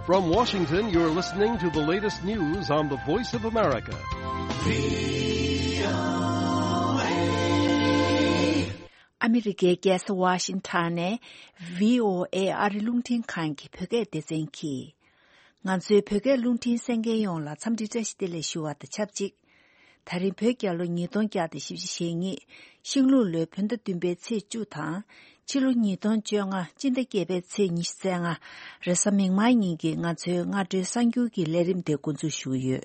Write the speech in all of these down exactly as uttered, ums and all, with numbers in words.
From Washington, you're listening to the latest news on the Voice of America. ཨ་མི་རི་ཀའི་རྒྱལ་ས་ཝ་ཤིང་ཊོན་ནས་བྷི་ཨོ་ཨེ་ཨ་རི་རླུང་འཕྲིན་ཁང་གི་བོད་སྐད་སྡེ་ཚན་གྱིས། ང་ཚོའི་བོད་སྐད་རླུང་འཕྲིན་གསན་མཁན་ཡོངས་ལ་འཚམས་འདྲི་བཀྲ་ཤིས་བདེ་ལེགས་ཞུ་བ་དང་ཆབས་ཅིག་ད་རིང་བོད་རྒྱལ་ལོ་ཉིས་སྟོང་བརྒྱ་དང་བཞི་བཅུ་ཞེ་གཉིས། ཤིང་ལུག་ལོའི་བོད་ཟླ་བདུན་པའི་ཚེས་བཅུ་དང་། ཕྱི་ལོ་ཉིས་སྟོང་བཅོ་ལྔ་སྤྱི་ཟླ་བརྒྱད་པའི་ཚེས་ཉི་ཤུ་རྩ་ལྔ། རེས་གཟའ་མིག་དམར་ཉིན་གྱི་ང་ཚོའི་སྔ་དྲོའི་གསར་འགྱུར་གྱི་ལས་རིམ་དེ་འགོ་འཛུགས་ཞུ་གི་ཡོད།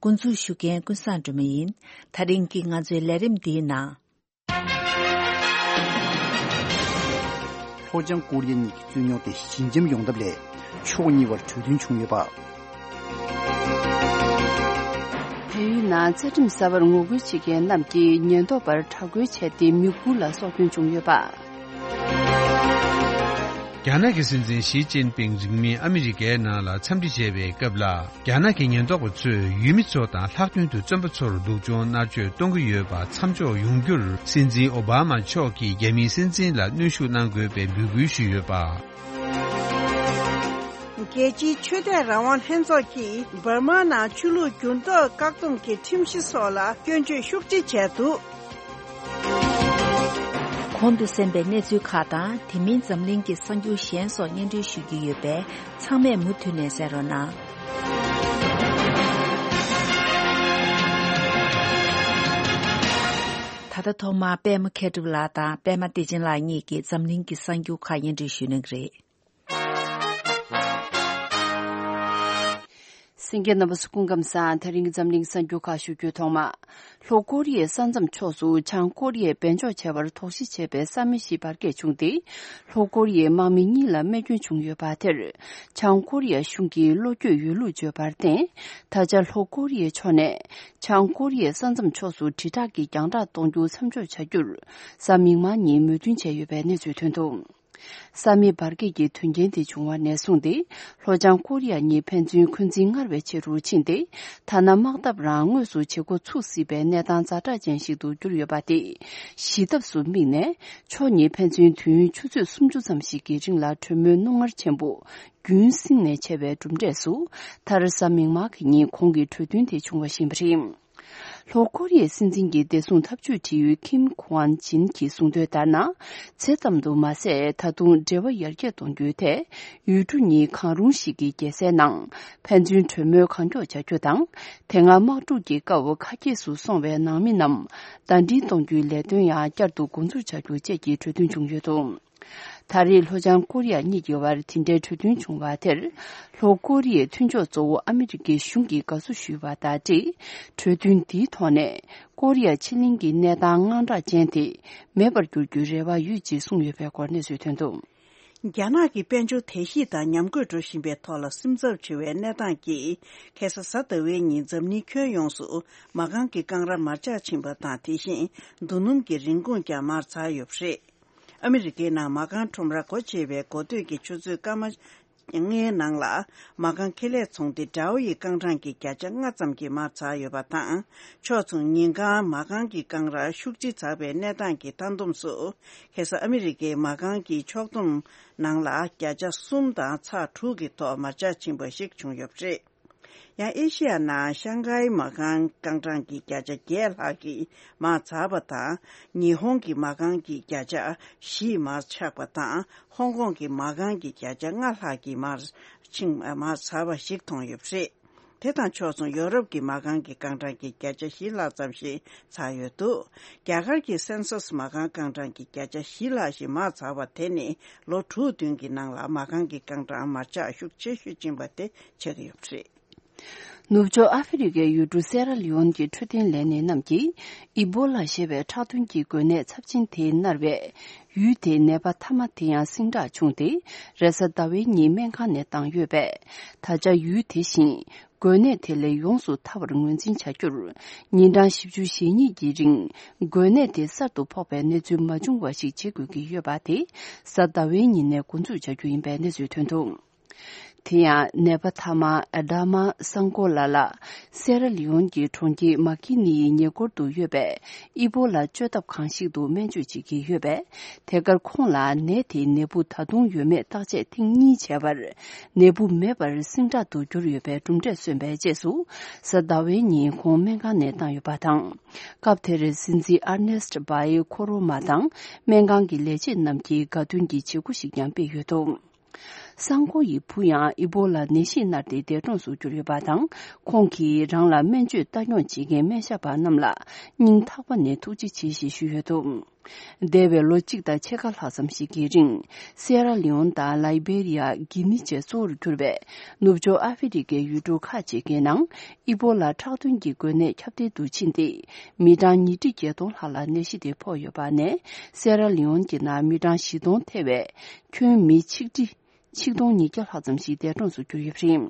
འགོ་འཛུགས་ཞུ་མཁན་ཀུན་བཟང་སྒྲོལ་མ་ཡིན། ད་རིང་གི་ང་ཚོའི་ལས་རིམ་འདིའི་ནང་། ལྷོ་བྱང་ཀོ་རི་ཡ་གཉིས་ཀྱི་རྩོད་རྙོག་དེ་ཞི་འཇམ་ཡོང་ཐབས་སླད་ཕྱོགས་གཉིས་བར་གྲོས་མཐུན་བྱུང་ཡོད་པ། བལ་ཡུལ་ནང་རྩ་ཁྲིམས་གསར་པར་ངོ་རྒོལ་བྱེད་མཁན་རྣམས་ཀྱིས་ཉེན་རྟོག་པར་དྲག་རྒོལ་བྱས་ཏེ་མི་དགུ་ལ་སྲོག་སྐྱོན་བྱུང་ཡོད་པ། རྒྱ་ནག་གི་སྲིད་འཛིན་ཞི་ཅིན་ཕིང་རིང་མིན་ཨ་མི་རི་ཀའི་ནང་ལ་འཚམས་འདྲི་བྱེད་པའི་སྐབས་ལ། རྒྱ་ནག་གི་ཉེན་རྟོག་པ་ཚོས་ཡུལ་མི་ཚོ་དང་ལྷག་དོན་དུ་བཙོན་པ་ཚོར་སྡུག་སྦྱོང་མནར་གཅོད་གཏོང་གི་ཡོད་པ་མཚམས་འཇོག་ཡོང་རྒྱུར། སྲིད་འཛིན་ཨོ་བྷ་མ་མཆོག་གིས་རྒྱ་མིའི་སྲིད་འཛིན་ལ་གནོན་ཤུགས་གནང་དགོས་པའི་འབོད་སྐུལ་ཞུས་ཡོད་པ། རྒྱལ་སྤྱིའི་ཆོས་དད་རང་དབང་ལྷན་ཚོགས་ཀྱིས་འབར་མ་ནང་ཆོས་ལུགས་འགྱུར་ལྡོག་བཀག་སྡོམ་གྱི་ཁྲིམས་གཞི་སོགས་ལ་སྐྱོན་བརྗོད་ཤུགས་ཆེ་བྱས་འདུག། གོང་དུ་གསན་པའི་གནས་ཚུལ་ཁག་དང་། དེ་མིན་འཛམ་གླིང་གི་གསར་འགྱུར་གཞན་སོགས་སྙན་སྒྲོན་ཞུ་རྒྱུ་ཡོད་པས། ཚང་མས་མུ་མཐུད་ནས་གསན་རོགས་གནང་། ད་ལྟ་ཐོག་མར་པད་མ་མཁས་གྲུབ་ལགས་དང་པད་མ་བདེ་ཆེན་ལགས་གཉིས་ཀྱིས་འཛམ་གླིང་གི་གསར་འགྱུར་ཁག་སྙན་སྒྲོན་ཞུ་གནང་གི་རེད། གསན་མཁན་རྣམ་པ་ཚོ་སྐུ་ཁམས་བཟང་། དེ་རིང་གི་འཛམ་གླིང་གསར་འགྱུར་ཁག་ཞུ་རྒྱུའི་ཐོག་མ། ལྷོ་ཀོ་རི་ཡའི་ས་མཚམས་ཕྱོགས་སུ་བྱང་ཀོ་རི་ཡས་སྦས་འཇོག་བྱས་པར་དོགས་གཞི་བྱས་པའི་ས་མི་ཞིག་འབར་གས་བྱུང་སྟེ། ལྷོ་ཀོ་རི་ཡའི་དམག་མི་གཉིས་ལ་རྨས་སྐྱོན་བྱུང་ཡོད་པ་དེར། བྱང་ཀོ་རི་ཡ་གཞུང་གིས་བློ་འགྱོད་ཡོད་ལུགས་བརྗོད་པར་བརྟེན། ད་ཆ་ལྷོ་ཀོ་རི་ཡའི་ཕྱོགས་ནས་བྱང་ཀོ་རི་ཡའི་ས་མཚམས་ཕྱོགས་སུ་དྲིལ་བསྒྲགས་ཀྱིས་རྒྱང་བསྒྲགས་གཏོང་རྒྱུ་མཚམས་འཇོག་བྱ་རྒྱུར། གཟའ་མིག་དམར་ཉིན་མོས་མཐུན་བྱས་ཡོད་པའི་གནས་ཚུལ་ཐོན་འདུག། ས་མིག་འབར་གས་ཀྱི་དོན་རྐྱེན་དེ་བྱུང་བ་ནས་བཟུང་སྟེ། ལྷོ་བྱང་ཀོ་རི་ཡ་གཉིས་ཕན་ཚུན་འཁོན་འཛིན་སྔར་བས་ཆེ་རུ་ཕྱིན་ཏེ། ཐ་ན་དམག་འཐབ་རང་དངོས་སུ་བྱེད་འགོ་ཚུགས་སྲིད་པའི་གནས་སྟངས་ཛ་དྲག་ཅན་ཞིག་ཏུ་གྱུར་ཡོད་པ་དེ། ཞི་ཐབས་སུ་དམིགས་ནས། ཕྱོགས་གཉིས་ཕན་ཚུན་དུས་ཡུན་ཆུ་ཚོད་སུམ་ཅུ་ཙམ་ཞིག་གི་རིང་ལ་གྲོས་མོལ་རྣོ་ངར་ཆེན་པོ། རྒྱུན་བསྲིངས་ནས་བྱས་པའི་གྲུབ་འབྲས་སུ། མཐར་གཟའ་མིག་དམར་གྱི་ཉིན་གོང་གི་གྲོས་མཐུན་དེ་བྱུང་བ་ཞིག་ཡིན་པ་རེད། ལྷོ་ཀོ་རི་ཡའི་སྲིད་འཛིན་གྱི་བདེ་སྲུང་ཐབས་ཇུས་དྲི་ཡུལ་ཁིམ་ཁུའན་ཅིན་གྱིས་གསུངས་དོན་ལྟར་ན། ཇི་ཙམ་དུ་མ་ཟད། ད་དུང་འབྲེལ་བ་ཡར་རྒྱས་གཏོང་རྒྱུའི་ཐད། ཡུལ་གྲུ་གཉིས་གང་རུང་ཞིག་གི་རྒྱལ་སའི་ནང་ཕན་ཚུན་གྲོས་མོལ་གང་མགྱོགས་བྱ་རྒྱུ་དང་། དེ་སྔ་དམག་འཁྲུག་གི་སྐབས་ཁ་གྱེས་སུ་སོང་བའི་ནང་མི་རྣམས་ཟླ་སྒྲིལ་གཏོང་རྒྱུའི་ལས་དོན་ཡང་བསྐྱར་དུ་འགོ་འཛུགས་བྱ་རྒྱུ་བཅས་ཀྱི་གྲོས་མཐུན་བྱུང་ཡོད་འདུག། ད་རེས་ལྷོ་བྱང་ཀོ་རི་ཡ་གཉིས་ཀྱི་དབར་དེ་འདྲའི་གྲོས་མཐུན་བྱུང་བ་དེར། ལྷོ་ཀོ་རི་ཡའི་མཐུན་ཕྱོགས་གཙོ་བོ་ཨ་མི་རི་ཀའི་གཞུང་གིས་དགའ་བསུ་ཞུས་པ་དང་འབྲེལ། གྲོས་མཐུན་འདིའི་ཐོག་ནས་ཀོ་རི་ཡ་ཕྱེད་གླིང་གི་གནས་སྟངས་དངངས་སྐྲག་ཅན་དེ་མེད་པར་འགྱུར་རྒྱུའི་རེ་བ་ཡོད་ཅེས་གསུངས་ཡོད་པའི་སྐོར་གནས་ཚུལ་ཐོན་འདུག། རྒྱ་ནག་གི་དཔལ་འབྱོར་དལ་གཤིས་དང་ཉམས་རྒུད་འགྲོ་བཞིན་པའི་ཐོག་ལ་སེམས་འཚབ་ཆེ་བའི་གནས་སྟངས་ཀྱིས། ཁ་སང་གཟའ་ཟླ་བའི་ཉིན་འཛམ་གླིང་ཁྱོན་ཡོངས་སུ་མ་རྐང་གི་རྐང་ར་མར་ཆག་ཕྱིན་པ་དང་། དེ་བཞིན་རྡོ་སྣུམ་གྱི་རིན་གོང་ཀྱང་མར་འཛེགས་ཡོད་པ་རེད། ཨ་མི་རི་ཀའི་ནང་མ་རྐང་ཁྲོམ་ར་སྒོ་ཕྱེ་བའི་འགོ་སྟོད་ཀྱི་ཆུ་ཚོད་སྐར་མ་ལྔའི་ནང་ལ་མ་རྐང་ཁེ་ལས་ཚོང་སྡེ་ཌའོ་ཡི་རྐང་གྲངས་ཀྱི་བརྒྱ་ཆ་ལྔ་ཙམ་གྱིས་མར་འཛེགས་ཡོད་པ་དང་། ཕྱོགས་མཚུངས་ཉིན་གང་མ་རྐང་གི་རྐང་ར་ཤུགས་ཆེ་འཛེགས་པའི་གནས་སྟངས་ཀྱི་མཐའ་བསྡོམས་སུ། ཁ་སང་ཨ་མི་རི་ཀའི་མ་རྐང་གི་ཕྱོགས་བསྡོམས་ནང་ལ་བརྒྱ་ཆ་གསུམ་དང་ཚེག་དྲུག་གི་ཐོག་མར་ཆག་ཕྱིན་པ་ཞིག་བྱུང་ཡོད་པ་རེད། ཡང་ཨེ་ཤི་ཡ་ནང་ཤང་ཀའི་མ་རྐང་རྐང་གྲངས་ཀྱི་བརྒྱ་ཆ་བརྒྱད་ལྷག་གིས་མར་འཛེགས་པ་དང་། ཉི་ཧོང་གི་མ་རྐང་གི་བརྒྱ་ཆ་བཞི་མར་ཆག་པ་དང་། ཧོང་ཀོང་གི་མ་རྐང་གི་བརྒྱ་ཆ་ལྔ་ལྷག་གིས་མར་ཕྱིན། མར་འཛེགས་པ་ཞིག་མཐོང་ཡོད་པ་རེད། དེ་དང་ཕྱོགས་མཚུངས་ཡོ་རོབ་ཀྱི་མ་རྐང་གི་རྐང་གྲངས་ཀྱི་བརྒྱ་ཆ་བཞི་ལྷག་ཙམ་ཞིག་འཛེགས་ཡོད་འདུག། རྒྱ་གར་གྱི་སེན་སོས་མ་རྐང་རྐང་གྲངས་ཀྱི་བརྒྱ་ཆ་བཞི་ལྷག་ཞིག་མར་འཛེགས་པ་དེ་ནི་ལོ་དྲུག་བདུན་གྱི་ནང་ལ་མ་རྐང་གི་རྐང་གྲངས་མར་ཆག་ཤུགས་ཆེ་ཤོས་ཕྱིན་པ་དེ་ཆགས་ཀྱི་ཡོད་པ་རེད། ནུབ་ཕྱོགས་ཨ་ཧྥེ་རི་ཁའི་ཡུལ་གྲུ་སེ་ར་ལི་ཡོན་གྱི་འཕྲོད་བསྟེན་ལས་སྣེ་རྣམས་ཀྱིས། ཨི་བོ་ལ་ཞེས་པའི་ཁྲག་འཐུང་གི་འགོས་ནད་ཚབས་ཆེན་དེས་མནར་བའི་ཡུལ་དེའི་ནད་པ་མཐའ་མ་དེ་ཡང་ཟིང་དྲག་བྱུང་སྟེ། རེས་གཟའ་ཟླ་བའི་ཉིན་སྨན་ཁང་ནས་བཏང་ཡོད་པས། ད་ཆ་ཡུལ་དེ་བཞིན་འགོས་ནད་དེ་ལས་ཡོངས་སུ་ཐར་བར་ངོས་འཛིན་བྱ་རྒྱུར། ཉིན་གྲངས་བཞི་བཅུ་ཞེ་གཉིས་ཀྱི་རིང་འགོས་ནད་དེ་གསར་དུ་ཕོག་པའི་གནས་ཚུལ་མ་བྱུང་བ་ཞིག་བྱེད་དགོས་ཀྱི་ཡོད་པ་དེ་གཟའ་ཟླ་བའི་ཉིན་ནས་འགོ་འཛུགས་བྱ་རྒྱུ་ཡིན་པའི་གནས་ཚུལ་ཐོན་འདུག། དེ་ཡང་ནད་པ་ཐ་མ་ཨ་ཌ་མ་སང་ཀོ་ལ་ལགས་སེ་ར་ལི་ཡོན་གྱི་གྲོང་ཁྱེར་མ་ཀི་ནི་ཡི་ཉེ་འཁོར་དུ་ཡོད་པའི་ཨི་པོ་ལ་བཅོས་ཐབས་ཁང་ཞིག་ཏུ་སྨན་བཅོས་བྱེད་ཀྱི་ཡོད་པས། དེ་གར་ཁོང་ལ་ནད་དེའི་ནད་འབུ་ད་དུང་ཡོད་མེད་བརྟག་དཔྱད་ཐེངས་གཉིས་བྱས་པར། ནད་འབུ་མེད་པར་སིང་དྲག་ཏུ་གྱུར་ཡོད་པའི་གྲུབ་འབྲས་སོན་པའི་རྗེས་སུ། གཟའ་ཟླ་བའི་ཉིན་ཁོང་སྨན་ཁང་ནས་བཏང་ཡོད་པ་དང་། སྐབས་དེར་སྲིད་འཛིན་ཨར་ནེ་སི་ཊི་བྷའི་ཁོ་རོ་མ་དང་སྨན་ཁང་གི་ལས་བྱེད་རྣམས་ཀྱིས་དགའ་སྟོན་གྱི་བྱེད་སྒོ་ཞིག་ཀྱང་སྤེལ་ཡོད་འདུག་སང་ཀོ་ཡི་བུ་ཡང་ཨི་པོ་ལ་ནད་གཞིས་མནར་ཏེ་འདས་གྲོངས་སུ་གྱུར་ཡོད་པ་དང་། ཁོང་གིས་རང་ལ་སྨན་བཅོས་ལྟ་སྐྱོང་བྱེད་མཁན་སྨན་ཞབས་པ་རྣམས་ལ་སྙིང་ཐག་པ་ནས་ཐུགས་རྗེ་ཆེ་ཞེས་ཞུས་ཡོད་འདུག་འདས་པའི་ལོ་གཅིག་དང་ཕྱེད་ཀ་ལྷག་ཙམ་ཞིག་གི་རིང་སེ་ར་ལི་ཡོན་དང་ལའི་བེ་རི་ཡ། གྷི་ནི་བཅས་གཙོ་བོར་གྱུར་པའི་ནུབ་ཕྱོགས་ཨ་ཧྥེ་རི་ཁའི་ཡུལ་གྲུ་ཁག་ཅིག་གི་ནང་ཨི་པོ་ལ་ཁྲག་འདོན་གྱི་འགོས་ནད་ཁྱབ་གདལ་དུ་ཕྱིན་ཏེ། མི་གྲངས་ཉིས་ཁྲི་བརྒྱད་སྟོང་ལྷག་ལ་ནད་གཞི་དེ་ཕོག་ཡོད་པ་ནས། སེ་ར་ལི་ཡོན་གྱི་ནང་མི་གྲངས་བཞི་སྟོང་ཐེ་བའི་ཁྱོན་མི་ཆིག་ཁྲི་ཆིག་སྟོང་ཉིས་བརྒྱ་ལྷག་ཙམ་ཞིག་འདས་གྲོངས་སུ་གྱུར་ཡོད་པ་རེད།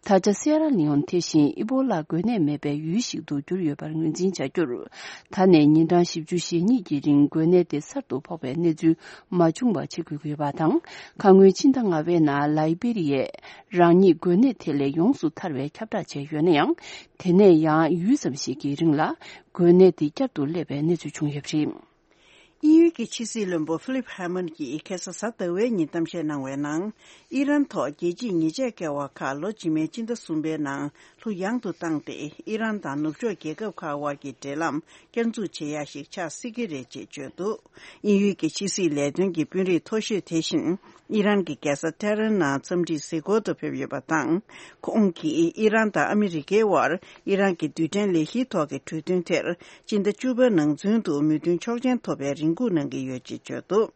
ད་ཆ་སེ་ར་ལི་ཡོན་དེ་བཞིན་ཨི་པོ་ལ་འགོས་ནད་མེད་པའི་ཡུལ་ཞིག་ཏུ་གྱུར་ཡོད་པར་ངོས་འཛིན་བྱ་རྒྱུར། ད་ནས་ཉིན་གྲངས་བཞི་བཅུ་ཞེ་གཉིས་ཀྱི་རིང་འགོས་ནད་དེ་གསར་དུ་ཕོག་པའི་གནས་ཚུལ་མ་བྱུང་བ་བྱེད་དགོས་ཀྱི་ཡོད་པ་དང་། ཁ་སྔོན་ཕྱི་ཟླ་ལྔ་པའི་ནང་ལའི་བེ་རི་ཡས་རང་ཉིད་འགོས་ནད་དེ་ལས་ཡོངས་སུ་ཐར་བའི་ཁྱབ་བསྒྲགས་བྱས་ཡོད་ན་ཡང་། དེ་ནས་ཡང་ཡུད་ཙམ་ཞིག་གི་རིང་ལ་འགོས་ནད་དེ་བསྐྱར་དུ་སླེབས་པའི་གནས་ཚུལ་བྱུང་ཡོད་པ་རེད། དབྱིན་ཡུལ་གྱི་ཕྱི་སྲིད་བློན་པོ་ཧྥི་ལིབ་ཧ་མན་གྱིས་ཁ་སང་གཟའ་ཟླ་བའི་ཉིན་གཏམ་བཤད་གནང་བའི་ནང་། ཨི་རན་ཐོག་རྒྱལ་སྤྱིའི་ཉེས་ཆད་བཀལ་བ་ཁག་ལོ་རྗེས་མའི་སྤྱི་ཟླ་གསུམ་པའི་ནང་ལྷུག་ཡངས་དུ་བཏང་སྟེ། ཨི་རན་དང་ནུབ་ཕྱོགས་རྒྱལ་ཁབ་ཁག་དབར་གྱི་འབྲེལ་ལམ་བསྐྱར་འཛུགས་བྱེད་ཡ་ཞིག་ཆགས་སྲིད་ཀྱི་རེད་ཅེས་བརྗོད་འདུག་དབྱིན་ཡུལ་གྱི་ཕྱི་སྲིད་ལས་དོན་གྱི་དཔོན་རིགས་མཐོ་ཤོས་དེ་བཞིན། ཨི་རན་གྱི་རྒྱལ་ས་ཏེ་ཧྲན་ནང་འཚམས་འདྲིའི་གཟིགས་སྐོར་དུ་ཕེབས་ཡོད་པ་དང་། ཁོང་གིས་ཨི་རན་དང་ཨ་མི་རི་ཀའི་དབར་ཨི་རན་གྱི་རྡུལ་ཕྲན་ལས་གཞིའི་ཐོག་གི་གྲོས་མཐུན་དེར་སྤྱི་ཟླ་བཅུ་པ་ནང་ཚུན་དུ་མོས་མཐུན་ཆོག་མཆན་ཐོབ་པའི་རེ་སྒུག་གནང་གི་ཡོད་ཅེས་བརྗོད་འདུག་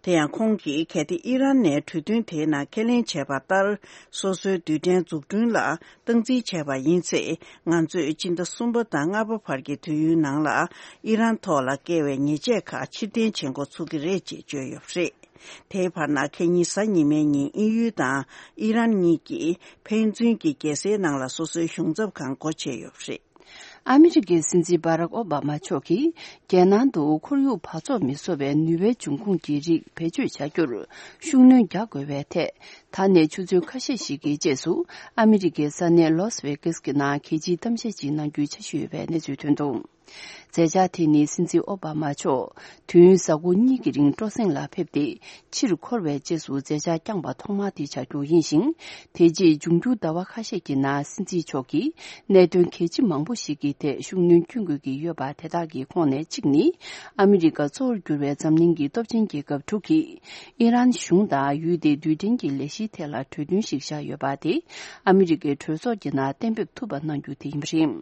དེ་ཡང་ཁོང་གིས་གལ་ཏེ་ཨི་རན་ནས་གྲོས་མཐུན་དེའི་ནང་ཁས་ལེན་བྱས་པ་ལྟར། སོ་སོའི་རྡུལ་ཕྲན་འཛུགས་སྐྲུན་ལ་སྟངས་འཛིན་བྱས་པ་ཡིན་ཚེ། ང་ཚོས་སྤྱི་ཟླ་གསུམ་པ་དང་ལྔ་པ་བར་གྱི་དུས་ཡུན་ནང་ལ་ཨི་རན་ཐོག་ལ་བཀལ་བའི་ཉེས་ཆད་ཁག་ཕྱིར་འཐེན་བྱེད་འགོ་ཚུགས་ཀྱི་རེད་ཅེས་བརྗོད་ཡོད་པ་རེད། དེའི་བར་ན་ཁ་ཉིན་གཟའ་ཉི་མའི་ཉིན་དབྱིན་ཡུལ་དང་ཨི་རན་གཉིས་ཀྱིས་ཕན་ཚུན་གྱི་རྒྱལ་སའི་ནང་ལ་སོ་སོའི་གཞུང་ཚབ་ཁང་སྒོ་ཕྱེ་ཡོད་པ་རེད། ཨ་མི་རི་ཀའི་སྲིད་འཛིན་བྷ་རག་ཨོ་བྷ་མ་མཆོག་གིས་རྒྱལ་ནང་དུ་ཁོར་ཡུག་འབག་བཙོག་མི་བཟོ་བའི་ནུས་པའི་འབྱུང་ཁུངས་ཀྱི་རིགས་བེད་སྤྱོད་བྱ་རྒྱུར་ཤུགས་སྣོན་རྒྱག་དགོས་པའི་ཐད། ད་ནས་ཆུ་ཚོད་ཁ་ཤས་ཤིག་གི་རྗེས་སུ་ཨ་མི་རི་ཀའི་ས་གནས་ལོས་ཝེ་ཀེས་ཀྱི་ནང་གལ་ཆེའི་གཏམ་བཤད་ཅིག་གནང་རྒྱུའི་འཆར་གཞི་ཡོད་པའི་གནས་ཚུལ་ཐོན་འདུག་མཛད་འཆར་དེ་ནི་སྲིད་འཛིན་ཨོ་བྷ་མ་མཆོག་དུས་ཡུན་གཟའ་འཁོར་གཉིས་ཀྱི་རིང་སྤྲོ་གསེང་ལ་ཕེབས་ཏེ། ཕྱིར་འཁོར་བའི་རྗེས་སུ་མཛད་འཆར་བསྐྱངས་པ་ཐོག་མ་དེ་ཆགས་རྒྱུ་ཡིན་ཞིང་། དེ་རྗེས་འབྱུང་འགྱུར་ཟླ་བ་ཁ་ཤས་ཀྱི་ནང་སྲིད་འཛིན་མཆོག་གིས་གནད་དོན་གལ་ཆེ་མང་པོ་ཞིག་གི་ཐད་ཤུགས་སྣོན་སྐྱོན་དགོས་ཀྱི་ཡོད་པ་དེ་དག་གི་ཁོངས་ནས་གཅིག་ནི། ཨ་མི་རི་ཀ་གཙོ་བོར་གྱུར་བའི་འཛམ་གླིང་གི་སྟོབས་ཆེན་རྒྱལ་ཁབ་དྲུག་གིས་ཨི་རན་གཞུང་དང་ཡུལ་དེའི་རྡུལ་ཕྲན་གྱི་ལས་གཞིའི་ཐད་ལ་གྲོས་མཐུན་ཞིག་བཞག་ཡོད་པ་དེ་ཨ་མི་རི་ཀའི་གྲོས་ཚོགས་ཀྱི་ནང་གཏན་འབེབས་ཐུབ་པ་གནང་རྒྱུ་དེ་ཡིན་པ་རེད།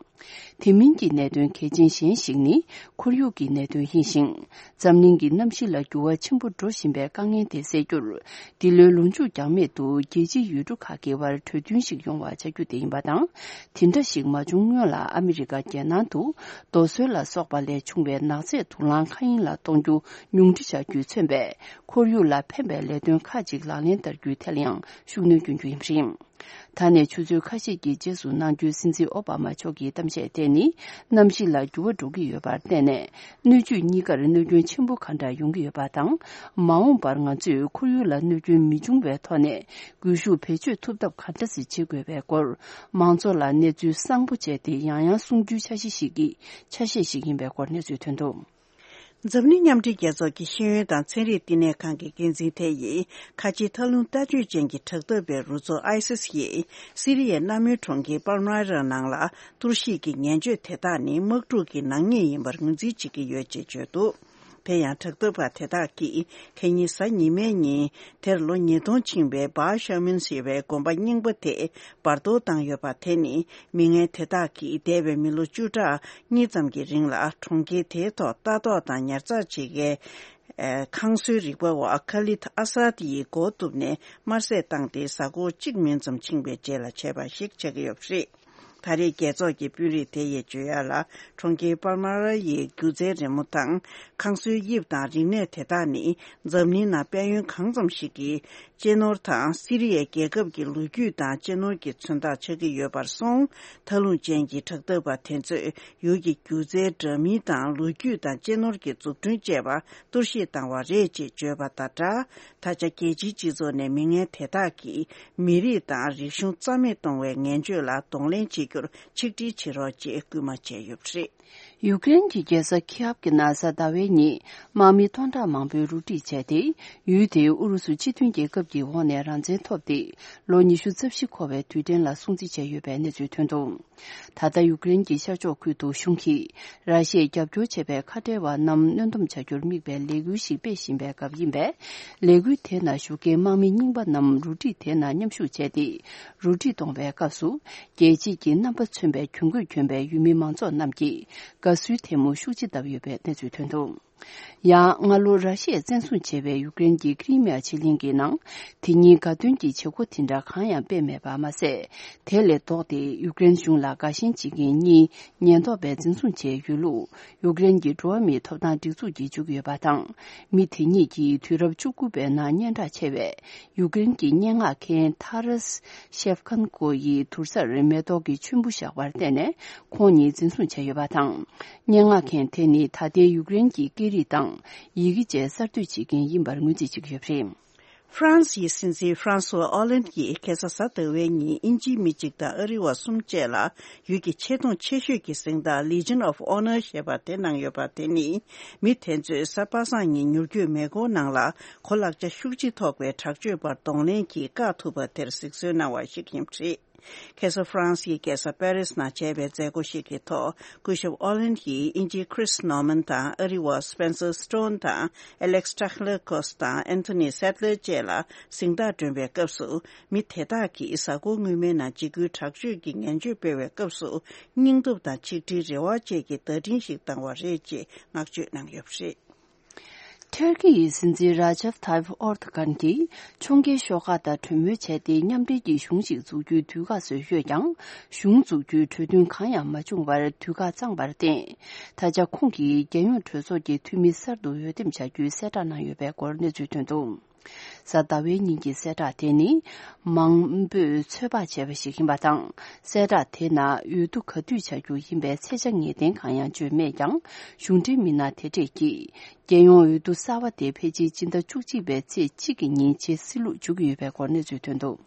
དེ་མིན་གྱི་གནད་དོན་གལ་ཆེན་གཞན་ཞིག་ནི་ཁོར་ཡུག་གི་གནད་དོན་ཡིན་ཞིང་། འཛམ་གླིང་གི་གནམ་གཤིས་ལ་འགྱུར་བ་ཆེན་པོ་འགྲོ་བཞིན་པའི་དཀའ་ངལ་དེ་སེལ་རྒྱུར། འདི་ལོའི་ལོ་མཇུག་འགྱངས་མེད་དུ་རྒྱལ་སྤྱིའི་ཡུལ་གྲུ་ཁག་གི་དབར་གྲོས་མཐུན་ཞིག་ཡོང་བ་བྱ་རྒྱུ་དེ་ཡིན་པ་དང་། དེ་འདྲ་ཞིག་མ་བྱུང་སྔོན་ལ་ཨ་མི་རི་ཀ་རྒྱལ་ནང་དུ་རྡོ་སོལ་ལ་སོགས་པ་ལས་བྱུང་བའི་ནག་རྫས་དུག་རླངས་མཁའ་དབྱིངས་ལ་གཏོང་རྒྱུ་ཉུང་འཕྲི་བྱ་རྒྱུས་མཚོན་པའི་ཁོར་ཡུག་ལ་ཕན་པའི་ལས་དོན་ཁག་ཅིག་ལག་ལེན་བསྟར་རྒྱུའི་ཐད་ལ་ཡང་ཤུགས་སྣོན་སྐྱོན་རྒྱུ་ཡིན་པ་རེད། ད་ནས་ཆུ་ཚོད་ཁ་ཤས་ཀྱི་རྗེས་སུ་གནང་རྒྱུའི་སྲིད་འཛིན་ཨོ་བྷ་མ་མཆོག་གི་གཏམ་བཤད་དེ་ནི། གནམ་གཤིས་ལ་འགྱུར་བ་འགྲོ་གི་ཡོད་པར་བརྟེན་ནས། སྣོད་བཅུད་གཉིས་ཀར་གནོད་སྐྱོན་ཆེན་པོ་ག་འདྲ་ཡོང་གི་ཡོད་པ་དང་། མ་འོངས་པར་ང་ཚོས་ཁོར་ཡུག་ལ་གནོད་སྐྱོན་མི་འབྱུང་བའི་ཐོག་ནས། སྒུལ་ཤུགས་བེད་སྤྱོད་ཐུབ་ཐབས་ག་འདྲ་ཞིག་བྱེད་དགོས་པའི་སྐོར། མང་ཚོགས་ལ་གནས་ཚུལ་གསང་པོ་བྱས་ཏེ། ཡང་ཡང་གསུང་རྒྱུའི་འཆར་གཞི་ཞིག་གི་ཆ་ཤས་ཤིག་ཡིན་པའི་སྐོར་གནས་ཚུལ་ཐོན་འདུག་འཛམ་གླིང་མཉམ་འབྲེལ་རྒྱལ་ཚོགས་ཀྱི་ཤེས་ཡོན་དང་ཚན་རིག་བསྟི་གནས་ཁང་གི་འགན་འཛིན་དེ་ཡིས། ཁ་ཆེའི་མཐའ་ལྷུང་ལྟ་སྤྱོད་ཅན་གྱི་དྲག་འཐབ་པའི་རུ་ཚོགས་ཨའི་སིས་ཡིས། སི་རི་ཡའི་གནའ་མོའི་གྲོང་ཁྱེར་པཱལ་མ་ར་ནང་ལ་གཏོར་བཤིག་གི་ངན་སྤྱོད་དེ་དག་ནི་དམག་འཁྲུག་གི་ནག་ཉེས་ཡིན་པར་ངོས་འཛིན་བྱེད་ཀྱི་ཡོད་ཅེས་བརྗོད་འདུག་དེ་ཡང་དྲག་འཐབ་པ་དེ་དག་གིས། ཁ་ཉིན་གཟའ་ཉི་མའི་ཉིན། དེར་ལོ་ཉིས་སྟོང་ཕྱིན་པའི་བཱ་ཤ་མིན་ཞེས་པའི་དགོན་པ་རྙིང་པ་དེ་འབར་གཏོར་བཏང་ཡོད་པ་དེ་ནི། མི་ངན་དེ་དག་གིས་འདས་པའི་མི་ལོ་བཅུ་ཕྲག་གཉིས་ཙམ་གྱི་རིང་ལ་གྲོང་ཁྱེར་དེའི་ཐོག་ལྟ་རྟོག་དང་ཉར་ཚགས་བྱེད་མཁན། ཨ། ཁང་བཟོའི་རིག་པ་བ་ཁ་ལིད་ཨ་སཱད་ཡིས་མགོ་གཏུབ་ནས་དམར་བསད་བཏང་སྟེ། གཟའ་འཁོར་གཅིག་མིན་ཙམ་ཕྱིན་པའི་རྗེས་ལ་བྱས་པ་ཞིག་ཆགས་ཀྱི་ཡོད་པ་རེད། ད་རེས་རྒྱལ་ཚོགས་ཀྱི་དཔོན་རིགས་དེ་ཡིས་བརྗོད་ཡག་ལ། གྲོང་ཁྱེར་པཱལ་མ་ར་ཡི་སྒྱུ་རྩལ་རི་མོ་དང་། ཁང་བཟོའི་དབྱིབས་དང་རིག་གནས་དེ་དག་ནི། འཛམ་གླིང་ནང་དཔལ་ཡོན་གང་ཙམ་ཞིག་གི་ གཅེས་ནོར་དང་སི་རི་ཡའི་རྒྱལ་ཁབ་ཀྱི་ལོ་རྒྱུས་དང་གཅེས་ནོར་གྱི་མཚོན་རྟགས་ཆགས་ཀྱི་ཡོད་པར་སོང་། མཐའ་ལྷུང་ཅན་གྱི་དྲག་འཐབ་པ་དེ་ཚོས་ཡུལ་གྱི་སྒྱུ་རྩལ་འདྲ་མིན་དང་ལོ་རྒྱུས་དང་གཅེས་ནོར་གྱི་འཛུགས་སྐྲུན་བཅས་པ་གཏོར་བཤིག་བཏང་བ་རེད་ཅེས་བརྗོད་པ་དང་སྦྲགས། ད་ཆ་རྒྱལ་སྤྱིའི་སྤྱི་ཚོགས་ནས་མི་ངན་དེ་དག་གིས་མི་རིགས་དང་རིག་གཞུང་རྩ་མེད་གཏོང་བའི་ངན་སྤྱོད་ལ་གདོང་ལེན་བྱེད་རྒྱུར་ཆིག་སྒྲིལ་བྱེད་རོགས་ཅེས་སྐུལ་མ་བྱས་ཡོད་པ་རེད། ཡུཀ་རེན་གྱི་རྒྱལ་ས་ཁི་ཨབ་ཀྱི་ནང་གཟའ་ཟླ་བའི་ཉིན་དམག་མི་སྟོང་ཕྲག་མང་པོས་རུ་སྒྲིག་བྱས་ཏེ། ཡུལ་དེའི་ཨུ་རུ་སུ་སྤྱི་མཐུན་རྒྱལ་ཁབ་ཀྱི་འོག་ནས་རང་བཙན་ཐོབ་སྟེ་ལོ་ཉི་ཤུ་རྩ་བཞི་འཁོར་བའི་དུས་དྲན་ལ་སྲུང་བརྩི་བྱས་ཡོད་པའི་གནས་ཚུལ་ཐོན་འདུག་ད་ལྟ་ཡུཀ་རེན་གྱི་ཤར་ཕྱོགས་ཁུལ་དུ་གཞུང་གིས་ར་ཤི་ཡས་རྒྱབ་སྐྱོར་བྱས་པའི་ཁ་བྲལ་བ་རྣམས་གནོན་སྡོམ་བྱ་རྒྱུར་དམིགས་པའི་ལས་འགུལ་ཞིག་སྤེལ་བཞིན་པའི་སྐབས་ཡིན་པས། ལས་འགུལ་དེ་ནང་ཞུགས་མཁན་དམག་མི་རྙིང་པ་རྣམས་རུ་སྒྲིག་དེ་ནང་མཉམ་ཞུགས་བྱས་ཏེ། རུ་སྒྲིག་གཏོང་བའི་སྐབས་སུ། རྒྱལ་སྤྱིའི་རྣམ་པ་མཚོན་པའི་གྱོན་གོས་གྱོན་པའི་ཡུལ་མི་མང་ཚོགས་རྣམས་ཀྱིས་དགའ་བསུའི་ཐལ་མོ་ཤུགས་ཆེ་བརྡབས་ཡོད་པའི་གནས་ཚུལ་ཐོན་འདུག་ཡང་སྔ་ལོ་ར་ཤི་ཡས་བཙན་བཟུང་བྱས་པའི་ཡུཀ་རེན་གྱི་ཀི་རི་མི་ཡ་ཆེ་གླིང་གི་ནང་། དེ་ཉིད་དགའ་སྟོན་གྱི་བྱེད་སྒོ་དེ་འདྲ་གང་ཡང་སྤེལ་མེད་པ་མ་ཟད། དེ་ལས་ལྡོག་སྟེ་ཡུཀ་རེན་གཞུང་ལ་དགའ་ཞེན་བྱེད་མཁན་གཉིས་ཉེན་རྟོག་པས་འཛིན་བཟུང་བྱས་ཡོད་ལུགས། ཡུཀ་རེན་གྱི་འགྲོ་བ་མིའི་ཐོབ་ཐང་སྒྲིག་འཛུགས་ཀྱིས་བརྗོད་ཀྱི་ཡོད་པ་དང་། མི་དེ་གཉིས་ཀྱིས་དུས་རབས་བཅུ་དགུ་པའི་ནང་སྙན་གྲགས་ཆེ་བའི་ཡུཀ་རེན་གྱི་སྙན་ངག་མཁན་ཐ་ར་སི་ཤེབ་ཁན་ཀོ་ཡི་དུར་སར་མེ་ཏོག་གི་ཆུན་པོ་བཞག་པར་བརྟེན་ནས་ཁོང་ཉིད་འཛིན་བཟུང་བྱས་ཡོད་པ་དང་། སྙན་ངག་མཁན་དེ་ནི་ད་ལྟའི་ཡུཀ་རེན་གྱི་སྐད་རིགས་དང་ཡི་གེ་བཅས་གསར་གཏོད་བྱེད་མཁན་ཡིན་པར་ངོས་འཛིན་བྱེད་ཀྱི་ཡོད་པ་རེད། ཧྥ་རན་སིའི་སྲིད་འཛིན་ཧྥ་རན་སུ་ཨོ་ལན་གྱིས་ཁ་སང་གཟའ་ཟླ་བའི་ཉིན་དབྱིན་ཇིའི་མི་གཅིག་དང་ཨ་རི་བ་གསུམ་བཅས་ལ་ཡུལ་གྱི་ཆེ་མཐོང་ཆེ་ཤོས་ཀྱི་གཟེངས་རྟགས་Legion of Honor ཞེས་པ་དེ་གནང་ཡོད་པ་དེ་ནི། མི་དེ་ཚོས་གཟའ་པ་སངས་ཉིན་མྱུར་སྐྱོད་མེ་འཁོར་ནང་ལ་གོ་ལག་ཆ་ཤུགས་ཆེ་ཐོགས་པའི་དྲག་སྤྱོད་པར་གདོང་ལེན་གྱིས་བཀག་ཐུབ་པ་དེར་གཟིགས་གསོལ་གནང་བ་ཞིག་ཡིན་པ་རེད། ཁ་སང་ཧྥ་རན་སིའི་རྒྱལ་ས་པེ་རིས་ནང་བྱས་པའི་མཛད་སྒོ་ཞིག་གི་ཐོག་སྐུ་ཞབས་ཨོ་ལན་གྱིས་དབྱིན་ཇིའི་Chris Norman དང་ཨ་རི་བ་Spencer Stone དང་Alex Trachlikos དང་Anthony Sadler བཅས་ལ་གཟེངས་རྟགས་སྒྲོན་པའི་སྐབས་སུ། མི་དེ་དག་གིས་གཟའ་འཁོར་སྔོན་མའི་ནང་འཇིགས་སྐུལ་དྲག་སྤྱོད་ཀྱི་ངན་སྤྱོད་སྤེལ་བའི་སྐབས་སུ། སྙིང་སྟོབས་དང་ཆིག་སྒྲིལ་རེ་བ་བཅས་ཀྱི་བརྡ་འཕྲིན་ཞིག་བཏང་བ་རེད་ཅེས་བསྔགས་བརྗོད་གནང་ཡོད་པ་རེད། ཐུར་ཀི་ཡི་སྲིད་འཛིན་ར་ཇབ་ཐཱིབ་ཨོར་ཏ་གྷན་གྱིས་ཕྱོགས་འགལ་ཤོག་ཁག་དང་གྲོས་མོལ་བྱས་ཏེ་མཉམ་འབྲེལ་གྱི་གཞུང་ཞིག་འཛུགས་རྒྱུའི་དུས་བཀག་བཟོས་ཡོད་ཀྱང་། གཞུང་འཛུགས་རྒྱུའི་གྲོས་མཐུན་གང་ཡང་མ་བྱུང་བར་དུས་བཀག་གཙང་བར་བརྟེན། ད་ཆ་ཁོང་གིས་རྒྱལ་ཡོངས་གྲོས་ཚོགས་ཀྱི་འཐུས་མི་གསར་དུ་འོས་འདེམས་བྱ་རྒྱུའི་གསལ་བསྒྲགས་གནང་ཡོད་པའི་སྐོར་གནས་ཚུལ་ཐོན་འདུག་གཟའ་ཟླ་བའི་ཉིན་གྱི་གསལ་བསྒྲགས་དེ་ནི། མང་པོས་ཚོད་དཔག་བྱས་པ་ཞིག་ཡིན་པ་དང་། གསལ་བསྒྲགས་དེ་ནང་འོས་བསྡུ་ག་དུས་བྱ་རྒྱུ་ཡིན་པའི་ཚེས་ཆ་ངེས་གཏན་གང་ཡང་བརྗོད་མེད་ཀྱང་། གཞུང་འབྲེལ་མི་སྣ་དེ་གྲས་ཀྱིས། རྒྱལ་ཡོངས་འོས་བསྡུ་གསར་བ་དེ་ཕལ་ཆེར་སྤྱི་ཟླ་བཅུ་གཅིག་པའི་ཚེས་གཅིག་གི་ཉིན་བྱེད་སྲིད་ལུགས་འཇོག་གི་ཡོད་པའི་སྐོར་གནས་ཚུལ་ཐོན་འདུག་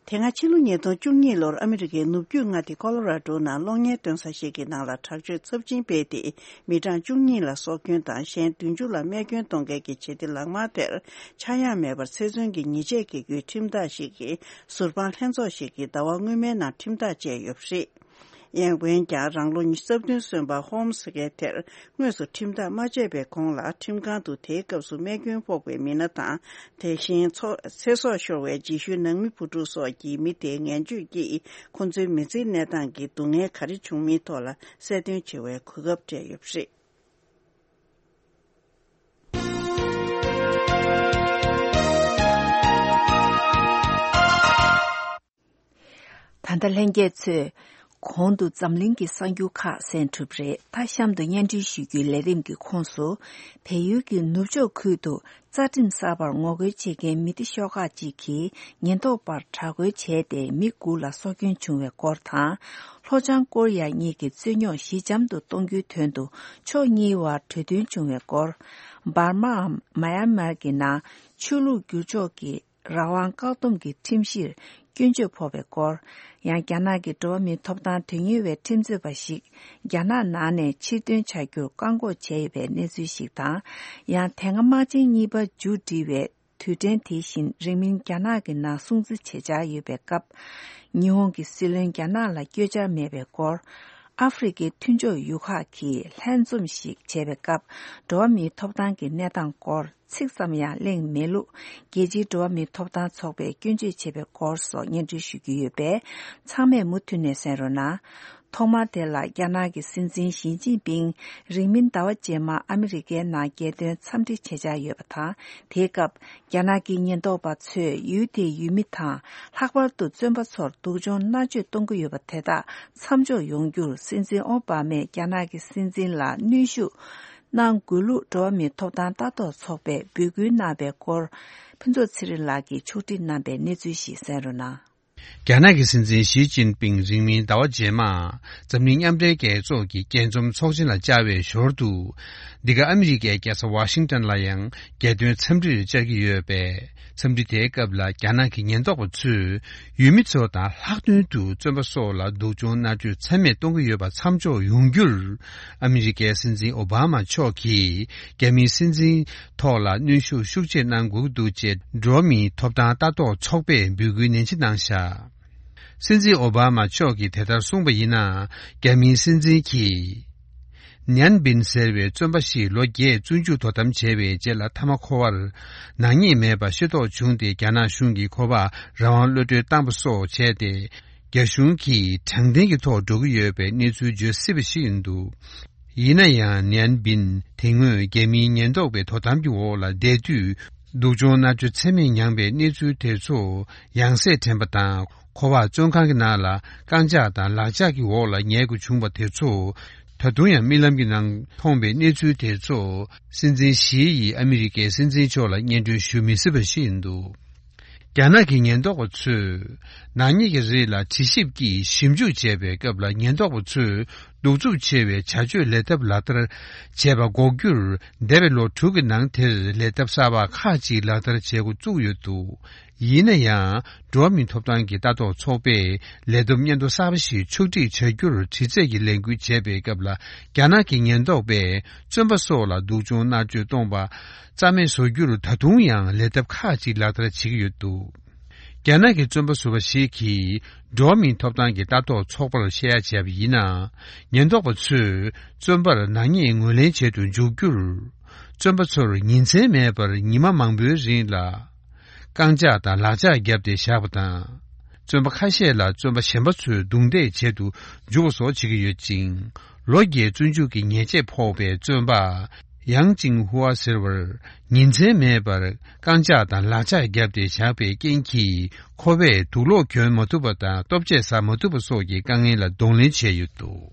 དེ་སྔ་ཕྱི་ལོ་ཉིས་སྟོང་བཅུ་གཉིས་ལོར་ཨ་མི་རི་ཀའི་ནུབ་རྒྱུད་མངའ་སྡེ་ཀོ་ལོ་ར་ཌོ་ནང་གློག་བརྙན་སྟོན་ས་ཞིག་གི་ནང་ལ་དྲག་སྤྱོད་ཚབས་ཆེན་སྤེལ་ཏེ། མི་གྲངས་བཅུ་གཉིས་ལ་སྲོག་སྐྱོན་དང་གཞན་བདུན་ཅུ་ལ་རྨས་སྐྱོན་གཏོང་མཁན་གྱི་བྱེད་གཏེ་ལག་དམར་དེར་ཆག་ཡང་མེད་པར་ཚེ་བཙོན་གྱི་ཉེས་ཆད་བཀལ་རྒྱུའི་ཁྲིམས་ཐག་ཞིག་གིས་ཟུར་དཔང་ལྷན་ཚོགས་ཤིག་གིས་ཟླ་བ་སྔོན་མའི་ནང་ཁྲིམས་ཐག་བཅད་ཡོད་པ་རེད། ཡང་འོན་ཀྱང་རང་ལོ་ཉི་ཤུ་རྩ་བདུན་སོན་པ་ཧོམ་ཟེར་མཁན་དེར་དངོས་སུ་ཁྲིམས་ཐག་མ་བཅད་པའི་གོང་ལ་ཁྲིམས་ཁང་དུ་དེའི་སྐབས་སུ་རྨས་སྐྱོན་ཕོག་པའི་མི་སྣ་དང་། དེ་བཞིན་ཚོ་ཚེ་སྲོག་ཤོར་བའི་རྗེས་ཤུལ་ནང་མི་བུ་ཕྲུག་སོགས་ཀྱིས་མི་དེའི་ངན་སྤྱོད་ཀྱིས་ཁོ་ཚོའི་མི་ཚེའི་གནས་སྟངས་ཀྱི་སྡུག་བསྔལ་ག་རེ་བྱུང་མིན་ཐོག་ལ་གསལ་སྟོན་བྱེད་པའི་གོ་སྐབས་སྤྲད་ཡོད་པ་རེད། ད་ལྟ་ལྷན་རྒྱས་ཚོས་གོང་དུ་འཛམ་གླིང་གི་གསར་འགྱུར་ཁག་གསན་གྲུབ་རེད། ད་གཤམ་དུ་སྙན་སྒྲོན་ཞུ་རྒྱུའི་ལས་རིམ་གྱི་ཁོངས་སུ། བལ་ཡུལ་གྱི་ནུབ་ཕྱོགས་ཁུལ་དུ་རྩ་ཁྲིམས་གསར་པར་ངོ་རྒོལ་བྱེད་མཁན་མི་སྡེ་ཤོག་ཁག་ཅིག་གིས་ཉེན་རྟོག་པར་དྲག་རྒོལ་བྱས་ཏེ་མི་དགུ་ལ་སྲོག་སྐྱོན་བྱུང་བའི་སྐོར་དང་། ལྷོ་བྱང་ཀོ་རི་ཡ་གཉིས་ཀྱི་རྩོད་རྙོག་ཞི་འཇམ་དུ་གཏོང་རྒྱུའི་དོན་དུ་ཕྱོགས་གཉིས་བར་གྲོས་མཐུན་བྱུང་བའི་སྐོར། འབར་མའམ་མཱ་ཡན་མར་གྱི་ནང་ཆོས་ལུགས་བསྒྱུར་བཅོས་ཀྱི་རང་དབང་བཀག་སྡོམ་གྱི་ཁྲིམས་གཞིར་སྐྱོན་བརྗོད་ཕོག་པའི་སྐོར། ཡང་རྒྱ་ནག་གི་འགྲོ་བ་མིའི་ཐོབ་ཐང་དོན་གཉེར་བའི་ཁྲིམས་རྩོད་པ་ཞིག་རྒྱ་ནག་ནང་ནས་ཕྱིར་འདོན་བྱ་རྒྱུར་བཀག་འགོག་བྱས་ཡོད་པའི་གནས་ཚུལ་ཞིག་དང་། ཡང་དེ་སྔ་དམག་ཆེན་གཉིས་པ་མཇུག་སྒྲིལ་བའི་དུས་དྲན་དེ་བཞིན་རིང་མིན་རྒྱ་ནག་གི་ནང་སྲུང་བརྩི་བྱེད་འཆར་ཡོད་པའི་སྐབས། ཉི་ཧོང་གི་སྲིད་བློན་རྒྱ་ནག་ལ་བསྐྱོད་འཆར་མེད་པའི་སྐོར། ཨ་ཧྥེ་རི་ཁའི་མཐུན་ཕྱོགས་ཡུལ་ཁག་གིས་ལྷན་འཛོམས་ཤིག་བྱས་པའི་སྐབས། འགྲོ་བ་མིའི་ཐོབ་ཐང་གི་གནས་སྟངས་སྐོར། ཚིག་ཙམ་ཡང་གླེང་མེད་ལུགས། རྒྱལ་སྤྱིའི་འགྲོ་བ་མིའི་ཐོབ་ཐང་ཚོགས་པས་སྐྱོན་བརྗོད་བྱས་པའི་སྐོར་སོགས་སྙན་སྒྲོན་ཞུ་རྒྱུ་ཡོད་པས། ཚང་མས་མུ་མཐུད་ནས་གསན་རོགས་གནང་། ཐོག་མར་དེ་ལ་རྒྱ་ནག་གི་སྲིད་འཛིན་ཞི་ཅིན་ཕིང་རིང་མིན་ཟླ་བ་རྗེས་མར་ཨ་མི་རི་ཀའི་ནང་རྒྱལ་དོན་འཚམས་འདྲི་བྱེད་འཆར་ཡོད་པ་དང་། དེའི་སྐབས་རྒྱ་ནག་གི་ཉེན་རྟོག་པ་ཚོས་ཡུལ་དེའི་ཡུལ་མི་དང་། ལྷག་པར་དུ་བཙོན་པ་ཚོར་སྡུག་སྦྱོང་མནར་གཅོད་གཏོང་གི་ཡོད་པ་དེ་དག་མཚམས་འཇོག་ཡོང་རྒྱུར་སྲིད་འཛིན་ཨོ་བྷ་མས་རྒྱ་ནག་གི་སྲིད་འཛིན་ལ་གནོན་ཤུགས་ གནང་དགོས་ལུགས་འགྲོ་བ་མིའི་ཐོབ་ཐང་ལྟ་རྟོག་ཚོགས་པས་འབོད་སྐུལ་གནང་བའི་སྐོར། ཕུན་ཚོགས་ཚེ་རིང་ལགས་ཀྱིས་ཕྱོགས་སྒྲིག་གནང་པའི་གནས་ཚུལ་ཞིག་གསན་རོགས་གནང་། རྒྱ་ནག་གི་སྲིད་འཛིན་ཞི་ཅིན་ཕིང་རིང་མིན་ཟླ་བ་རྗེས་མ་འཛམ་གླིང་མཉམ་འབྲེལ་རྒྱལ་ཚོགས་ཀྱི་རྒྱས་འཛོམས་ཚོགས་ཆེན་ལ་བཅར་བའི་ཞོར་དུ། འདི་ག་ཨ་མི་རི་ཀའི་རྒྱལ་ས་ཝ་ཤིང་ཏོན་ལ་ཡང་རྒྱལ་དོན་འཚམས་འདྲིར་བཅར་གྱི་ཡོད་པས། འཚམས་འདྲི་དེའི་སྐབས་ལ་རྒྱ་ནག་གི་ཉེན་རྟོག་པ་ཚོས་ཡུལ་མི་ཚོ་དང་ལྷག་དོན་དུ་བཙོན་པ་སོགས་ལ་སྡུག་སྦྱོང་མནར་གཅོད་ཚད་མེད་གཏོང་གི་ཡོད་པ་མཚམས་འཇོག་ཡོང་རྒྱུར། ཨ་མི་རི་ཀའི་སྲིད་འཛིན་ཨོ་བྷ་མ་མཆོག་གིས་རྒྱ་མིའི་སྲིད་འཛིན་ཐོག་ལ་གནོན་ཤུགས་ཤུགས་ཆེ་གནང་དགོས་ཀྱི་འདུག་ཅེས་འགྲོ་བ་མིའི་ཐོབ་ཐང་ལྟ་རྟོག་ཚོགས་པས་འབོད་སྐུལ་ནན་ཆེ་གནང་བཞག། སྲིད་འཛིན་ཨོ་བྷ་མ་མཆོག་གིས་དེ་ལྟར་གསུངས་པ་ཡིན་ན། རྒྱ་མིའི་སྲིད་འཛིན་གྱིས། ནན་བིན་ཟེར་བའི་བཙོན་པ་ཞིག་ལོ་བརྒྱད་བཙོན་འཇུག་དོ་དམ་བྱས་པའི་རྗེས་ལ་མཐའ་མ་ཁོ་པར་ནག་ཉེས་མེད་པ་ཤེས་རྟོགས་བྱུང་སྟེ། རྒྱ་ནག་གཞུང་གིས་ཁོ་པར་རང་དབང་གློད་གྲོལ་བཏང་པ་སོགས་བྱས་ཏེ། རྒྱ་གཞུང་གིས་དྲང་བདེན་གྱི་ཐོག་འགྲོ་གི་ཡོད་པའི་གནས་ཚུལ་བརྗོད་སྲིད་པ་ཞིག་ཡིན་འདུག། ཡིན་ན་ཡང་ནན་བིན་དེ་སྔོན་རྒྱ་མིའི་ཉེན་རྟོག་པའི་དོ་དམ་གྱི་འོག་ལ་བསྡད་དུས། སྡུག་སྦྱོང་མནར་གཅོད་ཚད་མེད་མྱངས་པའི་གནས་ཚུལ་དེ་ཚོ་ཡང་སེ་དྲན་པ་དང་། ཁོ་པ་བཙོན་ཁང་གི་ནང་ལ་རྐང་ལྕགས་དང་ལག་ལྕགས་ཀྱི་འོག་ལ་ཉལ་དགོས་བྱུང་བ་དེ་ཚོ། ད་དུང་ཡང་རྨི་ལམ་གྱི་ནང་མཐོང་བའི་གནས་ཚུལ་དེ་ཚོ། སྲིད་འཛིན་ཞི་ཡིས་ཨ་མི་རི་ཀའི་སྲིད་འཛིན་མཆོག་ལ་སྙན་སྒྲོན་ཞུ་མི་སྲིད་པ་ཞིག་ཡིན་འདུག། རྒྱ་ནག་གི་ཉེན་རྟོག་པ་ཚོས་ནག་ཉེས་ཀྱི་རིགས་ལ་དྲི་ཞིབ་ཀྱིས་ཞིབ་འཇུག་བྱས་པའི་སྐབས་ལ། ཉེན་རྟོག་པ་ཚོས་གདུག་རྩུབ་ཆེ་བའི་བྱ་སྤྱོད་ལས་ཐབས་ལག་བསྟར་བྱས་པ་འགོག་རྒྱུར། འདས་པའི་ལོ་དྲུག་གི་ནང་དེར་ལས་ཐབས་གསར་པ་ཁག་ཅིག་ལག་བསྟར་བྱེད་འགོ་བཙུགས་ཡོད་འདུག། ཡིན་ན་ཡང་། འགྲོ་བ་མིའི་ཐོབ་ཐང་གི་ལྟ་རྟོག་ཚོགས་པས་ལས་བསྡོམས་སྙན་ཐོ་གསར་པ་ཞིག་ཕྱོགས་སྒྲིག་བྱ་རྒྱུར་དྲི་རྩད་ཀྱི་ལས་འགུལ་བྱས་པའི་སྐབས་ལ། རྒྱ་ནག་གི་ཉེན་རྟོག་པས་བཙོན་པ་སོགས་ལ་སྡུག་སྦྱོང་མནར་གཅོད་གཏོང་པ་རྩ་མེད་བཟོ་རྒྱུར་ད་དུང་ཡང་ལས་ཐབས་ཁག་ཅིག་ལག་བསྟར་བྱེད་ཀྱི་ཡོད་འདུག། རྒྱ་ནག་གི་བཙོན་པ་ཟུར་པ་ཞིག་གིས་འགྲོ་བ་མིའི་ཐོབ་ཐང་གི་ལྟ་རྟོག་ཚོགས་པར་བཤད་ཡ་བྱས་པ་ཡིན་ན། ཉེན་རྟོག་པ་ཚོས་བཙོན་པར་ནག་ཉེས་ངོས་ལེན་བྱེད་དུ་འཇུག་རྒྱུར། བཙོན་པ་ཚོར་ཉིན་མཚན་མེད་པར་ཉི་མ་མང་པོའི་རིང་ལ། རྐང་ལྕགས་དང་ལག་ལྕགས་བརྒྱབ་སྟེ་བཞག་པ་དང་། བཙོན་པ་ཁ་ཤས་ལ་བཙོན་པ་གཞན་པ་ཚོས་རྡུང་རྡེག་བྱེད་དུ་འཇུག་པ་སོགས་བྱེད་ཀྱི་ཡོད་ཅིང་། ལོ་བརྒྱད་བཙོན་འཇུག་གི་ཉེས་ཆད་ཕོག་པའི་བཙོན་པ། ཡང་ཅིང་ཧུའ་ཟེར་བར། ཉིན་མཚན་མེད་པར་རྐང་ལྕགས་དང་ལག་ལྕགས་བརྒྱབ་སྟེ་བཞག་པའི་རྐྱེན་གྱིས། ཁོ་པས་དུག་ལོག་གྱོན་མ་ཐུབ་པ་དང་། ལྟོ་ཆས་ཟ་མ་ཐུབ་པ་སོགས་ཀྱི་དཀའ་ངལ་ལ་གདོང་ལེན་བྱས་ཡོད་འདུག།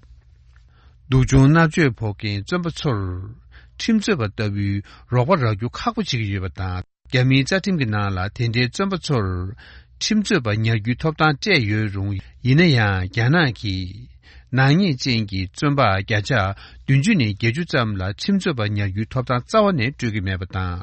སྡུག་སྦྱོང་མནར་གཅོད་ཕོག་མཁན་བཙོན་པ་ཚོར། ཁྲིམས་རྩོད་པ་ལྟ་བུའི་རོགས་པ་རག་རྒྱུ་ཁག་པོ་བྱེད་ཀྱི་ཡོད་པ་དང་། རྒྱ་མིའི་རྩ་ཁྲིམས་ཀྱི་ནང་ལ་དེ་འདྲའི་བཙོན་པ་ཚོར། ཁྲིམས་རྩོད་པ་ཉར་རྒྱུའི་ཐོབ་ཐང་སྤྲད་ཡོད་རུང་། ཡིན་ན་ཡང་རྒྱ་ནག་གིས། ནག་ཉེས་ཅན་གྱི་བཙོན་པ་བརྒྱ་ཆ་བདུན་ཅུ་ནས་བརྒྱད་ཅུ་ཙམ་ལ་ཁྲིམས་རྩོད་པ་ཉར་རྒྱུའི་ཐོབ་ཐང་རྩ་བ་ནས་སྤྲོད་ཀྱི་མེད་པ་དང་།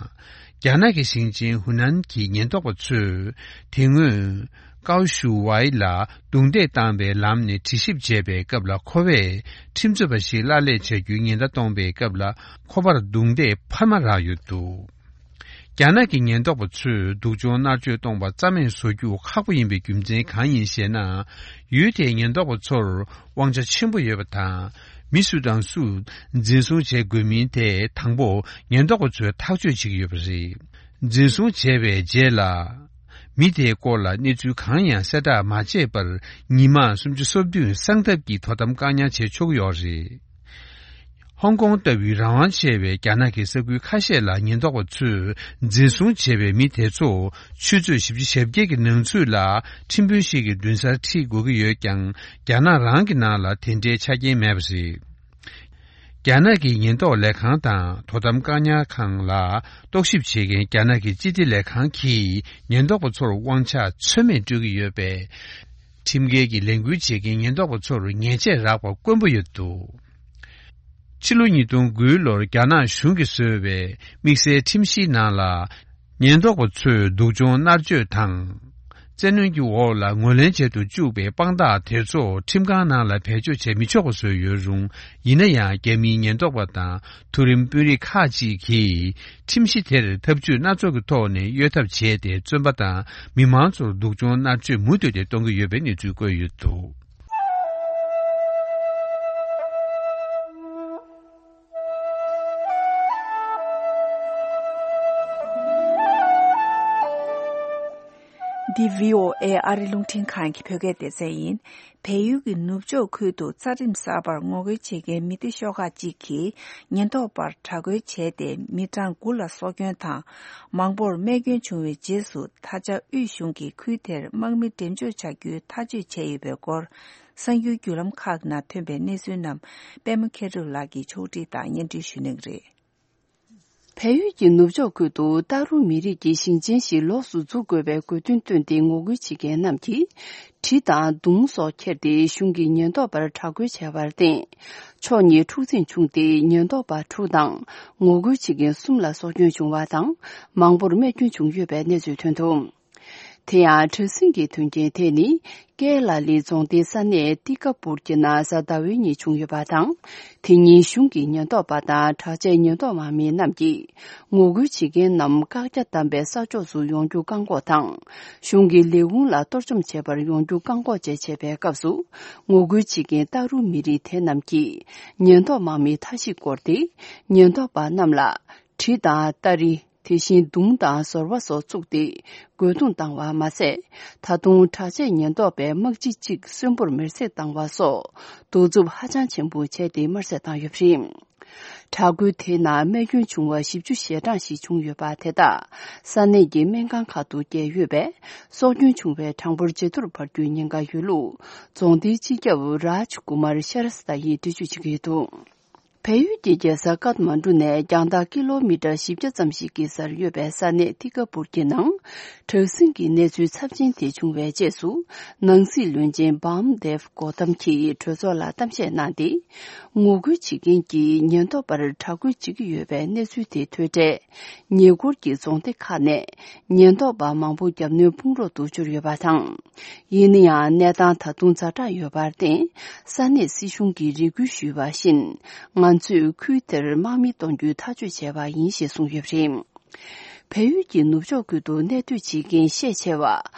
རྒྱ་ནག་གི་ཞིང་ཆེན་ཧུ་ནན་གྱི་ཉེན་རྟོག་པ་ཚོས་དེ་སྔོན་ཀའོ་ཞུ་ཝའི་ལ་རྡུང་རྡེག་བཏང་བའི་ལམ་ནས་དྲི་ཞིབ་བྱས་པའི་སྐབས་ལ། ཁོ་པས་ཁྲིམས་རྩོད་པ་ཞིག་གླགས་ལས་བྱ་རྒྱུའི་ཉེན་བརྡ་གཏོང་བའི་སྐབས་ལ་ཁོ་པར་རྡུང་རྡེག་འཕར་མ་རག་ཡོད་འདུག། རྒྱ་ནག་གི་ཉེན་རྟོག་པ་ཚོས་སྡུག་སྦྱོང་མནར་གཅོད་གཏོང་པ་རྩ་མེད་བཟོ་རྒྱུ་ཁག་པོ་ཡིན་པའི་རྒྱུ་མཚན་གང་ཡིན་ཞེ་ན། ཡུལ་དེའི་ཉེན་རྟོག་པ་ཚོར་དབང་ཆ་ཆེན་པོ་ཡོད་པ་དང་། མི་སུ་དང་སུ་འཛིན་བཟུང་བྱེད་དགོས་མིན་དེ་དང་པོ་ཉེན་རྟོག་པ་ཚོས་ཐག་གཅོད་བྱེད་ཀྱི་ཡོད་པ་རེད། འཛིན་བཟུང་བྱས་པའི་རྗེས་ལ། མི་དེའི་སྐོར་ལ་གནས་ཚུལ་གང་ཡང་གསལ་བསྒྲགས་མ་བྱས་པར། ཉི་མ་སུམ་ཅུ་སོ་བདུན་གསང་ཐབས་ཀྱིས་དོ་དམ་བཀག་ཉར་བྱེད་ཆོག་གི་ཡོད་རེད། ཧོང་ཀོང་ལྟ་བུའི་རང་དབང་ཆེ་བའི་རྒྱ་ནག་གི་ས་ཁུལ་ཁ་ཤས་ལ་ཉེན་རྟོག་པ་ཚོས་འཛིན་བཟུང་བྱས་པའི་མི་དེ་ཚོ་ཆུ་ཚོད་བཞི་བཅུ་ཞེ་བརྒྱད་ཀྱི་ནང་ཚུད་ལ་ཁྲིམས་དཔོན་ཞིག་གི་མདུན་སར་ཁྲིད་དགོས་ཀྱི་ཡོད་ཀྱང་། རྒྱ་ནག་རང་གི་ནང་ལ་དེ་འདྲའི་ཆ་རྐྱེན་མེད་པ་རེད། རྒྱ་ནག་གི་ཉེན་རྟོག་ལས་ཁང་དང་དོ་དམ་བཀག་ཉར་ཁང་ལ་རྟོག་ཞིབ་བྱེད་མཁན་རྒྱ་ནག་གི་སྤྱི་བདེ་ལས་ཁང་གིས་ཉེན་རྟོག་པ་ཚོར་དབང་ཆ་ཚོད་མེད་སྤྲོད་ཀྱི་ཡོད་པས། ཁྲིམས་འགལ་གྱི་ལས་འགུལ་བྱེད་མཁན་ཉེན་རྟོག་པ་ཚོར་ཉེས་ཆད་རག་པ་དཀོན་པོ་ཡོད་འདུག། ཕྱི་ལོ་ཉིས་སྟོང་དགུའི་ལོར་རྒྱ་ནག་གཞུང་གིས་བཟོས་པའི་དམིགས་བསལ་ཁྲིམས་གཞིའི་ནང་ལ། ཉེན་རྟོག་པ་ཚོས་སྡུག་སྦྱོང་མནར་གཅོད་དང་། བཙན་གནོན་གྱི་འོག་ལ་ངོས་ལེན་བྱེད་དུ་བཅུག་པའི་དཔང་རྟགས་དེ་ཚོ་ཁྲིམས་ཁང་ནང་ལ་བེད་སྤྱོད་བྱེད་མི་ཆོག་པ་བཟོས་ཡོད་རུང་། ཡིན་ན་ཡང་། རྒྱ་མིའི་ཉེན་རྟོག་པ་དང་མཐོ་རིམ་དཔོན་རིགས་ཁག་ཅིག་གིས་ཁྲིམས་གཞི་དེར་ཐབས་ཇུས་སྣ་ཚོགས་ཀྱི་ཐོག་ནས་གཡོལ་ཐབས་བྱས་ཏེ། བཙོན་པ་དང་མི་མང་ཚོར་སྡུག་སྦྱོང་མནར་གཅོད་མུ་མཐུད་དེ་གཏོང་གི་ཡོད་པའི་གནས་ཚུལ་བཀོད་ཡོད་འདུག། འདི་བྷི་ཨོ་ཨེ་ཨ་རི་རླུང་འཕྲིན་ཁང་གི་བོད་སྐད་སྡེ་ཚན་ཡིན། བལ་ཡུལ་གྱི་ནུབ་ཕྱོགས་ཁུལ་དུ་རྩ་ཁྲིམས་གསར་པར་ངོ་རྒོལ་བྱེད་མཁན་མི་སྡེ་ཤོག་ཁག་ཅིག་གིས་ཉེན་རྟོག་པར་དྲག་རྒོལ་བྱས་ཏེ་མི་གྲངས་དགུ་ལ་སྲོག་སྐྱོན་དང་མང་པོར་རྨས་སྐྱོན་བྱུང་བའི་རྗེས་སུ། ད་ཆ་དབུས་གཞུང་གིས་ཁུལ་དེར་དམག་མི་འགྲེམས་འཇོག་བྱ་རྒྱུའི་ཐག་གཅོད་བྱས་ཡོད་པའི་སྐོར། གསར་འགྱུར་བརྒྱུད་ལམ་ཁག་ནང་ཐོན་པའི་གནས་ཚུལ་རྣམས་པད་མ་མཁས་གྲུབ་ལགས་ཀྱིས་ཕྱོགས་སྒྲིག་དང་སྙན་སྒྲོན་ཞུ་གནང་གི་རེད། བལ་ཡུལ་གྱི་ནུབ་ཕྱོགས་ཁུལ་དུ་ཏཱ་རུ་མི་རིགས་ཀྱི་ཞིང་ཆེན་ཞིག་ལོགས་སུ་འཛུགས་དགོས་པའི་དགོས་འདུན་བཏོན་ཏེ་ངོ་རྒོལ་བྱེད་མཁན་རྣམས་ཀྱིས་གྲི་དང་མདུང་སོགས་ཁྱེར་ཏེ་གཞུང་གི་ཉེན་རྟོག་པར་དྲག་རྒོལ་བྱས་པར་བརྟེན། ཕྱོགས་གཉིས་འཁྲུག་འཛིང་བྱུང་སྟེ་ཉེན་རྟོག་པ་དྲུག་དང་ངོ་རྒོལ་བྱེད་མཁན་གསུམ་ལ་སྲོག་སྐྱོན་བྱུང་བ་དང་མང་པོར་རྨས་སྐྱོན་བྱུང་ཡོད་པའི་གནས་ཚུལ་ཐོན་འདུག། དེ་ཡང་དྲག་ཟིང་གི་དོན་རྐྱེན་དེ་ནི་ཀེ་ལ་ལི་རྫོང་སྡེའི་ས་གནས་ཏི་ཀ་པུར་གྱི་ནང་གཟའ་ཟླ་བའི་ཉིན་བྱུང་ཡོད་པ་དང་། དེ་ཉིན་གཞུང་གི་ཉེན་རྟོག་པ་དང་དྲག་ཆས་ཉེན་རྟོག་དམག་མི་རྣམས་ཀྱིས་ངོ་རྒོལ་བྱེད་མཁན་རྣམས་བཀག་རྒྱ་བསྡམས་པའི་ས་ཕྱོགས་སུ་ཡོང་རྒྱུ་བཀག་འགོག་དང་། གཞུང་གི་ལས་ཁུངས་ལ་གཏོར་བཅོམ་བྱེད་པར་ཡོང་རྒྱུ་བཀག་འགོག་བཅས་བྱེད་པའི་སྐབས་སུ། ངོ་རྒོལ་བྱེད་མཁན་ཏཱ་རུ་མི་རིགས་དེ་རྣམས་ཀྱིས་ཉེན་རྟོག་དམག་མིའི་མཐའ་བཞི་བསྐོར་ཏེ། ཉེན་རྟོག་པ་རྣམས་ལ་གྲི་དང་སྟ་རེ། དེ་བཞིན་མདུང་དང་ཟོར་བ་སོགས་བཙུགས་ཏེ་རྒོལ་རྡུང་བཏང་བ་མ་ཟད། ད་དུང་དྲག་ཆས་ཉེན་རྟོག་པས་དམག་སྤྱི་གཅིག་གསོན་པོར་མེར་སྲེག་བཏང་བ་སོགས་གདུག་རྩུབ་ཧ་ཅང་ཆེན་པོ་བྱས་ཏེ་དམར་གསོད་བཏང་ཡོད་པ་རེད། དྲག་རྒོལ་དེའི་ནང་རྨས་སྐྱོན་བྱུང་བ་བཞི་བཅུ་ཞེ་གྲངས་ཤིག་བྱུང་ཡོད་པ་དེ་དག་ས་གནས་ཀྱི་སྨན་ཁང་ཁག་ཏུ་བསྐྱལ་ཡོད་པས། སྲོག་སྐྱོན་བྱུང་བའི་གྲངས་འབོར་ཇེ་མཐོར་འཕར་རྒྱུའི་ཉེན་ཁ་ཡོད་ལུགས་རྫོང་སྡེའི་སྤྱི་ཁྱབ་རཱཇ་ཀུ་མར་ཤ་ར་སི་ཏཱ་ཡིས་འགྲེལ་བརྗོད་བྱེད་ཀྱི་ཡོད་འདུག། བལ་ཡུལ་གྱི་རྒྱལ་ས་ཀཏ་མན་གྲུ་ནས་རྒྱང་ཐག་ཀི་ལོ་མི་ཊར་བཞི་བརྒྱ་ཙམ་ཞིག་གི་སར་ཡོད་པའི་ས་གནས་ཏི་ཀ་པུར་གྱི་ནང་དྲག་ཟིང་གི་གནས་ཚུལ་ཚབས་ཆེན་དེ་བྱུང་བའི་རྗེས་སུ། ནང་སྲིད་བློན་ཆེན་བྷམ་དེབ་གོ་ཏམ་གྱིས་གྲོས་ཚོགས་ལ་གཏམ་བཤད་གནང་སྟེ། ངོ་རྒོལ་བྱེད་མཁན་གྱིས་ཉེན་རྟོག་པར་དྲག་རྒོལ་བྱེད་ཀྱི་ཡོད་པའི་གནས་ཚུལ་དེ་ཐོས་འཕྲལ། ཉེ་འཁོར་གྱི་རྫོང་སྡེ་ཁག་ནས་ཉེན་རྟོག་པ་མང་པོ་རྒྱབ་གནོན་དཔུང་རོགས་ཏུ་གྱུར་ཡོད་པ་དང་། ཡིན་ན་ཡང་གནས་སྟངས་ད་དུང་ཛ་དྲག་ཡོད་པར་བརྟེན། ས་གནས་སྲིད་གཞུང་གིས་རེ་སྐུལ་ཞུས་པ་བཞིན། ང་ཚོས་ཁུལ་དེར་དམག་མི་གཏོང་རྒྱུའི་ཐག་གཅོད་བྱས་པ་ཡིན་ཞེས་གསུངས་ཡོད་པ་རེད། བལ་ཡུལ་གྱི་ནུབ་ཕྱོགས་ཁུལ་དུ་གནས་སྡོད་བྱེད་མཁན་ཤས་ཆེ་བ་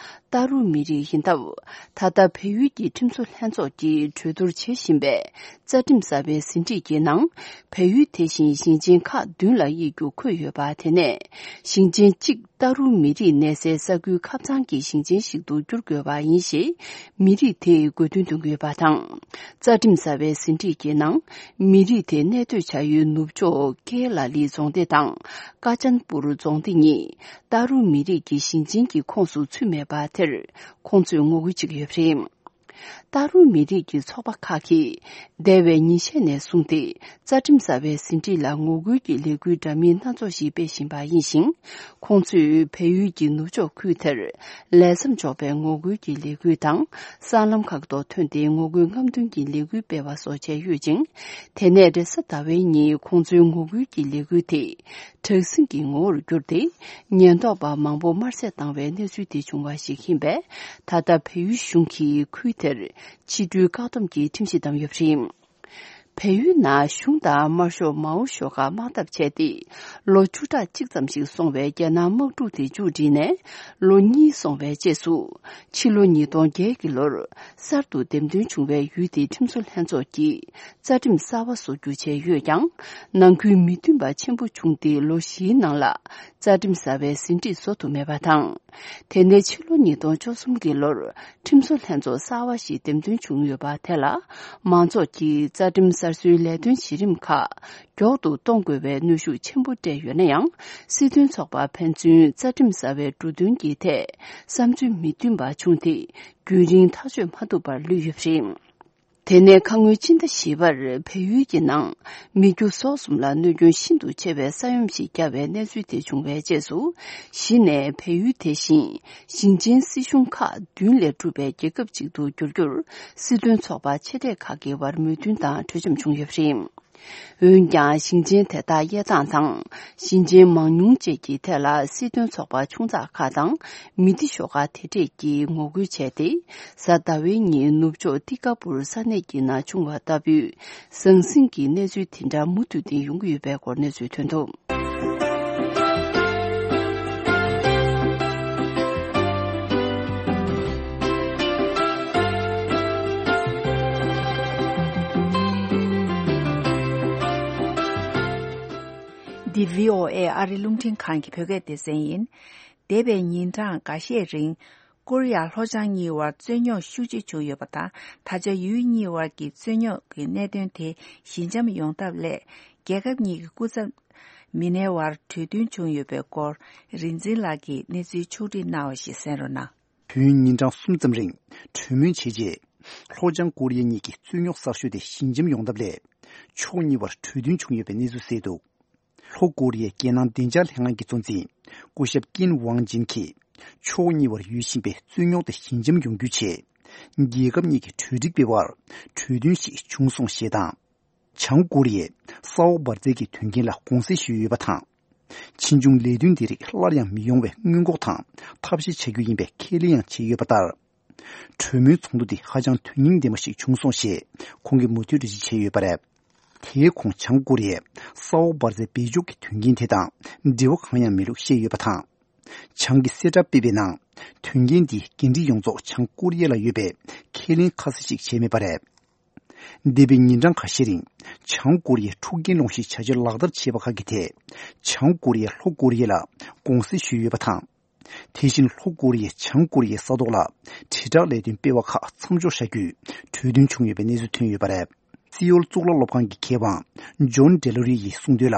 ཏཱ་རུ་མི་རིགས་ཡིན་སྟབས། ད་ལྟ་བལ་ཡུལ་གྱི་ཁྲིམས་བཟོ་ལྷན་ཚོགས་ཀྱིས་གྲོས་བསྡུར་བྱེད་བཞིན་པའི་རྩ་ཁྲིམས་གསར་པའི་ཟིན་བྲིས་ཀྱི་ནང་། བལ་ཡུལ་དེ་བཞིན་ཞིང་ཆེན་ཁག་བདུན་ལ་དབྱེ་རྒྱུ་འཁོད་ཡོད་པ། དེ་ནས་ཞིང་ཆེན་གཅིག་ཏཱ་རུ་མི་རིགས་གནས་སའི་ས་ཁུལ་ཁབ་ཚང་གི་ཞིང་ཆེན་ཞིག་ཏུ་བསྒྱུར་དགོས་པ་ཡིན་ཞེས་མི་རིགས་དེས་དགོས་འདུན་འདོན་གྱི་ཡོད་པ་དང་། རྩ་ཁྲིམས་གསར་པའི་ཟིན་བྲིས་ཀྱི་ནང་། མི་རིགས་དེ་གནས་སྡོད་བྱ་ཡུལ་ནུབ་ཕྱོགས་ཀེ་ལ་ལི་རྫོང་སྡེ་དང་ཀ་ཅན་པུར་རྫོང་སྡེ་གཉིས་ཏཱ་རུ་མི་རིགས་ཀྱི་ཞིང་ཆེན་གྱི་ཁོངས་སུ་ཚུད་མེད་པ་དེར་ཁོང་ཚོས་ངོ་རྒོལ་བྱེད་ཀྱི་ཡོད་པ་རེད། ཏཱ་རུ་མི་རིགས་ཀྱི་ཚོགས་པ་ཁག་གིས་འདས་པའི་ཉིན་ཤས་ནས་བཟུང་སྟེ་རྩ་ཁྲིམས་གསར་པའི་ཟིན་བྲིས་ལ་ངོ་རྒོལ་གྱི་ལས་འགུལ་འདྲ་མིན་སྣ་ཚོགས་ཤིག་སྤེལ་བཞིན་པ་ཡིན་ཞིང་། ཁོང་ཚོས་བལ་ཡུལ་གྱི་ནུབ་ཕྱོགས་ཁུལ་དེར་ལས་མཚམས་འཇོག་པའི་ངོ་རྒོལ་གྱི་ལས་འགུལ་དང་། སྲང་ལམ་ཁག་ཏུ་ཐོན་ཏེ་ངོ་རྒོལ་རྔམ་སྟོན་གྱི་ལས་འགུལ་སྤེལ་བ་སོགས་བྱས་ཡོད་ཅིང་། དེ་ནས་རེས་གཟའ་ཟླ་བའི་ཉིན་ཁོང་ཚོའི་ངོ་རྒོལ་གྱི་ལས་འགུལ་དེ་དྲག་ཟིང་གི་ངོ་བོར་གྱུར་ཏེ། ཉེན་རྟོག་པ་མང་པོ་དམར་གསོད་བཏང་བའི་གནས་ཚུལ་དེ་བྱུང་བ་ཞིག་ཡིན་པས། ད་ལྟ་བལ་ཡུལ་གཞུང་གིས་ཁུལ་དེར་ཕྱི་འགྲུལ་བཀག་སྡོམ་གྱི་ཁྲིམས་གཞི་བསྡམས་ཡོད་པ་རེད། བལ་ཡུལ་ནང་གཞུང་དང་དམར་ཤོག་མའོ་ཤོག་ཁག་དམག་འཐབ་བྱས་ཏེ། ལོ་བཅུ་ཕྲག་གཅིག་ཙམ་ཞིག་སོང་བའི་རྒྱལ་ནང་དམག་འཁྲུག་དེ་མཇུག་བསྒྲིལ་ནས་ལོ་གཉིས་སོང་བའི་རྗེས་སུ། ཕྱི་ལོ་ཉིས་སྟོང་བརྒྱད་ཀྱི་ལོར་གསར་དུ་འདེམས་ཐོན་བྱུང་བའི་ཡུལ་དེའི་ཁྲིམས་བཟོ་ལྷན་ཚོགས་ཀྱིས་རྩ་ཁྲིམས་གསར་པ་བཟོ་རྒྱུ་བྱས་ཡོད་ཀྱང་། ནང་ཁུལ་མི་མཐུན་པ་ཆེན་པོ་བྱུང་སྟེ་ལོ་བཞིའི་ནང་ལ་རྩ་ཁྲིམས་གསར་པའི་ཟིན་བྲིས་བཟོ་ཐུབ་མེད་པ་དང་། དེ་ནས་ཕྱི་ལོ་ཉིས་སྟོང་བཅུ་གསུམ་གྱི་ལོར་ཁྲིམས་བཟོ་ལྷན་ཚོགས་གསར་པ་ཞིག་འདེམས་ཐོན་བྱུང་ཡོད་པ་དེ་ལ། མང་ཚོགས་ཀྱིས་རྩ་ཁྲིམས་གསར་བཟོའི་ལས་དོན་གཞི་རིམ་ཁག་མགྱོགས་སུ་གཏོང་དགོས་པའི་གནོན་ཤུགས་ཆེན་པོ་སྤྲད་ཡོད་ན་ཡང་། སྲིད་དོན་ཚོགས་པ་ཕན་ཚུན་རྩ་ཁྲིམས་གསར་པའི་འབྲུ་དོན་གྱི་ཐད་བསམ་ཚུལ་མི་མཐུན་པ་བྱུང་སྟེ། རྒྱུན་རིང་ཐག་གཅོད་མ་ཐུབ་པར་ལུས་ཡོད་པ་རེད། དེ་ནས་ཁ་སྔོན་ཕྱི་ཟླ་བཞི་པར་བལ་ཡུལ་གྱི་ནང་མི་རྒྱུ་ཟོག་གསུམ་ལ་གནོད་སྐྱོན་ཤིན་ཏུ་ཆེ་བའི་ས་ཡོམ་ཞིག་བརྒྱབ་པའི་གནས་ཚུལ་དེ་བྱུང་བའི་རྗེས་སུ། གཞི་ནས་བལ་ཡུལ་དེ་བཞིན་ཞིང་ཆེན་སྲིད་གཞུང་ཁག་བདུན་ལས་གྲུབ་པའི་རྒྱལ་ཁབ་ཅིག་ཏུ་འགྱུར་རྒྱུར་སྲིད་དོན་ཚོགས་པ་ཆེ་གྲས་ཁག་གི་བར་མོས་མཐུན་དང་གྲོས་འཆམ་བྱུང་ཡོད་པ་རེད། འོན་ཀྱང་ཞིང་ཆེན་དེ་དག་དབྱེ་སྟངས་དང་། ཞིང་ཆེན་མང་ཉུང་བཅས་ཀྱི་ཐད་ལ་སྲིད་དོན་ཚོགས་པ་ཆུང་ཙག་ཁག་དང་མི་སྡེ་ཤོག་ཁག་དེ་གྲས་ཀྱིས་ངོ་རྒོལ་བྱས་ཏེ། གཟའ་ཟླ་བའི་ཉིན་ནུབ་ཕྱོགས་ཏི་ཀ་པུར་ས་གནས་ཀྱི་ནང་བྱུང་བ་ལྟ་བུའི་ཟང་ཟིང་གི་གནས་ཚུལ་དེ་འདྲ་མུ་མཐུད་དེ་ཡོང་གི་ཡོད་པའི་སྐོར་གནས་ཚུལ་ཐོན་འདུག། འདི་བྷི་ཨོ་ཨེ་ཨ་རི་རླུང་འཕྲིན་ཁང་གི་བོད་སྐད་སྡེ་ཚན་ཡིན། འདས་པའི་ཉིན་གྲངས་འགའ་ཤས་རིང་ ཀོ་རི་ཡ་ལྷོ་བྱང་གཉིས་བར་རྩོད་རྙོག་ཤུགས་ཆེ་བྱུང་ཡོད་པ་དང་། ད་ཆ་ཡུལ་གཉིས་བར་གྱི་རྩོད་རྙོག་གི་གནད་དོན་དེ་ཞི་འཇམ་ཡོང་ཐབས་སླད། རྒྱལ་ཁབ་གཉིས་ཀྱི་སྐུ་ཚབ་མི་སྣའི་བར་གྲོས་མཐུན་བྱུང་ཡོད་པའི་སྐོར། རིག་འཛིན་ལགས་ཀྱིས་གནས་ཚུལ་ཕྱོགས་བསྒྲིགས་གནང་བ་ཞིག་གསན་རོགས་གནང་། དུས་ཡུན་ཉིན་གྲངས་གསུམ་ཙམ་རིང་གྲོས་མོལ་བྱས་རྗེས། ལྷོ་བྱང་ཀོ་རི་ཡ་གཉིས་ཀྱི་རྩོད་རྙོག་གསར་ཤོས་དེ་ཞི་འཇམ་ཡོང་ཐབས་སླད། ཕྱོགས་གཉིས་བར་གྲོས་མཐུན་བྱུང་ཡོད་པའི་གནས་ཚུལ་གསལ་འདུག་ལྷོ་ཀོ་རི་ཡའི་རྒྱལ་ནང་བདེ་འཇགས་ལྷན་ཁང་གི་གཙོ་འཛིན་སྐུ་ཞབས་ཀིན་ཝང་ཅིན་གྱིས། ཕྱོགས་གཉིས་བར་ཡོད་བཞིན་པའི་རྩོད་རྙོག་དེ་ཞི་འཇམ་ཡོང་རྒྱུའི་ཆེད། རྒྱལ་ཁབ་གཉིས་ཀྱི་གྲོས་སྒྲིག་པའི་བར་གྲོས་མཐུན་ཞིག་བྱུང་སོང་ཞེས་དང་། བྱང་ཀོ་རི་ཡས་ས་འོག་འབར་རྫས་ཀྱི་དོན་རྐྱེན་ལ་དགོངས་སེལ་ཞུས་ཡོད་པ་དང་། ཕྱིས་འབྱུང་ལས་དོན་འདི་རིགས་སླར་ཡང་མི་ཡོང་བའི་སྔོན་འགོག་དང་ཐབས་ཤེས་བྱ་རྒྱུ་ཡིན་པའི་ཁས་ལེན་ཡང་བྱས་ཡོད་པ་ལྟར། གྲོས་མོལ་ཚོགས་འདུ་འདི་ཧ་ཅང་དོན་སྙིང་ལྡན་པ་ཞིག་བྱུང་སོང་ཞེས་ཁོང་གིས་མུ་མཐུད་འགྲེལ་བརྗོད་བྱས་ཡོད་པ་རེད། དེའི་ཁོངས་བྱང་ཀོ་རི་ཡས་ས་འོག་འབར་རྫས་བེད་སྤྱོད་ཀྱི་དོན་རྐྱེན་དེ་དང་འབྲེལ་བ་གང་ཡང་མེད་ལུགས་བཤད་ཡོད་པ་དང་། བྱང་གི་གསལ་བསྒྲགས་སྤེལ་བའི་ནང་དོན་རྐྱེན་འདིའི་འགན་འཁྲི་ཡོངས་རྫོགས་བྱང་ཀོ་རི་ཡ་ལ་ཡོད་པའི་ཁས་ལེན་ཁ་གསལ་ཞིག་བྱས་མེད་པ་རེད། འདས་པའི་ཉིན་གྲངས་ཁ་ཤས་རིང་བྱང་ཀོ་རི་ཡས་འཁྲུག་རྐྱེན་སློང་གཞིའི་བྱ་སྤྱོད་ལག་བསྟར་བྱས་པ་ཁག་གི་ཐད་བྱང་ཀོ་རི་ཡས་ལྷོ་ཀོ་རི་ཡ་ལ་དགོངས་སེལ་ཞུས་ཡོད་པ་དང་། དེ་བཞིན་ལྷོ་ཀོ་རི་ཡས་བྱང་ཀོ་རི་ཡའི་ས་ཐོག་ལ་དྲིལ་བསྒྲགས་ལས་དོན་སྤེལ་བ་ཁག་མཚམས་འཇོག་བྱ་རྒྱུའི་གྲོས་མཐུན་བྱུང་ཡོད་པའི་གནས་ཚུལ་ཐོན་ཡོད་པ་རེད། སི་ཨོལ་གཙུག་ལག་སློབ་ཁང་གི་མཁས་དབང་ཇོན་ཌེ་ལོ་རི་ཡིས་གསུངས་དོན་ལ།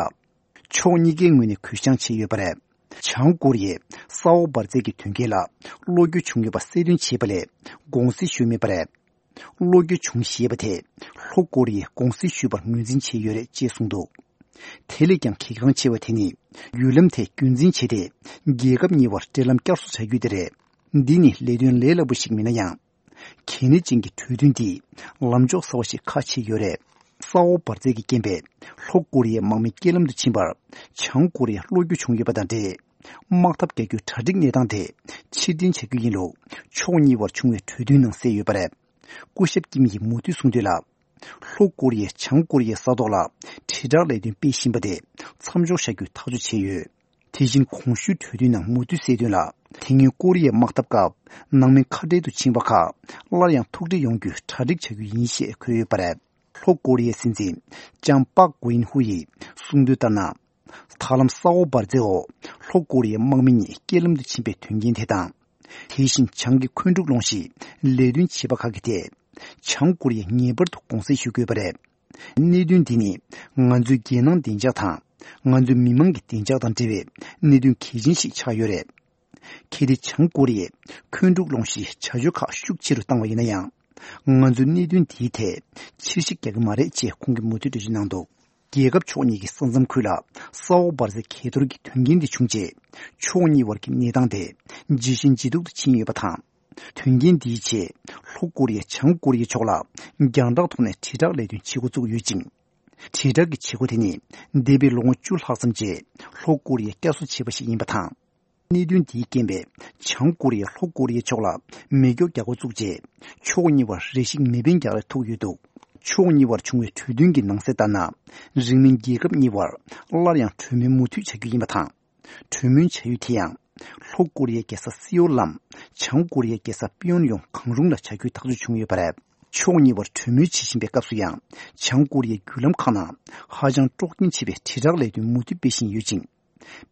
ཕྱོགས་གཉིས་ཀའི་ངོས་ནས་གུས་བཤངས་བྱས་ཡོད་པ་རེད། བྱང་ཀོ་རི་ཡས་ས་འོག་འབར་རྫས་ཀྱི་དོན་རྐྱེན་ལ་བློ་འགྱོད་བྱུང་ཡོད་པ་གསལ་སྟོན་བྱས་པ་ལས་དགོངས་སེལ་ཞུས་མེད་པ་རེད། བློ་འགྱོད་བྱུང་ཞེས་པ་དེ་ལྷོ་ཀོ་རི་ཡས་དགོངས་སེལ་ཞུས་པར་ངོས་འཛིན་བྱས་ཡོད་རེད་ཅེས་གསུངས་འདུག་དེ་ལས་ཀྱང་གལ་འགངས་ཆེ་བ་དེ་ནི། བརྒྱུད་ལམ་དེ་རྒྱུན་འཛིན་བྱས་ཏེ། རྒྱལ་ཁབ་གཉིས་བར་འབྲེལ་ལམ་བསྐྱར་གསོ་བྱ་རྒྱུ་དེ་རེད། འདི་ནི་ལས་དོན་ལས་སླ་པོ་ཞིག་མིན་ན་ཡང་། གལ་གནད་ཅན་གྱི་གྲོས་མཐུན་འདིས་ལམ་ཕྱོགས་གསར་བ་ཞིག་ཁ་ཕྱེ་ཡོད་རེད། ས་འོག་འབར་རྫས་ཀྱི་རྐྱེན་པས་ལྷོ་ཀོ་རི་ཡའི་དམག་མི་རྐྱེན་ལམ་དུ་ཕྱིན་པར་བྱང་ཀོ་རི་ཡ་བློ་འགྱོད་བྱུང་ཡོད་པ་དང་འབྲེལ། དམག་འཐབ་རྒྱག་རྒྱུའི་གྲ་སྒྲིག་གནས་སྟངས་དེ་ཕྱིར་འཐེན་བྱ་རྒྱུ་ཡིན་ལུགས་ཕྱོགས་གཉིས་བར་བྱུང་བའི་གྲོས་མཐུན་ནང་གསལ་ཡོད་པ་རེད། སྐུ་ཞབས་ཀིམ་ཡིས་མུ་མཐུད་གསུངས་དོན་ལ། ལྷོ་ཀོ་རི་ཡས་བྱང་ཀོ་རི་ཡའི་ས་ཐོག་ལ་དྲིལ་བསྒྲགས་ལས་དོན་སྤེལ་བཞིན་པ་དེ་མཚམས་འཇོག་བྱ་རྒྱུའི་ཐག་གཅོད་བྱས་ཡོད། དེ་བཞིན་གོང་ཞུས་གྲོས་མཐུན་ནང་མུ་མཐུད་གསལ་དོན་ལ། དེ་སྔོན་ཀོ་རི་ཡའི་དམག་འཐབ་སྐབས་ནང་མི་ཁ་བྲལ་དུ་ཕྱིན་པ་ཁག་སླར་ཡང་ཐུག་འཕྲད་ཡོང་རྒྱུའི་གྲ་སྒྲིག་བྱ་རྒྱུ་ཡིན་ཞེས་འཁོད་ཡོད་པ་རེད། ལྷོ་ཀོ་རི་ཡའི་སྲིད་འཛིན་ལྕམ་པག་གོ་ཨིན་ཧུ་ཡིས་གསུངས་དོན་ལྟར་ན། ད་ལམ་ས་འོག་འབར་རྫས་འོག་ལྷོ་ཀོ་རི་ཡའི་དམག་མི་གཉིས་རྐྱེན་ལམ་དུ་ཕྱིན་པའི་དོན་རྐྱེན་དེ་དང་། དེ་བཞིན་བྱང་གི་འཁོན་འཁྲུག་སློང་གཞིའི་ལས་དོན་བྱེད་པ་ཁག་གི་ཐད་བྱང་ཀོ་རི་ཡས་ངེས་པར་དུ་དགོངས་སེལ་ཞུ་དགོས་པ་རེད། གནད་དོན་འདི་ནི་ང་ཚོའི་རྒྱལ་ནང་བདེ་འཇགས་དང་ང་ཚོའི་མི་མང་གི་བདེ་འཇགས་དང་འབྲེལ་བའི་གནད་དོན་གལ་ཆེན་ཞིག་ཆགས་ཡོད་རེད། གལ་ཏེ་བྱང་ཀོ་རི་ཡས་འཁོན་འཁྲུག་སློང་གཞིའི་བྱ་སྤྱོད་ཁག་ཤུགས་ཆེ་རུ་བཏང་བ་ཡིན་ན་ཡང་། ང་ཚོས་གནད་དོན་འདིའི་ཐད་ཕྱིར་བཤིག་རྒྱག་གི་མ་རེད་ཅེས་ཁོང་གིས་མུ་མཐུད་འགྲེལ་བརྗོད་གནང་འདུག་རྒྱལ་ཁབ་ཕྱོགས་གཉིས་ཀྱི་ས་མཚམས་ཁུལ་ལ་ས་འོག་འབར་རྫས་གས་གཏོར་གྱི་དོན་རྐྱེན་འདི་བྱུང་རྗེས། ཕྱོགས་གཉིས་བར་གྱི་གནས་སྟངས་དེ་ཇེ་ཞན་ཇེ་སྡུག་ཏུ་ཕྱིན་ཡོད་པ་དང་། དོན་རྐྱེན་འདིའི་ཆེད་ལྷོ་ཀོ་རི་ཡས་བྱང་ཀོ་རི་ཡའི་ཕྱོགས་ལ་རྒྱང་བསྒྲགས་ཐོག་ནས་དྲིལ་བསྒྲགས་ལས་དོན་བྱེད་འགོ་བཙུགས་ཡོད་ཅིང་། དྲིལ་བསྒྲགས་ཀྱི་བྱེད་སྒོ་དེ་ནི་འདས་པའི་ལོ་ངོ་བཅུ་ལྷག་ཙམ་རྗེས་ལྷོ་ཀོ་རི་ཡས་བསྐྱར་གསོ་བྱས་པ་ཞིག་ཡིན་པ་དང་། གནད་དོན་འདིའི་རྐྱེན་པས་བྱང་ཀོ་རི་ཡས་ལྷོ་ཀོ་རི་ཡའི་ཕྱོགས་ལ་མེ་སྒྱོགས་རྒྱག་འགོ་བཙུགས་རྗེས། ཕྱོགས་གཉིས་བར་རེ་ཞིག་མེ་འཕེན་རྒྱག་རེས་ཐུག་ཡོད་འདུག་ཕྱོགས་གཉིས་བར་བྱུང་བའི་གྲོས་མཐུན་གྱི་ནང་གསལ་ལྟར་ན། རིང་མིན་རྒྱལ་ཁབ་གཉིས་བར་སླར་ཡང་གྲོས་མོལ་མུ་མཐུད་བྱ་རྒྱུ་ཡིན་པ་དང་། གྲོས་མོལ་བྱ་ཡུལ་དེ་ཡང་། ལྷོ་ཀོ་རི་ཡའི་རྒྱལ་ས་སེའུལ་ལམ་བྱང་ཀོ་རི་ཡའི་རྒྱལ་ས་པི་ཡོན་ཡོང་གང་རུང་ལ་བྱ་རྒྱུའི་ཐག་གཅོད་བྱུང་ཡོད་པ་རེད། ཕྱོགས་གཉིས་བར་གྲོས་མོལ་བྱེད་བཞིན་པའི་སྐབས་སུ་ཡང་། བྱང་ཀོ་རི་ཡའི་བརྒྱུད་ལམ་ཁག་ནང་ཧ་ཅང་དཀྲོག་རྐྱེན་ཆེ་བའི་དྲིལ་བསྒྲགས་ལས་དོན་མུ་མཐུད་སྤེལ་བཞིན་ཡོད་ཅིང་།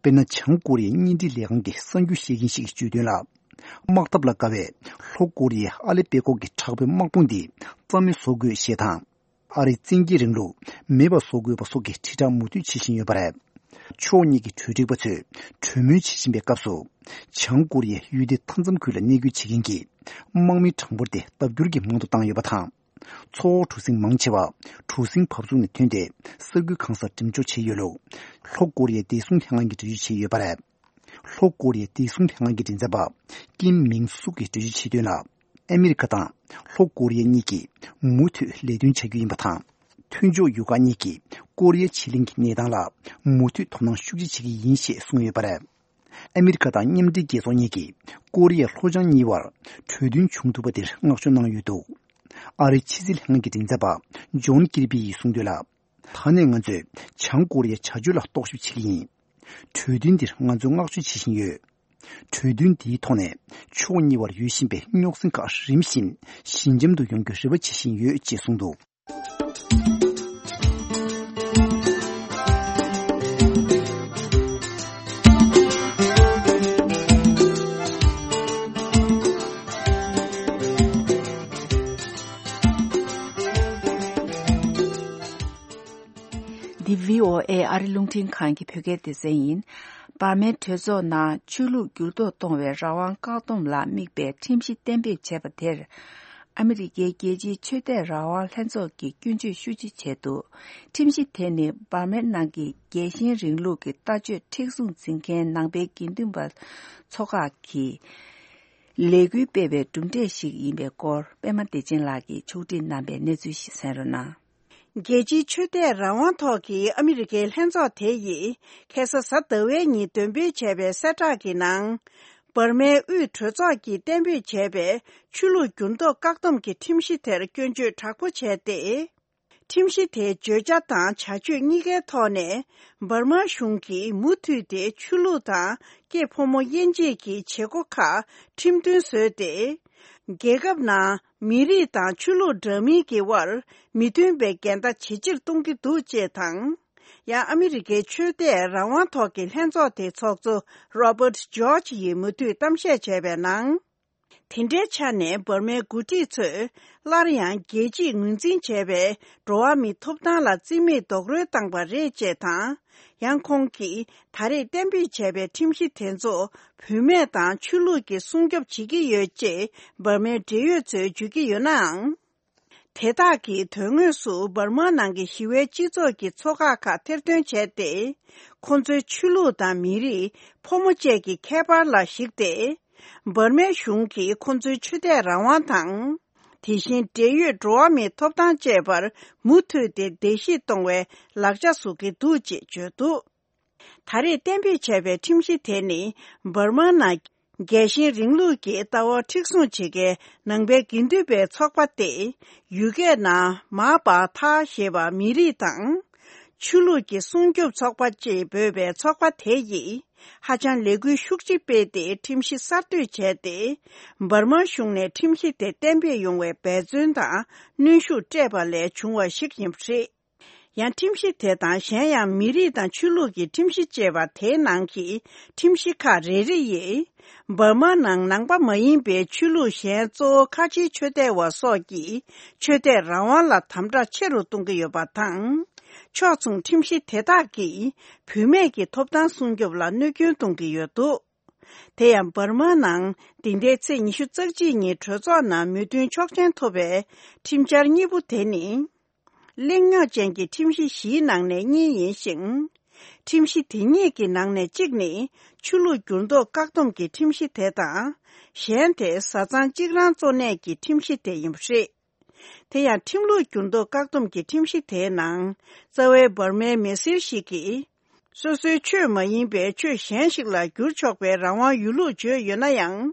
དཔེར་ན། བྱང་ཀོ་རི་ཡའི་བརྙན་འཕྲིན་ལས་ཁང་གི་གསར་འགྱུར་བཤད་མཁན་ཞིག་གིས་བརྗོད་དོན་ལ། དམག་འཐབ་ལ་དགའ་བའི་ལྷོ་ཀོ་རི་ཡའི་ཨ་ལེ་པེ་ཀོག་གི་དྲག་པོའི་དམག་དཔུང་འདི་རྩ་མེད་བཟོ་དགོས་ཞེས་དང་། ཨ་རིའི་བཙན་རྒྱལ་རིང་ལུགས་མེད་པ་བཟོ་དགོས་པ་སོགས་ཀྱི་དྲིལ་བསྒྲགས་མུ་མཐུད་བྱེད་བཞིན་ཡོད་པ་རེད། ཕྱོགས་གཉིས་ཀྱི་གྲོས་སྒྲིག་པ་ཚོས་གྲོས་མོལ་བྱེད་བཞིན་པའི་སྐབས་སུ། བྱང་ཀོ་རི་ཡའི་ཡུལ་སྡེ་མཐའ་མཚམས་ཁུལ་ལ་གནས་སྐོར་བྱེད་མཁན་གྱི་དམག་མི་གྲངས་འབོར་དེ་ལྡབ་འགྱུར་གྱིས་མང་དུ་བཏང་ཡོད་པ་དང་། མཚོ་འོག་གྲུ་གཟིངས་མང་ཆེ་བ་གྲུ་གཟིངས་བབས་ཚུགས་ནས་ཐོན་ཏེ་ས་ཁུལ་གང་སར་འགྲེམས་འཇོག་བྱས་ཡོད་ལུགས། ལྷོ་ཀོ་རི་ཡའི་བདེ་སྲུང་ལྷན་ཁང་གིས་འགྲེལ་བརྗོད་བྱས་ཡོད་པ་རེད། ལྷོ་ཀོ་རི་ཡའི་བདེ་སྲུང་ལྷན་ཁང་གི་མགྲིན་ཚབ་པ་ཀིམ་མིང་སུག་གིས་འགྲེལ་བརྗོད་བྱས་དོན་ལ། ཨ་མི་རི་ཀ་དང་ལྷོ་ཀོ་རི་ཡ་གཉིས་ཀྱིས་མུ་མཐུད་ལས་དོན་བྱ་རྒྱུ་ཡིན་པ་དང་། མཐུན་ཕྱོགས་ཡུལ་ཁག་གཉིས་ཀྱིས་ཀོ་རི་ཡ་ཕྱེད་གླིང་གི་གནས་སྟངས་ལ་མུ་མཐུད་དོ་སྣང་ཤུགས་ཆེ་བྱེད་ཀྱི་ཡིན་ཞེས་གསུངས་ཡོད་པ་རེད། ཨ་མི་རི་ཀ་དང་མཉམ་འབྲེལ་རྒྱལ་ཚོགས་གཉིས་ཀྱིས་ཀོ་རི་ཡའི་ལྷོ་བྱང་གཉིས་བར་གྲོས་མཐུན་བྱུང་ཐུབ་པ་དེར་བསྔགས་བརྗོད་གནང་ཡོད་འདུག་ཨ་རིའི་ཕྱི་སྲིད་ལྷན་ཁང་གི་མགྲིན་ཚབ་པ་ཇོན་ཀིར་པི་ཡིས་གསུངས་དོན་ལ། ད་ནས་ང་ཚོས་བྱང་ཀོ་རི་ཡའི་བྱ་སྤྱོད་ལ་རྟོག་ཞིབ་བྱེད་ཀྱི་ཡིན། གྲོས་མཐུན་འདིར་ང་ཚོས་བསྔགས་བརྗོད་བྱེད་བཞིན་ཡོད། གྲོས་མཐུན་འདིའི་ཐོག་ནས་ཕྱོགས་གཉིས་བར་ཡོད་བཞིན་པའི་རྙོག་ཟིང་ཁག་རིམ་བཞིན་ཞི་འཇམ་དུ་ཡོང་རྒྱུའི་རེ་བ་བྱེད་བཞིན་ཡོད་ཅེས་གསུངས་འདུག་ཨ་རི་རླུང་འཕྲིན་ཁང་གི་བོད་སྐད་སྡེ་ཚན་ཡིན། འབར་མའི་གྲོས་ཚོགས་ནང་ཆོས་ལུགས་འགྱུར་ལྡོག་གཏོང་བའི་རང་དབང་བཀག་སྡོམ་ལ་དམིགས་པའི་ཁྲིམས་གཞི་གཏན་འབེབས་བྱས་པ་དེར། ཨ་མི་རི་ཀའི་རྒྱལ་སྤྱིའི་ཆོས་དད་རང་དབང་ལྷན་ཚོགས་ཀྱིས་སྐྱོན་བརྗོད་ཤུགས་ཆེ་བྱས་འདུག་ཁྲིམས་གཞི་དེ་ནི་འབར་མའི་ནང་གི་རྒྱལ་ཞེན་རིང་ལུགས་ཀྱི་ལྟ་སྤྱོད་མཁྲེགས་བཟུང་འཛིན་མཁན་ནང་པའི་དགེ་འདུན་པ་ཚོ་ཁག་གིས་ལས་འགུལ་སྤེལ་བའི་གྲུབ་འབྲས་ཤིག་ཡིན་པའི་སྐོར། པད་མ་བདེ་ཆེན་ལགས་ཀྱིས་ཕྱོགས་སྒྲིག་གནང་པའི་གནས་ཚུལ་ཞིག་གསན་རོགས་གནང་། རྒྱལ་སྤྱིའི་ཆོས་དད་རང་དབང་ཐོག་གི་ཨ་མི་རི་ཀའི་ལྷན་ཚོགས་དེ་ཡིས་ཁ་སང་གཟའ་ཟླ་བའི་ཉིན་འདོན་སྤེལ་བྱས་པའི་གསལ་བསྒྲགས་ཀྱི་ནང་། འབར་མའི་དབུས་གྲོས་ཚོགས་ཀྱིས་གཏན་འབེབས་བྱས་པའི་ཆོས་ལུགས་འགྱུར་ལྡོག་བཀག་སྡོམ་གྱི་ཁྲིམས་གཞི་དེར་སྐྱོན་བརྗོད་དྲག་པོ་བྱས་ཏེ། ཁྲིམས་གཞི་དེའི་བརྗོད་བྱ་དང་བྱ་སྤྱོད་གཉིས་ཀའི་ཐོག་ནས། འབར་མ་གཞུང་གིས་མུ་མཐུད་དེ་ཆོས་ལུགས་དང་སྐྱེས་ཕོ་མོ་དབྱེ་འབྱེད་ཀྱི་བྱེད་སྒོ་ཁག་ཁྲིམས་མཐུན་བཟོས་ཏེ། རྒྱལ་ཁབ་ནང་མི་རིགས་དང་ཆོས་ལུགས་འདྲ་མིན་གྱི་དབར་མི་མཐུན་པའི་འགལ་ཟླ་ཇེ་ཆེར་གཏོང་གི་འདུག་ཅེས་དང་། ཡང་ཨ་མི་རི་ཀའི་ཆོས་དད་རང་དབང་ཐོག་གི་ལྷན་ཚོགས་དེའི་ཚོགས་གཙོ་Robert George ཡིས་མུ་མཐུད་གཏམ་བཤད་བྱས་པའི་ནང་། དེ་འདྲའི་ཆ་ནས་འབར་མའི་འགོ་ཁྲིད་ཚོས་སླར་ཡང་རྒྱལ་སྤྱིས་ངོས་འཛིན་བྱས་པའི་འགྲོ་བ་མིའི་ཐོབ་ཐང་ལ་རྩིས་མེད་རྡོག་རོལ་བཏང་པ་རེད་ཅེས་དང་། ཡང་ཁོང་གིས་ད་རེས་གཏན་འབེབས་བྱས་པའི་ཁྲིམས་གཞི་དེ་ཚོ་བུད་མེད་དང་ཆོས་ལུགས་ཀྱིས་སྲུང་སྐྱོབ་བྱེད་ཀྱི་ཡོད་ཅེས་འབར་མའི་འབྲེལ་ཡོད་ཚོས་བརྗོད་ཀྱི་ཡོད་ནའང་། དེ་དག་གིས་དོན་དངོས་སུ་འབར་མ་ནང་གི་ཞི་བའི་སྤྱི་ཚོགས་ཀྱི་ཚོགས་ཁག་ཁག་ཐེར་འདོན་བྱས་ཏེ། ཁོ་ཚོའི་ཆོས་ལུགས་དང་མི་རིགས། ཕོ་མོ་བཅས་ཀྱི་ཁྱད་པར་ལ་གཞིགས་ཏེ། འབར་མའི་གཞུང་གིས་ཁོ་ཚོའི་ཆོས་དད་རང་དབང་དང་། དེ་བཞིན་འབྲེལ་ཡོད་འགྲོ་བ་མིའི་ཐོབ་ཐང་བཅས་པར་མུ་མཐུད་དེ་བརྡལ་བཤིག་གཏོང་བའི་ལག་ཆ་བཟོ་གི་འདུག་ཅེས་བརྗོད་འདུག་ད་རེས་གཏན་འབེབས་བྱས་པའི་ཁྲིམས་གཞི་དེ་ནི། འབར་མ་ནང་རྒྱལ་ཞེན་རིང་ལུགས་ཀྱི་ལྟ་བ་མཁྲེགས་བཟུང་བྱེད་མཁན་ནང་པའི་དགེ་འདུན་པའི་ཚོགས་པ་སྟེ། ཡུལ་སྐད་ནང་མ་པ་ཐ་ཞེས་པ་མི་རིགས་དང་། ཆོས་ལུགས་ཀྱི་སྲུང་སྐྱོབ་ཚོགས་པ་ཅེས་འབོད་པའི་ཚོགས་པ་དེ་ཡིས། ཧ་ཅང་ལས་འགུལ་ཤུགས་ཆེ་སྤེལ་ཏེ་ཁྲིམས་གཞི་གསར་གཏོད་བྱས་ཏེ། འབར་མ་གཞུང་ནས་ཁྲིམས་གཞི་དེ་གཏན་འབེབས་ཡོང་བའི་འབད་བརྩོན་དང་གནོན་ཤུགས་སྤྲད་པ་ལས་བྱུང་བ་ཞིག་ཡིན་པ་རེད། ཡང་ཁྲིམས་གཞི་དེ་དང་གཞན་ཡང་མི་རིགས་དང་ཆོས་ལུགས་ཀྱི་ཁྲིམས་གཞི་ཅེས་པ་དེའི་ནང་གི་ཁྲིམས་གཞི་ཁག་རེ་རེ་ཡིས། འབར་མ་ནང་ནང་པ་མ་ཡིན་པའི་ཆོས་ལུགས་གཞན་གཙོ་བོ་ཁ་ཆེའི་ཆོས་དད་པ་སོགས་ཀྱི་ཆོས་དད་རང་དབང་ལ་དམ་དྲག་ཆེ་རུ་གཏོང་གི་ཡོད་པ་དང་། ཕྱོགས་མཚུངས་ཁྲིམས་གཞི་དེ་དག་གིས་བུད་མེད་ཀྱི་ཐོབ་ཐང་སྲུང་སྐྱོབ་ལ་གནོད་སྐྱོན་གཏོང་གི་ཡོད་འདུག་དེ་ཡང་འབར་མ་ནང་འདི་ཟླའི་ཚེས་ཉི་ཤུ་རྩ་གཅིག་ཉིན་གྲོས་ཚོགས་ནང་མོས་མཐུན་ཆོག་མཆན་ཐོབ་པའི་ཁྲིམས་འཆར་གཉིས་པོ་དེ་ནི། གླེང་རྙོག་ཅན་གྱི་ཁྲིམས་གཞི་བཞིའི་ནང་ནས་གཉིས་ཡིན་ཞིང་། ཁྲིམས་གཞི་དེ་གཉིས་ཀྱི་ནང་ནས་གཅིག་ནི་ཆོས་ལུགས་འགྱུར་ལྡོག་བཀག་སྡོམ་གྱི་ཁྲིམས་གཞི་དེ་དང་། གཞན་དེ་བཟའ་ཚང་གཅིག་རང་གཙོ་གནད་ཀྱི་ཁྲིམས་གཞི་དེ་ཡིན་པ་རེད། དེ་ཡང་ཁྲིམས་ལུགས་འགྱུར་ལྡོག་བཀག་སྡོམ་གྱི་ཁྲིམས་གཞི་དེའི་ནང་། རྩ་བའི་འབར་མའི་མི་སེར་ཞིག་གིས། སོ་སོའི་ཆོས་མ་ཡིན་པའི་ཆོས་གཞན་ཞིག་ལ་བསྒྱུར་ཆོག་པའི་རང་དབང་ཡོད་ལུགས་བརྗོད་ཡོད་ན་ཡང་།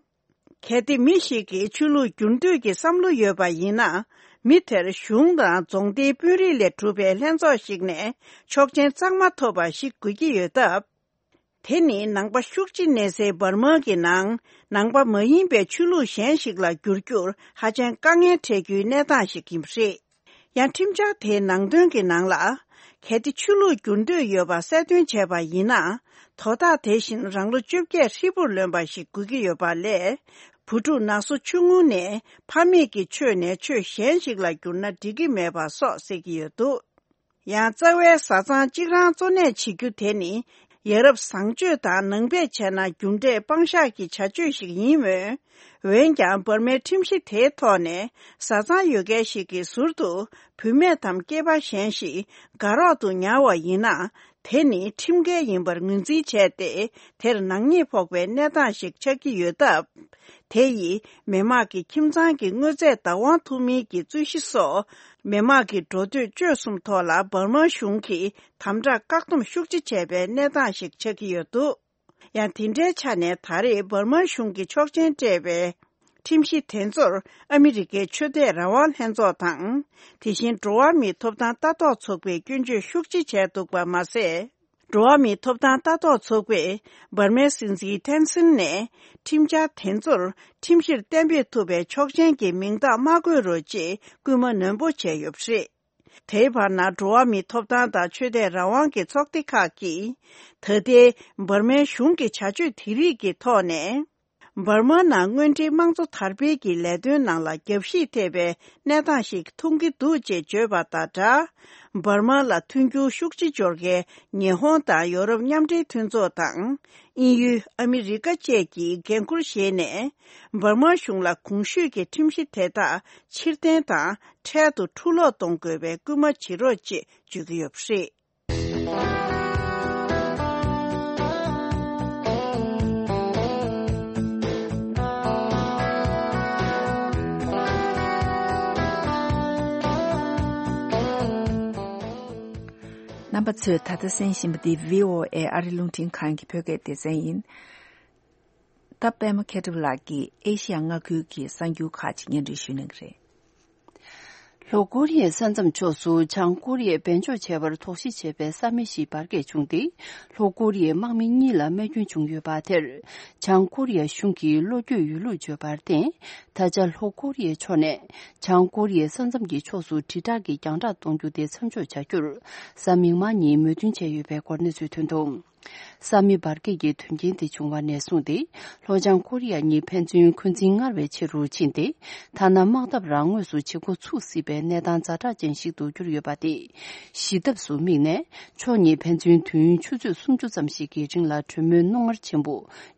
གལ་ཏེ་མི་ཞིག་གིས་ཆོས་ལུགས་བསྒྱུར་འདོད་ཀྱི་བསམ་བློ་ཡོད་པ་ཡིན་ན། མི་དེར་གཞུང་དང་རྫོང་སྡེའི་དཔོན་རིགས་ལས་གྲུབ་པའི་ལྷན་ཚོགས་ཤིག་ནས་ཆོག་མཆན་གཙང་མ་ཐོབ་པ་ཞིག་དགོས་ཀྱི་ཡོད་སྟབས། དེ་ནི་ནང་པ་ཤུགས་ཆེ་གནས་སའི་འབར་མ་གི་ནང་ནང་པ་མ་ཡིན་པའི་ཆོས་ལུགས་གཞན་ཞིག་ལ་བསྒྱུར་རྒྱུར་ཧ་ཅང་དཀའ་ངལ་འཕྲད་རྒྱུའི་གནས་སྟངས་ཤིག་ཡིན་པ་རེད། ཡང་ཁྲིམས་འཆར་དེའི་ནང་དོན་གྱི་ནང་ལ། གལ་ཏེ་ཆོས་ལུགས་བསྒྱུར་འདོད་ཡོད་པ་གསལ་སྟོན་བྱས་པ་ཡིན་ན། དོ་བདག་དེ་བཞིན་རང་ལོ་བཅོ་བརྒྱད་ཧྲིལ་པོར་ལོན་པ་ཞིག་དགོས་ཀྱི་ཡོད་པ་ལས། བུ་ཕྲུག་ན་སོ་ཆུང་ངུ་ནས་ཕ་མེས་ཀྱི་ཆོས་ནས་ཆོས་གཞན་ཞིག་ལ་བསྒྱུར་ན་འགྲིག་གི་མེད་པ་སོགས་གསལ་གྱི་ཡོད་འདུག་ཡང་རྩ་བའི་བཟའ་ཚང་གཅིག་རང་གཙོ་གནད་བྱེད་རྒྱུ་དེ་ནི། ཡ་རབས་བཟང་སྤྱོད་དང་ནང་པས་བྱས་ན་རྒྱུ་འབྲས་དཔང་བཞག་གི་བྱ་སྤྱོད་ཞིག་ཡིན་མོད། འོན་ཀྱང་འབར་མའི་ཁྲིམས་གཞི་དེའི་ཐོག་ནས་བཟའ་ཚང་ཡོད་མཁན་ཞིག་གིས་ཟུར་དུ་བུད་མེད་དམ་སྐྱེས་པ་གཞན་ཞིག་དགའ་རོགས་ཏུ་ཉར་བ་ཡིན་ན། དེ་ནི་ཁྲིམས་འགལ་ཡིན་པར་ངོས་འཛིན་བྱས་ཏེ། དེར་ནག་ཉེས་ཕོག་པའི་གནས་སྟངས་ཤིག་ཆགས་ཀྱི་ཡོད་སྟབས། དེ་ཡིས་མི་དམངས་ཀྱི་ཁྱིམ་ཚང་གི་དངོས་རྫས་བདག་དབང་ཐོབ་མིན་གྱི་རྩོད་གཞི་སོགས། མི་དམངས་ཀྱི་འགྲོ་སྡོད་སྤྱོད་གསུམ་ཐོག་ལ་འབར་མ་གཞུང་གིས་དམ་དྲག་བཀག་སྡོམ་ཤུགས་ཆེ་བྱས་པའི་གནས་སྟངས་ཤིག་ཆགས་ཀྱི་ཡོད་འདུག་ཡང་དེ་འདྲའི་ཆ་ནས་ད་རེས་འབར་མ་གཞུང་གིས་ཆོག་མཆན་སྤྲད་པའི་ཁྲིམས་གཞི་དེ་ཚོར་ཨ་མི་རི་ཀའི་ཆོས་དད་རང་དབང་ལྷན་ཚོགས་དང་། དེ་བཞིན་འགྲོ་བ་མིའི་ཐོབ་ཐང་ལྟ་རྟོག་ཚོགས་པས་སྐྱོན་བརྗོད་ཤུགས་ཆེ་བྱས་འདུག་པ་མ་ཟད། འགྲོ་བ་མིའི་ཐོབ་ཐང་ལྟ་རྟོག་ཚོགས་པས་འབར་མའི་སྲིད་འཛིན་ཐེན་སིན་ནས་ཁྲིམས་འཆར་དེ་ཚོར་ཁྲིམས་གཞིར་གཏན་འབེབས་ཐུབ་པའི་ཆོག་མཆན་གྱི་མིང་རྟགས་མ་འགོད་རོགས་ཅེས་སྐུལ་མ་ནན་པོ་བྱས་ཡོད་པ་རེད། དེའི་བར་ན་འགྲོ་བ་མིའི་ཐོབ་ཐང་དང་ཆོས་དད་རང་དབང་གི་ཚོགས་སྡེ་ཁག་གིས། ད་ལྟའི་འབར་མའི་གཞུང་གི་བྱ་སྤྱོད་དེ་རིགས་ཀྱི་ཐོག་ནས། འབར་མ་ནང་དངོས་འབྲེལ་དམངས་གཙོ་དར་སྤེལ་གྱི་ལས་དོན་ནང་ལ་རྒྱབ་བཤིག་ཐེབས་པའི་གནས་སྟངས་ཤིག་མཐོང་གི་འདུག་ཅེས་བརྗོད་པ་དང་སྦྲགས། འབར་མ་ལ་མཐུན་འགྱུར་ཤུགས་ཆེ་འབྱོར་མཁན་ཉི་ཧོང་དང་ཡོ་རོབ་མཉམ་འབྲེལ་མཐུན་ཚོགས་དང་། དབྱིན་ཡུལ། ཨ་མི་རི་ཀ་བཅས་ཀྱིས་འགན་འཁུར་བཞེས་ནས། འབར་མ་གཞུང་ལ་གོང་ཞུས་ཀྱི་ཁྲིམས་གཞི་དེ་དག་ཕྱིར་འཐེན་དང་འཕྲལ་དུ་འཁྲུ་སློག་གཏོང་དགོས་པའི་སྐུལ་མ་བྱེད་རོགས་ཅེས་བརྗོད་ཀྱི་ཡོད་པ་རེད། རྣམ་པ་ཚོས་ད་ལྟ་གསན་བཞིན་པ་འདི་བྷི་ཨོ་ཨེ་ཨ་རི་རླུང་འཕྲིན་ཁང་གི་བོད་སྐད་སྡེ་ཚན་ཡིན། ད་པད་མ་མཁས་གྲུབ་ལགས་ཀྱིས་ཨེ་ཤི་ཡ་མངའ་ཁུལ་གྱི་གསར་འགྱུར་ཁག་ཅིག་སྙན་སྒྲོན་ཞུ་གནང་གི་རེད། ལྷོ་ཀོ་རི་ཡའི་ས་མཚམས་ཕྱོགས་སུ་བྱང་ཀོ་རི་ཡས་འབེན་འཇོག་བྱས་པར་དོགས་གཞི་བྱས་པའི་ས་མི་ཞིག་འབར་གས་བྱུང་སྟེ། ལྷོ་ཀོ་རི་ཡའི་དམག་མི་གཉིས་ལ་རྨས་སྐྱོན་བྱུང་ཡོད་པ་དེར། བྱང་ཀོ་རི་ཡ་གཞུང་གིས་བློ་འགྱོད་ཡོད་ལུགས་བརྗོད་པར་བརྟེན། ད་ཆ་ལྷོ་ཀོ་རི་ཡའི་ཕྱོགས་ནས་བྱང་ཀོ་རི་ཡའི་ས་མཚམས་ཀྱི་ཕྱོགས་སུ་དྲིལ་བསྒྲགས་ཀྱི་རྒྱང་བསྒྲགས་གཏོང་རྒྱུ་དེ་མཚམས་འཇོག་བྱ་རྒྱུར། གཟའ་མིག་དམར་ཉིན་མོས་མཐུན་བྱས་ཡོད་པའི་སྐོར་གནས་ཚུལ་ཐོན་འདུག། ས་མི་འབར་གས་ཀྱི་དོན་རྐྱེན་དེ་བྱུང་བ་ནས་བཟུང་སྟེ། ལྷོ་བྱང་ཀོ་རི་ཡ་གཉིས་ཕན་ཚུན་འཁོན་འཛིན་སྔར་བས་ཆེ་རུ་ཕྱིན་ཏེ། ཐ་ན་དམག་འཐབ་རང་ངོས་སུ་བྱེད་འགོ་ཚུགས་སྲིད་པའི་གནས་སྟངས་ཛ་དྲག་ཅན་ཞིག་ཏུ་གྱུར་ཡོད་པ་སྟེ། ཞི་ཐབས་སུ་དམིགས་ནས། ཕྱོགས་གཉིས་ཕན་ཚུན་དུས་ཡུན་ཆུ་ཚོད་སུམ་ཅུ་ཙམ་ཞིག་གི་རིང་ལ་གྲོས་མོལ་རྣོ་ངར་ཆེན་པོ་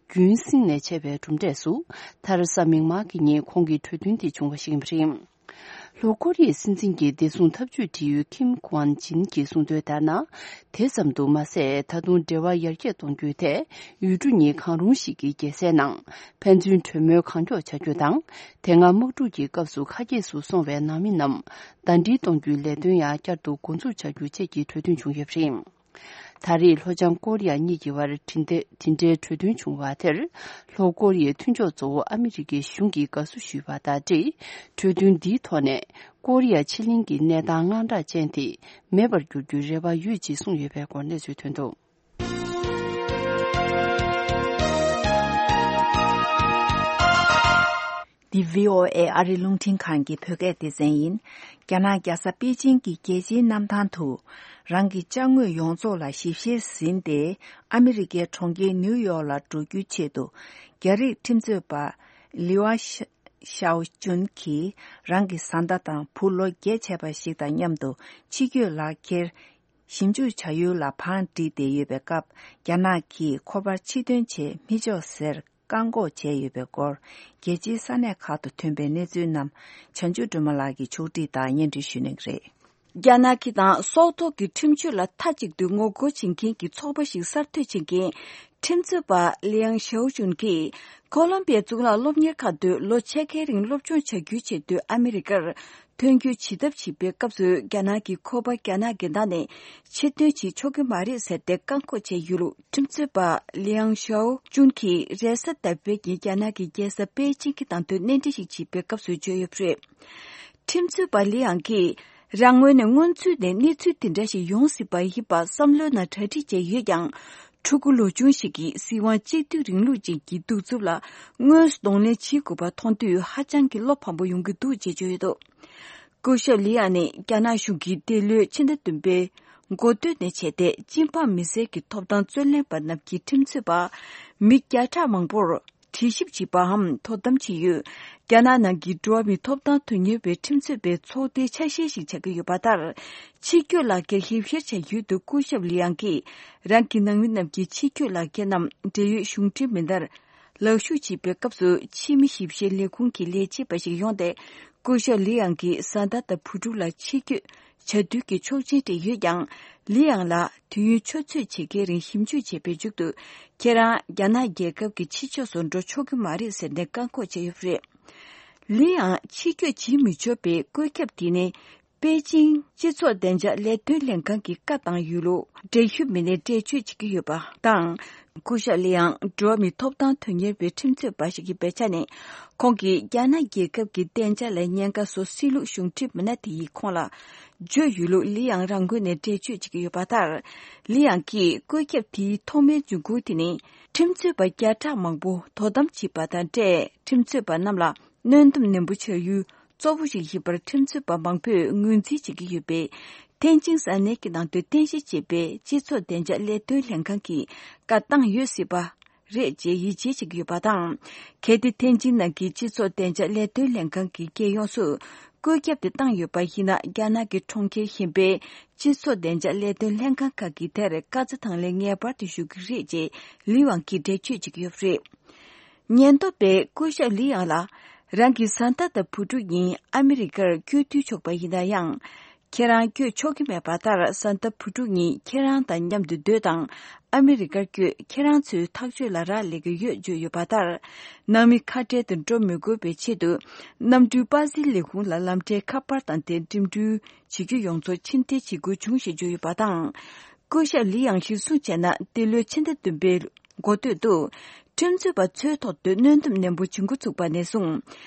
རྒྱུན་བསྲིངས་ནས་བྱས་པའི་གྲུབ་འབྲས་སུ། མཐར་གཟའ་མིག་དམར་གྱི་ཉིན་ཁོང་གིས་གྲོས་མཐུན་དེ་བྱུང་བ་ཞིག་ཡིན་པ་རེད། ལྷོ་ཀོ་རི་ཡའི་སྲིད་འཛིན་གྱི་བདེ་སྲུང་ཐབས་ཇུས་འབྲེལ་ཡོད་ཁིམ་ཀུའན་ཅིན་གྱིས་གསུངས་དོན་ལྟར་ན། དེ་ཙམ་དུ་མ་ཟད། ད་དུང་འབྲེལ་བ་ཡར་རྒྱས་གཏོང་རྒྱུའི་ཐད། ཡུལ་གྲུ་གཉིས་གང་རུང་ཞིག་གི་རྒྱལ་སའི་ནང་ཕན་ཚུན་གྲོས་མོལ་གང་མགྱོགས་བྱ་རྒྱུ་དང་། དེ་སྔ་དམག་འཁྲུག་གི་སྐབས་སུ་ཁ་གྱེས་སུ་སོང་བའི་ནང་མི་རྣམས་ཟླ་སྒྲིལ་གཏོང་རྒྱུའི་ལས་དོན་ཡང་བསྐྱར་དུ་འགོ་འཛུགས་བྱ་རྒྱུ་བཅས་ཀྱི་གྲོས་མཐུན་བྱུང་ཡོད་པ་རེད། ད་རེས་ལྷོ་བྱང་ཀོ་རི་ཡ་གཉིས་ཀྱི་བར་དེ་འདྲའི་དེ་འདྲའི་གྲོས་མཐུན་བྱུང་བ་དེར། ལྷོ་ཀོ་རི་ཡའི་མཐུན་ཕྱོགས་གཙོ་བོ་ཨ་མི་རི་ཀའི་གཞུང་གིས་དགའ་བསུ་ཞུས་པ་དང་འབྲེལ། གྲོས་མཐུན་འདིའི་ཐོག་ནས་ཀོ་རི་ཡ་ཕྱེད་གླིང་གི་གནས་སྟངས་དངངས་སྐྲག་ཅན་དེ་མེད་པར་འགྱུར་རྒྱུའི་རེ་བ་ཡོད་ཅེས་གསུངས་ཡོད་པའི་སྐོར་གནས་ཚུལ་ཐོན་འདུག། འདི་བྷི་ཨོ་ཨེ་ཨ་རི་རླུང་འཕྲིན་ཁང་གི་བོད་སྐད་སྡེ་ཚན་ཡིན། རྒྱ་ནག་རྒྱལ་ས་པེ་ཅིང་གི་རྒྱལ་སྤྱིའི་གནམ་ཐང་དུ། རང་གི་ཅ་དངོས་ཡོངས་རྫོགས་ལ་ཞིབ་བཤེར་ཟིན་ཏེ། ཨ་མི་རི་ཀའི་གྲོང་ཁྱེར་ནིའུ་ཡོག་ལ་འགྲོ་རྒྱུའི་ཆེད་དུ། རྒྱ་རིགས་ཁྲིམས་རྩོད་པ། ལི་ཝ་ཤའོ་ཅུན་གྱིས་རང་གི་བཟའ་ཟླ་དང་བུ་ལོ་བརྒྱད་བྱས་པ་ཞིག་དང་མཉམ་དུ་ཕྱི་སྐྱོད་ལག་འཁྱེར། ཞིབ་འཇུག་བྱ་ཡུལ་ལ་བང་བསྒྲིགས་ཏེ་ཡོད་པའི་སྐབས། རྒྱ་ནག་གིས་ཁོ་པར་ཕྱིར་འདོན་བྱེད་མི་ཆོག་ཟེར་བཀག་འགོག་བྱས་ཡོད་པའི་སྐོར། རྒྱལ་སྤྱིའི་ས་གནས་ཁག་ཏུ་ཐོན་པའི་གནས་ཚུལ་རྣམས། བྱང་ཆུབ་སྒྲོལ་མ་ལགས་ཀྱིས་ཕྱོགས་སྒྲིག་དང་སྙན་སྒྲོན་ཞུ་གནང་གི་རེད། རྒྱ་ནག་གི་དང་སྲོག་ཐོག་གི་ཁྲིམས་གཅོད་ལ་མཐའ་གཅིག་ཏུ་ངོ་རྒོལ་བྱེད་མཁན་གྱི་ཚོགས་པ་ཞིག་གསར་གཏོད་བྱེད་མཁན། ཁྲིམས་རྩོད་པ་ལི་ཡང་ཞའོ་ཅུན་གྱིས། ཀོ་ལོམ་བི་ཡའི་གཙུག་ལག་སློབ་གཉེར་ཁང་དུ་ལོ་ཕྱེད་ཀའི་རིང་སློབ་སྦྱོང་བྱ་རྒྱུའི་ཆེད་དུ་ཨ་མི་རི་ཀར་ཐོན་རྒྱུའི་བྱེད་ཐབས་བྱེད་པའི་སྐབས་སུ། རྒྱ་ནག་གིས་ཁོ་པ་རྒྱ་ནག་འགལ་ཟླ་ནས་ཕྱིར་འདོན་བྱེད་ཆོག་གི་མ་རེད་ཟེར་ཏེ་བཀག་འགོག་བྱས་ཡོད་ལུགས། ཁྲིམས་རྩོད་པ་ལི་ཡང་ཞའོ་ཅུན་གྱིས་རེས་གཟའ་ཟླ་བའི་ཉིན་རྒྱ་ནག་གི་རྒྱལ་ས་པེ་ཅིང་གི་ནང་དུ་གནས་འདྲི་ཞིག་བྱེད་པའི་སྐབས་སུ་བརྗོད་ཡོད་པ་རེད། ཁྲིམས་རྩོད་པ་ལི་ཡང་གིས། རང་ངོས་ནས་སྔོན་ཚུད་ནས་གནས་ཚུལ་དེ་འདྲ་ཞིག་ཡོང་སྲིད་པ་ཡིན་པ་བསམ་བློའི་ནང་གྲ་སྒྲིག་བྱས་ཡོད་ཀྱང་། ཕྲུ་གུ་ལོ་ཆུང་ཞིག་གིས་སྲིད་དབང་གཅིག་སྡུད་རིང་ལུགས་ཅན་གྱི་གདུག་རྩུབ་ལ་དངོས་སུ་གདོང་ལེན་བྱེད་དགོས་པ་མཐོང་དུས་ཧ་ཅང་གི་བློ་ཕམ་པོ་ཡོང་གི་འདུག་ཅེས་བརྗོད་ཡོད་འདུག། སྐུ་ཞབས་ལི་ཡང་ནི་རྒྱ་ནག་གཞུང་གིས་འདི་ལོའི་ཕྱི་ཟླ་བདུན་པའི་འགོ་སྟོད་ནས་བྱས་ཏེ། སྤྱི་འབངས་མི་སེར་གྱི་ཐོབ་ཐང་རྩོད་ལེན་པ་རྣམས་ཀྱི་ཁྲིམས་རྩོད་པ་མི་བརྒྱ་ཕྲག་མང་པོར། དྲི་ཞིབ་བྱེད་པའམ་དོ་དམ་བྱེད་ཡུལ། རྒྱ་ནག་ནང་གི་འགྲོ་བ་མིའི་ཐོབ་ཐང་དོན་གཉེར་བའི་ཁྲིམས་རྩོད་པའི་ཚོགས་སྡེའི་ཆ་ཤས་ཤིག་ཆགས་ཀྱི་ཡོད་པ་ལྟར། ཕྱིར་སྐྱོད་ལག་འཁྱེར་ཞིབ་བཤེར་བྱ་ཡུལ་དུ་སྐུ་ཞབས་ལི་ཡང་གིས། རང་གི་ནང་མི་རྣམས་ཀྱི་ཕྱིར་སྐྱོད་ལག་འཁྱེར་རྣམས་འབྲེལ་ཡོད་གཞུང་འབྲེལ་མི་སྣར་ལག་ཞུགས་བྱེད་པའི་སྐབས་སུ། ཕྱི་མི་ཞིབ་བཤེར་ལས་ཁུངས་ཀྱི་ལས་བྱེད་པ་ཞིག་ཡོང་སྟེ། སྐུ་ཞབས་ལི་ཡང་གི་བཟའ་ཟླ་དང་བུ་ཕྲུག་ལ་ཕྱིར་སྐྱོད། བྱ་འདུལ་གྱི་ཆོག་མཆན་སྤྲད་ཡོད་ཀྱང་། ལི་ཡང་ལ་དུས་ཡུན་ཆུ་ཚོད་ཕྱེད་ཀའི་རིང་ཞིབ་འཇུག་བྱས་པའི་མཇུག་ཏུ། ཁྱེད་རང་རྒྱ་ནག་རྒྱལ་ཁབ་ཀྱི་ཕྱི་ཕྱོགས་སུ་འགྲོ་ཆོག་གི་མ་རེད་ཟེར་ནས་བཀག་འགོག་བྱས་ཡོད་པ་རེད། ལི་ཡང་ཕྱིར་སྐྱོད་བྱེད་མི་ཆོག་པའི་བཀོད་ཁྱབ་དེ་ནི། པེ་ཅིང་སྤྱི་ཚོགས་བདེ་འཇགས་ལས་དོན་ལྷན་ཁང་གིས་བཀའ་བཏང་ཡོད་ལུགས་འབྲེལ་ཞུགས་མི་སྣས་འགྲེལ་བརྗོད་བྱེད་ཀྱི་ཡོད་པ་དང་། སྐུ་ཞབས་ལི་ཡང་འགྲོ་བ་མིའི་ཐོབ་ཐང་དོན་གཉེར་བའི་ཁྲིམས་རྩོད་པ་ཞིག་ཡིན་པའི་ཆ་ནས། ཁོང་གིས་རྒྱ་ནག་རྒྱལ་ཁབ་ཀྱི་བདེ་འཇགས་ལ་ཉེན་ཁ་བཟོ་སྲིད་ལུགས་གཞུང་འབྲེལ་མི་སྣ་དེ་ཡིས་ཁོང་ལ་བརྗོད་ཡོད་ལུགས་ལི་ཡང་རང་ངོས་ནས་འགྲེལ་བརྗོད་བྱེད་ཀྱི་ཡོད་པ་ལྟར། ལི་ཡང་གིས་བཀོད་ཁྱབ་དེའི་ཐོག་མའི་འབྱུང་ཁུངས་དེ་ནི། ཁྲིམས་རྩོད་པ་བརྒྱ་ཕྲག་མང་པོ་དོ་དམ་བྱེད་པ་དང་འབྲེལ། ཁྲིམས་རྩོད་པ་རྣམས་ལ་གནོན་སྡོམ་ནན་པོ་བྱ་ཡུལ་གཙོ་བོ་ཞིག་ཡིན་པར། ཁྲིམས་རྩོད་པ་མང་པོས་ངོས་འཛིན་བྱེད་ཀྱི་ཡོད་པས། ཐེན་ཅིང་ས་གནས་ཀྱི་ནང་དུ་རྟེན་གཞི་བྱས་པའི་སྤྱི་ཚོགས་བདེ་འཇགས་ལས་དོན་ལྷན་ཁང་གིས་བཀའ་བཏང་ཡོད་སྲིད་པ། རེད་ཅེས་ཡིད་ཆེས་བྱེད་ཀྱི་ཡོད་པ་དང་། གལ་ཏེ་ཐེན་ཅིན་ནང་གི་སྤྱི་ཚོགས་བདེ་འཇགས་ལས་དོན་ལྷན་ཁང་གི་རྒྱལ་ཡོངས་སུ་བཀོད་ཁྱབ་དེ་བཏང་ཡོད་པ་ཡིན་ན། རྒྱ་ནག་གི་གྲོང་ཁྱེར་གཞན་པའི་སྤྱི་ཚོགས་བདེ་འཇགས་ལས་དོན་ལྷན་ཁང་ཁག་གིས་དེར་བཀའ་རྩི་དང་ལེན་ངེས་པར་དུ་ཞུ་གི་རེད་ཅེས་ལི་ཝང་གིས་འགྲེལ་བརྗོད་བྱེད་ཀྱི་ཡོད་པ་རེད། ཉེན་རྟོག་པས་སྐུ་ཞབས་ལི་ཡང་ལ་རང་གི་བཟའ་ཟླ་དང་བུ་ཕྲུག་གཉིས་ཨ་མི་རི་ཀར་བསྐྱོད་དུ་ཕྱོགས་པ་ཡིན་ན་ཡང་། ཁྱེད་རང་བསྐྱོད་ཆོག་གི་མེད་པ་ལྟར། བཟའ་ཟླ་བུ་ཕྲུག་གཉིས་ཁྱེད་རང་དང་མཉམ་དུ་སྡོད་དང་། ཨ་མི་རི་ཀར་བསྐྱོད། ཁྱེད་རང་ཚོའི་ཐག་གཅོད་ལ་རག་ལས་ཀྱི་ཡོད་བརྗོད་ཡོད་པ་ལྟར། ནང་མི་ཁ་བྲལ་དུ་འགྲོ་མི་དགོས་པའི་ཆེད་དུ། གནམ་གྲུའི་པར་སིལ་ལས་ཁུངས་ལ་ལམ་ཁྲལ་ཁ་པར་དང་དེ་འགྲིམ་འགྲུལ་བྱེད་རྒྱུ་ཡོངས་རྫོགས་ཕྱིར་འཐེན་བྱེད་དགོས་བྱུང་ཞེས་བརྗོད་ཡོད་པ་དང་། སྐུ་ཞབས་ལི་ཡང་གཞིར་བཟུང་བྱས་ན། འདི་ལོའི་ཕྱི་ཟླ་བདུན་པའི་འགོ་སྟོད་དུ། ཁྲིམས་རྩོད་པ་ཚོའི་ཐོག་ཏུ་གནོན་སྡོམ་ནན་པོ་བྱེད་འགོ་ཚུགས་པ་ནས་བཟུང་།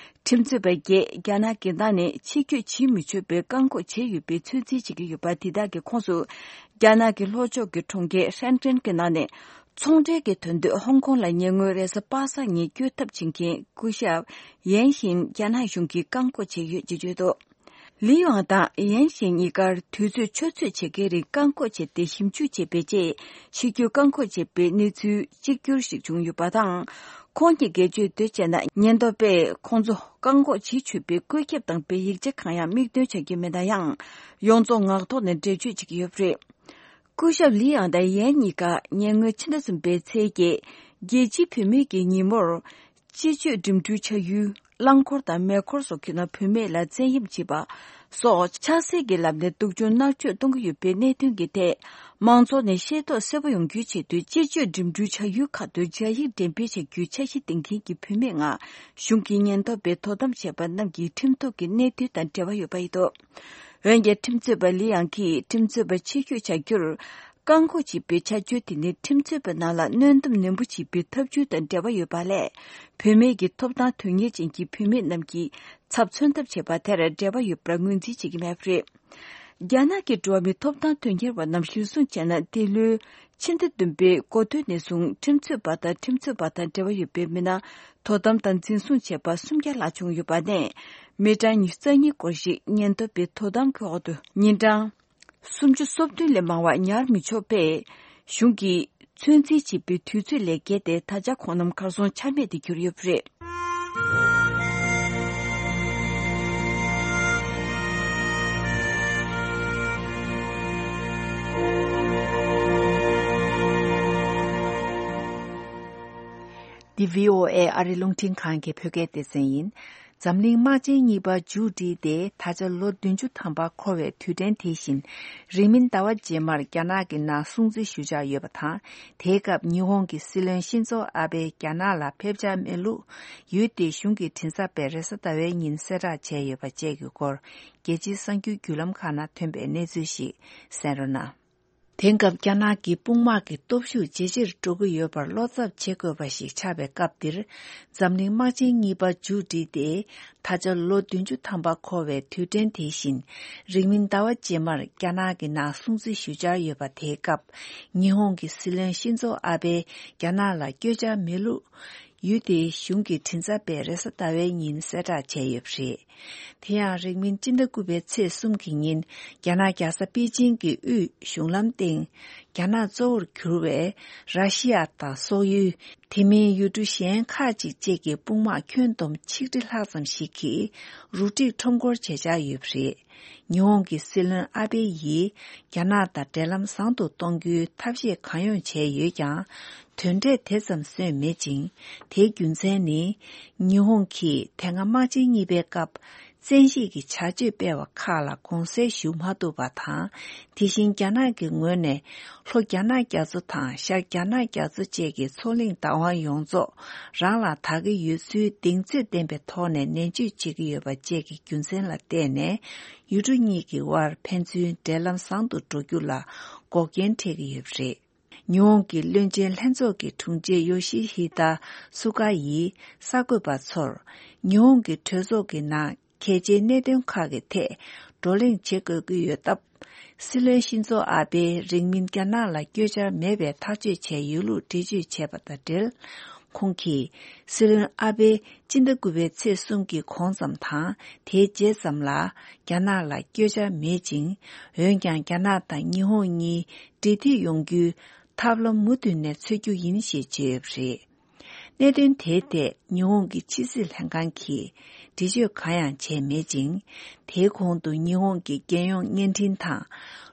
ཁྲིམས་རྩོད་པ་བརྒྱད་རྒྱ་ནག་གི་ནང་ནས་ཕྱིར་སྐྱོད་བྱེད་མི་ཆོག་པའི་བཀག་འགོག་བྱས་ཡོད་པའི་ཚོད་འཛིན་བྱེད་ཀྱི་ཡོད་པ། དེ་དག་གི་ཁོངས་སུ། རྒྱ་ནག་གི་ལྷོ་ཕྱོགས་ཀྱི་གྲོང་ཁྱེར་ཧྲན་ཀྲེན་གྱི་ནང་ནས་ཚོང་འབྲེལ་གྱི་དོན་དུ་ཧོང་ཀོང་ལ་ཉེ་སྔོན་རེས་གཟའ་པ་སངས་ཉིན་བསྐྱོད་ཐབས་བྱེད་མཁན་སྐུ་ཞབས་ཡན་ཤིན་རྒྱ་ནག་གཞུང་གིས་བཀག་འགོག་བྱས་ཡོད་ཅེས་བརྗོད་འདུག་ལི་ཝང་དང་ཡན་ཤིན་གཉིས་ཀར་དུས་ཚོད་ཆུ་ཚོད་ཕྱེད་ཀའི་རིང་བཀག་འགོག་བྱས་ཏེ་ཞིབ་འཇུག་བྱས་པའི་རྗེས། ཕྱིར་སྐྱོད་བཀག་འགོག་བྱས་པའི་གནས་ཚུལ་གཅིག་གྱུར་ཞིག་བྱུང་ཡོད་པ་དང་། ཁོང་གིས་འགྲེལ་བརྗོད་དེ་བྱས་ན། ཉེན་རྟོག་པས་ཁོང་ཚོ་བཀག་འགོག་བྱེད་ཆོག་པའི་བཀོད་ཁྱབ་དང་པའི་ཡིག་ཆ་གང་ཡང་མིག་སྟོན་བྱ་རྒྱུ་མེད་ན་ཡང་། ཡོངས་རྫོགས་ངག་ཐོག་ནས་འགྲེལ་བརྗོད་བྱེད་ཀྱི་ཡོད་པ་རེད། སྐུ་ཞབས་ལི་ཡང་དང་ཡན་གཉིས་ཀ་ཉེ་སྔོན་ཕྱི་ཟླ་གསུམ་པའི་ཚེས་བརྒྱད། རྒྱལ་སྤྱིའི་བུད་མེད་ཀྱི་ཉིན་མོར། སྤྱི་སྤྱོད་འགྲིམ་འགྲུལ་བྱ་ཡུལ། རླངས་འཁོར་དང་མེ་འཁོར་སོགས་ཀྱི་ནང་བུད་མེད་ལ་བཙན་གཡེམ་བྱེད་པ་སོགས། ཆབ་སྲིད་ཀྱི་ལམ་ནས་སྡུག་སྦྱོང་མནར་གཅོད་གཏོང་གི་ཡོད་པའི་གནད་དོན་གྱི་ཐད། མང་ཚོགས་ནས་ཤེས་རྟོགས་གསལ་པོ་ཡོང་རྒྱུའི་ཆེད་དུ། སྤྱི་སྤྱོད་འགྲིམ་འགྲུལ་བྱ་ཡུལ་ཁག་ཏུ་སྦྱར་ཡིག་འགྲེམས་སྤེལ་བྱ་རྒྱུའི་འཆར་གཞི་འདིང་མཁན་གྱི་བུད་མེད་ལྔ། གཞུང་གི་ཉེན་རྟོག་པས་དོ་དམ་བྱས་པ་རྣམས་ཀྱི་ཁྲིམས་ཐོག་གི་གནད་དོན་དང་འབྲེལ་བ་ཡོད་པ་ཡིན་འདུག་འོན་ཀྱང་། ཁྲིམས་རྩོད་པ་ལི་ཡང་གིས་ཁྲིམས་རྩོད་པ་ཕྱིར་སྐྱོད་བྱ་རྒྱུར་བཀག་འགོག་བྱེད་པའི་བྱ་སྤྱོད་དེ་ནི། ཁྲིམས་རྩོད་པ་རྣམས་ལ་གནོན་སྡོམ་ནན་པོ་བྱེད་པའི་ཐབས་ཇུས་དང་འབྲེལ་བ་ཡོད་པ་ལས། བུད་མེད་ཀྱི་ཐོབ་ཐང་དོན་གཉེར་ཅན་གྱི་བུད་མེད་རྣམས་ཀྱི་ཚབ་མཚོན་ཐབས་བྱེད་པ་དེར་འབྲེལ་བ་ཡོད་པར་ངོས་འཛིན་བྱེད་ཀྱི་མེད་པ་རེད། རྒྱ་ནག་གི་འགྲོ་བ་མིའི་ཐོབ་ཐང་དོན་གཉེར་བ་རྣམས་གཞིར་བཟུང་བྱས་ན། འདི་ལོའི་ཕྱི་ཟླ་བདུན་པའི་འགོ་སྟོད་ནས་བཟུང་། ཁྲིམས་རྩོད་པ་དང་། ཁྲིམས་རྩོད་པ་དང་འབྲེལ་བ་ཡོད་པའི་མི་སྣ་དོ་དམ་དང་འཛིན་བཟུང་བྱས་པ་སུམ་བརྒྱ་ལྷག་བྱུང་ཡོད་པ་ནས། མི་གྲངས་ཉི་ཤུ་རྩ་གཉིས་སྐོར་ཞིག་ཉེན་རྟོག་པའི་དོ་དམ་གྱི་འོག་ཏུ་ཉིན་གྲངས་སུམ་ཅུ་སོ་བདུན་ལས་མང་བ་ཉར་མི་ཆོག་པས། གཞུང་གིས་ཚོད་འཛིན་བྱེད་པའི་དུས་ཚོད་ལས་བརྒལ་ཏེ། ད་ཆ་ཁོང་རྣམས་གར་སོང་ཆ་མེད་དུ་གྱུར་ཡོད་པ་རེད། འདི་བྷི་ཨོ་ཨེ་ཨ་རི་རླུང་འཕྲིན་ཁང་གི་བོད་སྐད་སྡེ་ཚན་ཡིན། འཛམ་གླིང་དམག་ཆེན་གཉིས་པ་མཇུག་བསྒྲིལ་ཏེ། ད་ཆ་ལོ་བདུན་ཅུ་ཐམ་པ་འཁོར་བའི་དུས་དྲན་དེ་བཞིན། རིང་མིན་ཟླ་བ་རྗེས་མར་རྒྱ་ནག་གི་ནང་སྲུང་བརྩི་ཞུ་འཆར་ཡོད་པ་དང་། དེའི་སྐབས་ཉི་ཧོང་གི་སྲིད་བློན་ཤིན་ཛོ་ཨ་བྷེ་རྒྱ་ནག་ལ་ཕེབས་འཆར་མེད་ལུགས། ཡུལ་དེའི་གཞུང་གི་མགྲིན་ཚབ་པས་རེས་གཟའ་ཟླ་བའི་ཉིན་གསལ་བསྒྲགས་བྱས་ཡོད་པ་བཅས་ཀྱི་སྐོར། རྒྱལ་སྤྱིའི་གསར་འགྱུར་བརྒྱུད་ལམ་ཁག་ནང་ཐོན་པའི་གནས་ཚུལ་ཞིག་གསན་རོགས་གནང་། དེང་སྐབས་རྒྱ་ནག་གི་དཔུང་དམག་གི་སྟོབས་ཤུགས་ཇེ་ཆེར་འགྲོ་གི་ཡོད་པར་བློ་འཚབ་བྱེད་དགོས་པ་ཞིག་ཆགས་པའི་སྐབས་འདིར། འཛམ་གླིང་དམག་ཆེན་གཉིས་པ་མཇུག་བསྒྲིལ་ཏེ། ད་ཆ་ལོ་བདུན་ཅུ་ཐམ་པ་འཁོར་བའི་དུས་དྲན་དེ་བཞིན། རིང་མིན་ཟླ་བ་རྗེས་མར་རྒྱ་ནག་གི་ནང་སྲུང་བརྩི་ཞུ་འཆར་ཡོད་པ་དེའི་སྐབས། ཉི་ཧོང་གི་སྲིད་བློན་ཤིན་ཛོ་ཨ་བྷེ་རྒྱ་ནག་ལ་བསྐྱོད་འཆར་མེད་ལུགས། ཡུལ་དེའི་གཞུང་གི་མགྲིན་ཚབ་པས་རེས་གཟའ་ཟླ་བའི་ཉིན་གསལ་བསྒྲགས་བྱས་ཡོད་པ་རེད། དེ་ཡང་། རིང་མིན་སྤྱི་ཟླ་དགུ་པའི་ཚེས་གསུམ་གྱི་ཉིན། རྒྱ་ནག་རྒྱལ་ས་པེ་ཅིང་གི་དབུས་གཞུང་ལམ་སྟེང་། རྒྱ་ནག་གཙོ་བོར་གྱུར་བའི་ར་ཤི་ཡ་དང་སོག་ཡུལ། དེ་མིན་ཡུལ་གྲུ་གཞན་ཁག་ཅིག་བཅས་ཀྱི་དཔུང་དམག་ཁྱོན་བསྡོམས་ཆིག་ཁྲི་ལྷག་ཙམ་ཞིག་གིས་རུ་སྒྲིག་ཁྲོམ་སྐོར་བྱེད་འཆར་ཡོད་པ་རེད། ཉི་ཧོང་གི་སྲིད་བློན་ཨ་བྷེ་ཡིས་རྒྱ་ནག་དང་འབྲེལ་ལམ་བཟང་དུ་གཏོང་རྒྱུའི་ཐབས་ཤེས་གང་ཡོང་བྱས་ཡོད་ཀྱང་། དོན་འབྲས་དེ་ཙམ་སོན་མེད་ཅིང་། དེའི་རྒྱུ་མཚན་ནི། ཉི་ཧོང་གིས་དེ་སྔ་དམག་ཆེན་གཉིས་པའི་སྐབས། བཙན་ཤེད་ཀྱི་བྱ་སྤྱོད་སྤེལ་བ་ཁག་ལ་དགོངས་སེལ་ཞུ་མ་ཐུབ་པ་དང་། དེ་བཞིན་རྒྱ་ནག་གི་ངོས་ནས། ལྷོ་རྒྱ་ནག་རྒྱ་མཚོ་དང་ཤར་རྒྱ་ནག་རྒྱ་མཚོ་བཅས་ཀྱི་མཚོ་གླིང་བདག་དབང་ཡོངས་རྫོགས་རང་ལ་དག་གི་ཡོད་ཚུལ་གདེང་ཚོད་ལྡན་པའི་ཐོག་ནས་ནན་བརྗོད་བྱེད་ཀྱི་ཡོད་པ་བཅས་ཀྱི་རྒྱུ་མཚན་ལ་བརྟེན་ནས། ཡུལ་གྲུ་གཉིས་ཀྱི་དབར་ཕན་ཚུན་འབྲེལ་ལམ་བཟང་དུ་འགྲོ་རྒྱུ་ལ་འགོག་རྐྱེན་འཕྲད་ཀྱི་ཡོད་པ་རེད། ཉི་ཧོང་གི་བློན་ཆེན་ལྷན་ཚོགས་ཀྱི་དྲུང་ཆེ་ཡོ་ཤི་ཧི་ད་སུ་ཀ་ཡིས་གསར་འགོད་པ་ཚོར། ཉི་ཧོང་གི་གྲོས་ཚོགས་ཀྱི་ནང་གལ་ཆེའི་གནད་དོན་ཁག་གི་ཐད་བགྲོ་གླེང་བྱེད་དགོས་ཀྱི་ཡོད་སྟབས། སྲིད་བློན་ཤིན་ཛོ་ཨ་བྷེ་རིང་མིན་རྒྱ་ནག་ལ་བསྐྱོད་འཆར་མེད་པའི་ཐག་གཅོད་བྱས་ཡོད་ལུགས་འགྲེལ་བརྗོད་བྱས་པ་དང་འབྲེལ། ཁོང་གིས། སྲིད་བློན་ཨ་བྷེ་སྤྱི་ཟླ་དགུ་པའི་ཚེས་གསུམ་གྱི་གོང་ཙམ་དང་། དེའི་རྗེས་ཙམ་ལ་རྒྱ་ནག་ལ་བསྐྱོད་འཆར་མེད་ཅིང་། འོན་ཀྱང་། རྒྱ་ནག་དང་ཉི་ཧོང་གཉིས་འབྲེལ་མཐུད་ཡོང་རྒྱུའི་ཐབས་ལམ་མུ་མཐུད་ནས་འཚོལ་རྒྱུ་ཡིན་ཞེས་བརྗོད་ཡོད་པ་རེད། གནད་དོན་དེའི་ཐད་ཉི་ཧོང་གི་ཕྱི་སྲིད་ལྷན་ཁང་གིས་འགྲེལ་བརྗོད་གང་ཡང་བྱས་མེད་ཅིང་། དེའི་གོང་དུ་ཉི་ཧོང་གི་རྒྱལ་ཡོངས་བརྙན་འཕྲིན་དང་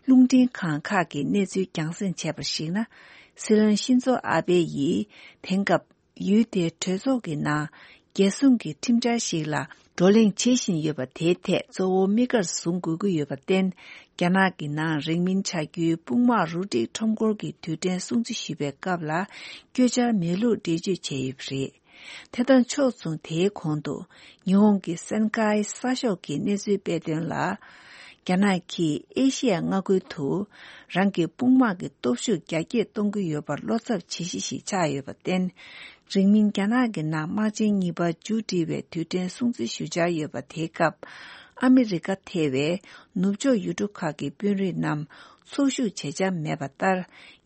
རླུང་འཕྲིན་ཁང་ཁག་གིས་གནས་ཚུལ་རྒྱང་སྲིང་བྱས་པར་གཞིགས་ན། སྲིད་བློན་ཤིན་ཛོ་ཨ་བྷེ་ཡིས་དེང་སྐབས་ཡུལ་དེའི་གྲོས་ཚོགས་ཀྱི་ནང་རྒྱལ་སྲུང་གི་ཁྲིམས་འཆར་ཞིག་ལ་བགྲོ་གླེང་བྱེད་བཞིན་ཡོད་པ་དེའི་ཐད་གཙོ་བོ་དམིགས་ཀར་བཟུང་དགོས་ཀྱི་ཡོད་པར་བརྟེན། རྒྱ་ནག་གི་ནང་རིང་མིན་བྱ་རྒྱུའི་དཔུང་དམག་རུ་སྒྲིག་ཁྲོམ་སྐོར་གྱི་དུས་དྲན་སྲུང་བརྩི་ཞུས་པའི་སྐབས་ལ་བསྐྱོད་འཆར་མེད་ལུགས་འགྲེལ་བརྗོད་བྱས་ཡོད་པ་རེད། དེ་དང་ཕྱོགས་མཚུངས། དེའི་གོང་དུ་ཉི་ཧོང་གི་སན་ཀའི་གསར་ཤོག་གིས་གནས་ཚུལ་སྤེལ་དོན་ལ། རྒྱ་ནག་གིས་ཨེ་ཤི་ཡ་མངའ་ཁུལ་དུ་རང་གི་དཔུང་དམག་གི་སྟོབས་ཤུགས་རྒྱ་སྐྱེད་གཏོང་གི་ཡོད་པར་བློ་འཚབ་བྱེད་གཞི་ཞིག་ཆགས་ཡོད་པར་བརྟེན། རིང་མིན་རྒྱ་ནག་གི་ནང་དམག་ཆེན་གཉིས་པ་མཇུག་སྒྲིལ་བའི་དུས་དྲན་སྲུང་བརྩི་ཞུ་འཆར་ཡོད་པ་དེའི་སྐབས། ཨ་མི་རི་ཀ་ཐེ་བའི་ནུབ་ཕྱོགས་ཡུལ་གྲུ་ཁག་གི་དཔོན་རིགས་རྣམས་ཚོགས་ཞུགས་བྱེད་འཆར་མེད་པ་ལྟར།